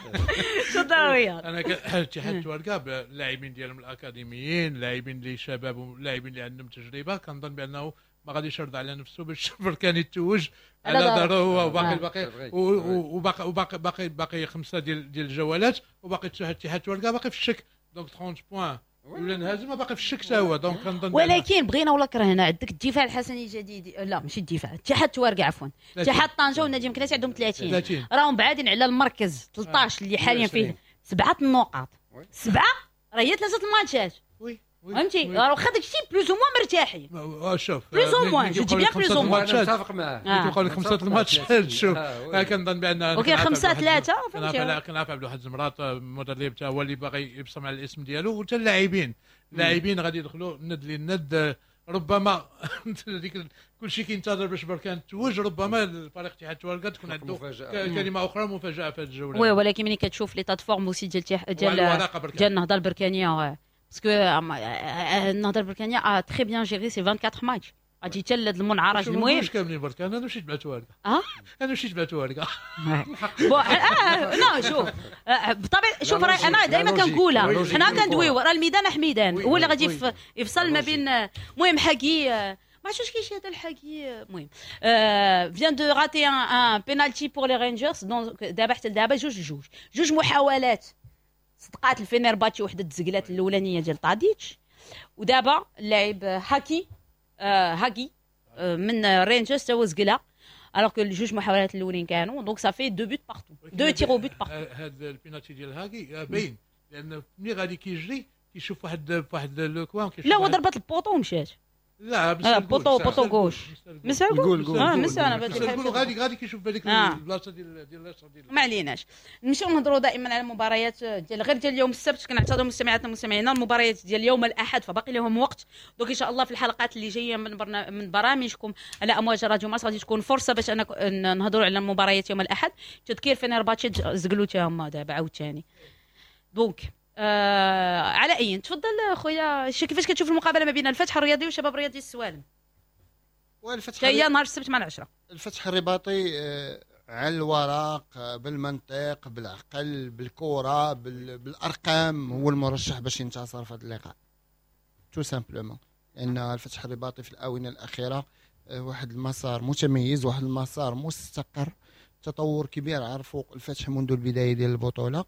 تفضل رياض. انا اتحاد توارقه باللاعبين ديالهم الاكاديميين، اللاعبين اللي شباب واللاعبين اللي عندهم تجربه، كنظن بانه ما غاديش يرضى على نفسه باش بركان يتوج على دارو هو وباقي الباقي وباقي وباقي باقي باقي خمسة ديال ديال الجولات، وباقي اتحاد توارقه باقي في الشك، donc ثلاثين points ولا انهزم باقي في الشك حتى هو. donc كنظن ولكن بغينا ولا كرهنا عندك الدفاع الحسني الجديد، لا ماشي الدفاع، اتحاد توارقه عفوا، اتحاد طنجه والنادي مكناس عندهم ثلاثين، راهم بعادين على المركز ثلاثة عشر اللي حاليا فيه سبعة النقاط، سبعة راه هي ثلاثة الماتشات. oui فهمتي، راه واخا داكشي plus ou moins مرتاحين. شوف plus ou moins، je dis bien plus ou moins، متفق معاه. كيبقاو لك خمسة الماتشات، شوف كنظن بان وكاين خمسة ثلاثة، فهمتي. كنعرف عبد الواحد زمراط المدرب حتى هو اللي باغي يبصم على الاسم ديالو، وحتى اللاعبين اللاعبين غادي يدخلوا ند للند. ربما ديك كلشي كينتظر باش بركان توج، ربما الفريق اتحاد توارقه تكون عنده كلمة اخرى مفاجاة في هذه الجولة. oui، ولكن ملي كتشوف l'état de forme aussi ديال ديال ديال النهضة البركانيه، parce que النهضة البركانيه a très bien géré ses أربعة وعشرين ماتش، غادي حتى لهاد المنعرج المهم. واش كاملين بركان؟ انا مشيت مع توارقه. اه انا مشيت مع توارقه. bon اه non شوف بالطبع، شوف راه انا دائما كنقولها، حنا كندويو راه الميدان حميدان هو اللي غادي يفصل ما بين. المهم حكي ما عرفتش كاين شي هذا الحكي. المهم vient de rater un penalty pour les Rangers، donc دابا حتى دابا جوج جوج جوج محاولات صدقات الفينيرباتشي، وحده تزقلات الاولانية ديال طاديتش، ودابا اللاعب هاكي آه هاكي آه من رينجرز تا هو زقلها، alors que الجوج محاولات الاولين كانوا، donc ça fait deux buts partout، deux tirs au but partout. هذا البينالتي ديال هاكي باين، لان ملي غادي كيجري كيشوف واحد واحد le coin. لا هو ضربت ال poteau ومشات. لا بس poteau poteau gauche مسا اه مسا انا نقولوا غادي غادي كيشوف هذيك البلاصة ديال ديال اليسار ديال. ما عليناش، نمشيو نهضروا دائما على المباريات ديال غير ديال اليوم السبت. كنعتذروا مستمعاتنا ومستمعينا، المباريات ديال يوم الاحد فباقي لهم وقت، donc ان شاء الله في الحلقات اللي جاية من برنا... من برامجكم على امواج راديو مارس غادي تكون فرصة باش انا نهضروا على المباريات يوم الاحد. تذكير فينيرباتشي زقلوا تا هما دابا عاوتاني. donc آه على اي تفضل خويا، كيفاش كتشوف المقابلة ما بين الفتح الرياضي وشباب الرياضي السوالم؟ والفتح هي نهار السبت مع العشرة. الفتح الرباطي آه على الورق بالمنطق بالعقل بالكرة بالارقام هو المرشح باش ينتصر في هذا اللقاء tout simplement، لان الفتح الرباطي في الاونة الاخيرة آه واحد المسار متميز، واحد المسار مستقر. تطور كبير عرفوا الفتح منذ البداية ديال البطولة،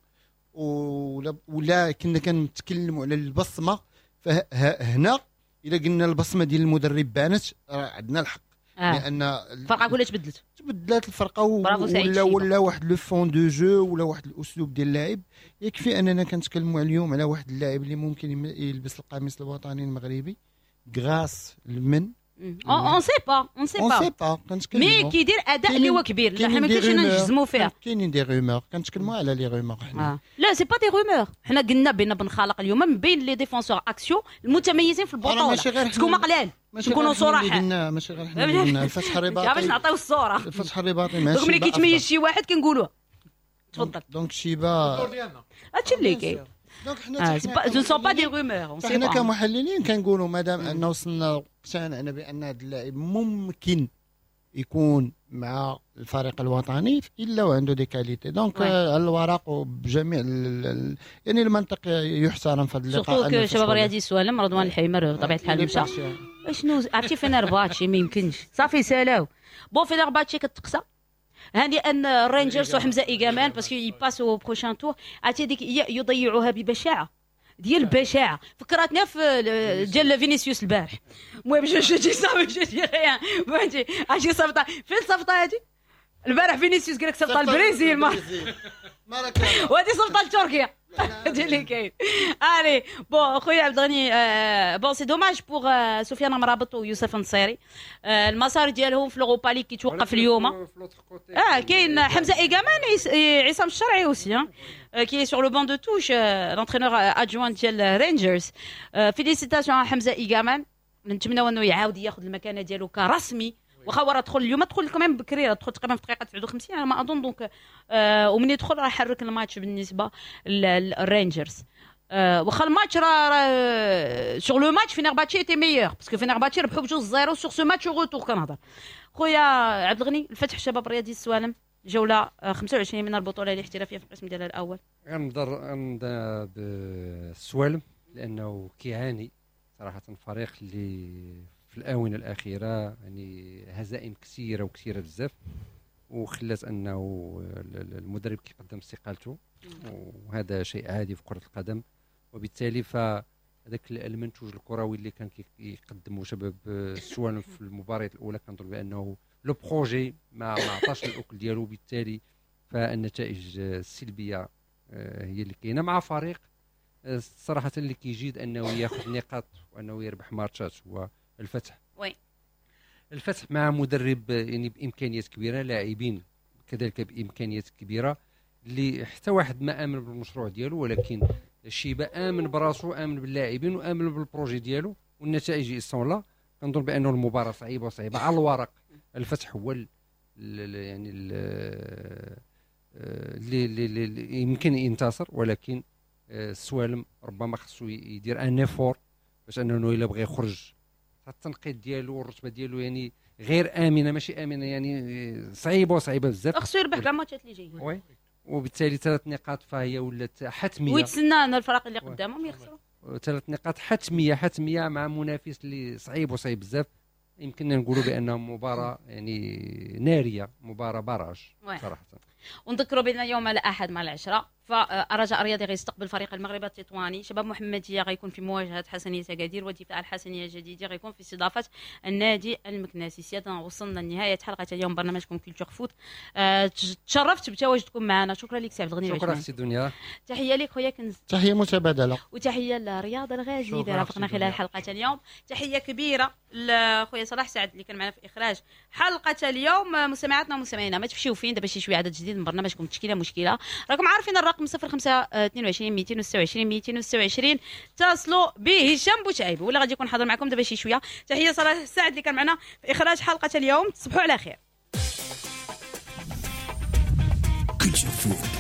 ولا ولا كنا كنتكلموا على البصمة، فهنا الا قلنا البصمة ديال المدرب بانت راه عندنا الحق. آه. لان الفرقة كلها تبدلت تبدلات الفرقة ولا ولا واحد le fond de jeu ولا واحد الاسلوب ديال اللعب. يكفي اننا كنتكلموا اليوم على واحد اللاعب اللي ممكن يلبس القميص الوطني المغربي grâce لمن on sait pas on sait pas on sait pas mais كيدير اداء اللي هو كبير، لا حنا ما كاينش نجزموا فيها. كاينين des rumeurs، كنتكلموا على les rumeurs حنا. لا c'est pas des rumeurs، حنا قلنا بان بن خالق اليوم من بين les défenseurs axiaux المتميزين في البطولة، تكون قلال نكونوا صراحة، ماشي غير حنا قلنا الفتح الرباطي باش نعطيو الصورة. الفتح الرباطي ماشي ملي كيتميز شي واحد كنقولوه تفضل. donc شيبا هادشي اللي كاين. donc حنا ce sont pas des rumeurs، حنا كمحللين كنقولوا مادام ان وصلنا اقتنعنا بان هذا اللاعب ممكن يكون مع الفريق الوطني الا وعنده des qualités، donc على الورق وبجميع يعني المنطق يحترم في هذا اللقاء. surtout شباب رياضي السوالم رضوان الحيمر بطبيعة الحال مشى. شنو عرفتي فينرباتشي ما يمكنش صافي سالاو. bon فينرباتشي كتقصى هاني ان رينجرز وحمزة ايغامان parce qu'ils passent au prochain tour. عرفتي ديك يضيعوها ببشاعه ديال البشاعه، فكرتنا في ديال فينيسيوس البارح. المهم je je dis ça je dis rien، فهمتي؟ عرفتي صفطه فين صفطه هادي البارح فينيسيوس قال لك صفطه البرازيل ما وهادي صفطه لتركيا هادي اللي كاين. allez bon خويا عبد الغني، bon c'est dommage pour سفيان مرابط ويوسف النصيري، المسار ديالهم في l'Europa League كيتوقف اليوم. اه كاين حمزة ايغامان عصام الشرعي aussi qui est sur le banc de touche l'entraîneur adjoint ديال رينجرز. félicitations حمزة ايغامان، نتمناو انه يعاود ياخذ المكانة ديالو كرسمي، واخا هو راه دخل اليوم، دخل كمان بكري، دخل تقريبا في دقيقة تسعة وخمسين على ما اظن. donc آه ومن يدخل راه حرك الماتش بالنسبة للرينجرز. آه واخا الماتش راه sur le match فينرباتشي était meilleur parce que فينرباتشي ربحوا بجوج zéro sur ce match retour. كنهضر خويا عبد الغني، الفتح الشباب الرياضي السوالم جولة خمسة وعشرين من البطولة الاحترافية في القسم ديالها الاول. غنبدا غنبدا بالسوالم لانه كيعاني صراحة، فريق اللي في الآونة الأخيرة يعني هزائم كثيرة وكثيرة بزاف، وخلات أنه المدرب كيقدم استقالته، وهذا شيء عادي في كرة القدم. وبالتالي فهذاك المنتوج الكروي اللي كان كيقدمه شباب السوالم في المباريات الأولى كنظن بأنه le projet ما ما عطاش الأكل ديالو، وبالتالي فالنتائج السلبية هي اللي كاينة مع فريق صراحة اللي كيجيد أنه ياخذ نقاط وأنه يربح ماتشات هو الفتح. oui الفتح مع مدرب يعني بامكانيات كبيرة، لاعبين كذلك بامكانيات كبيرة، اللي حتى واحد ما امن بالمشروع ديالو، ولكن الشيبة امن براسو، امن باللاعبين وامن بال projet ديالو، والنتائج sont là. كنظن بانه المباراة صعيبة وصعيبه على الورق. الفتح هو ال يعني اللي اللي يمكن ينتصر، ولكن السوالم ربما خصو يدير un effort باش انه الا بغى يخرج التنقيط ديالو والرتبه ديالو يعني غير امنه، ماشي امنه يعني صعيبة وصعيبه بزاف. خصو يربح كاع الماتشات اللي جايين. oui وبالتالي ثلاث نقاط فهي ولات حتمية، ويتسنى ان الفرق اللي قدامهم يخسروا. ثلاث نقاط حتمية حتمية مع منافس اللي صعيب وصعيب بزاف. يمكننا نقولوا بانها مباراة يعني نارية، مباراة barrage صراحة. ونذكروا بان يوم الاحد مع العشرة فالرجاء الرياضي غيستقبل فريق المغرب التطواني، شباب محمديه غيكون في مواجهة حسنيه اكادير، ودفاع الحسنيه الجديدة غيكون في استضافة النادي المكناسي. سيادنا وصلنا لنهاية حلقة اليوم برنامجكم Culture Foot. أه تشرفت بتواجدكم معنا، شكرا لك سي عبد الغني. شكرا سي دنيا، تحية لك خويا كنز، تحية متبادلة، وتحية لرياض الغازي اللي رافقنا خلال حلقة اليوم. تحية كبيرة لخويا صلاح سعد اللي كان معنا في اخراج حلقة اليوم. مستمعاتنا ومستمعينا ما تمشيو فين، دابا شي شوية عدد جديد من برنامجكم تشكيله مشكلة. راكم عارفين الرقم صفر خمسة اثنين وعشرين مئتين وستة وعشرين مئتين وستة وعشرين، اتصلوا بهشام بوشعيب ولا غادي يكون حاضر معكم دابا شي شوية. تحية صلاح سعد اللي كان معنا في اخراج حلقة اليوم. تصبحوا على خير. Culture Foot.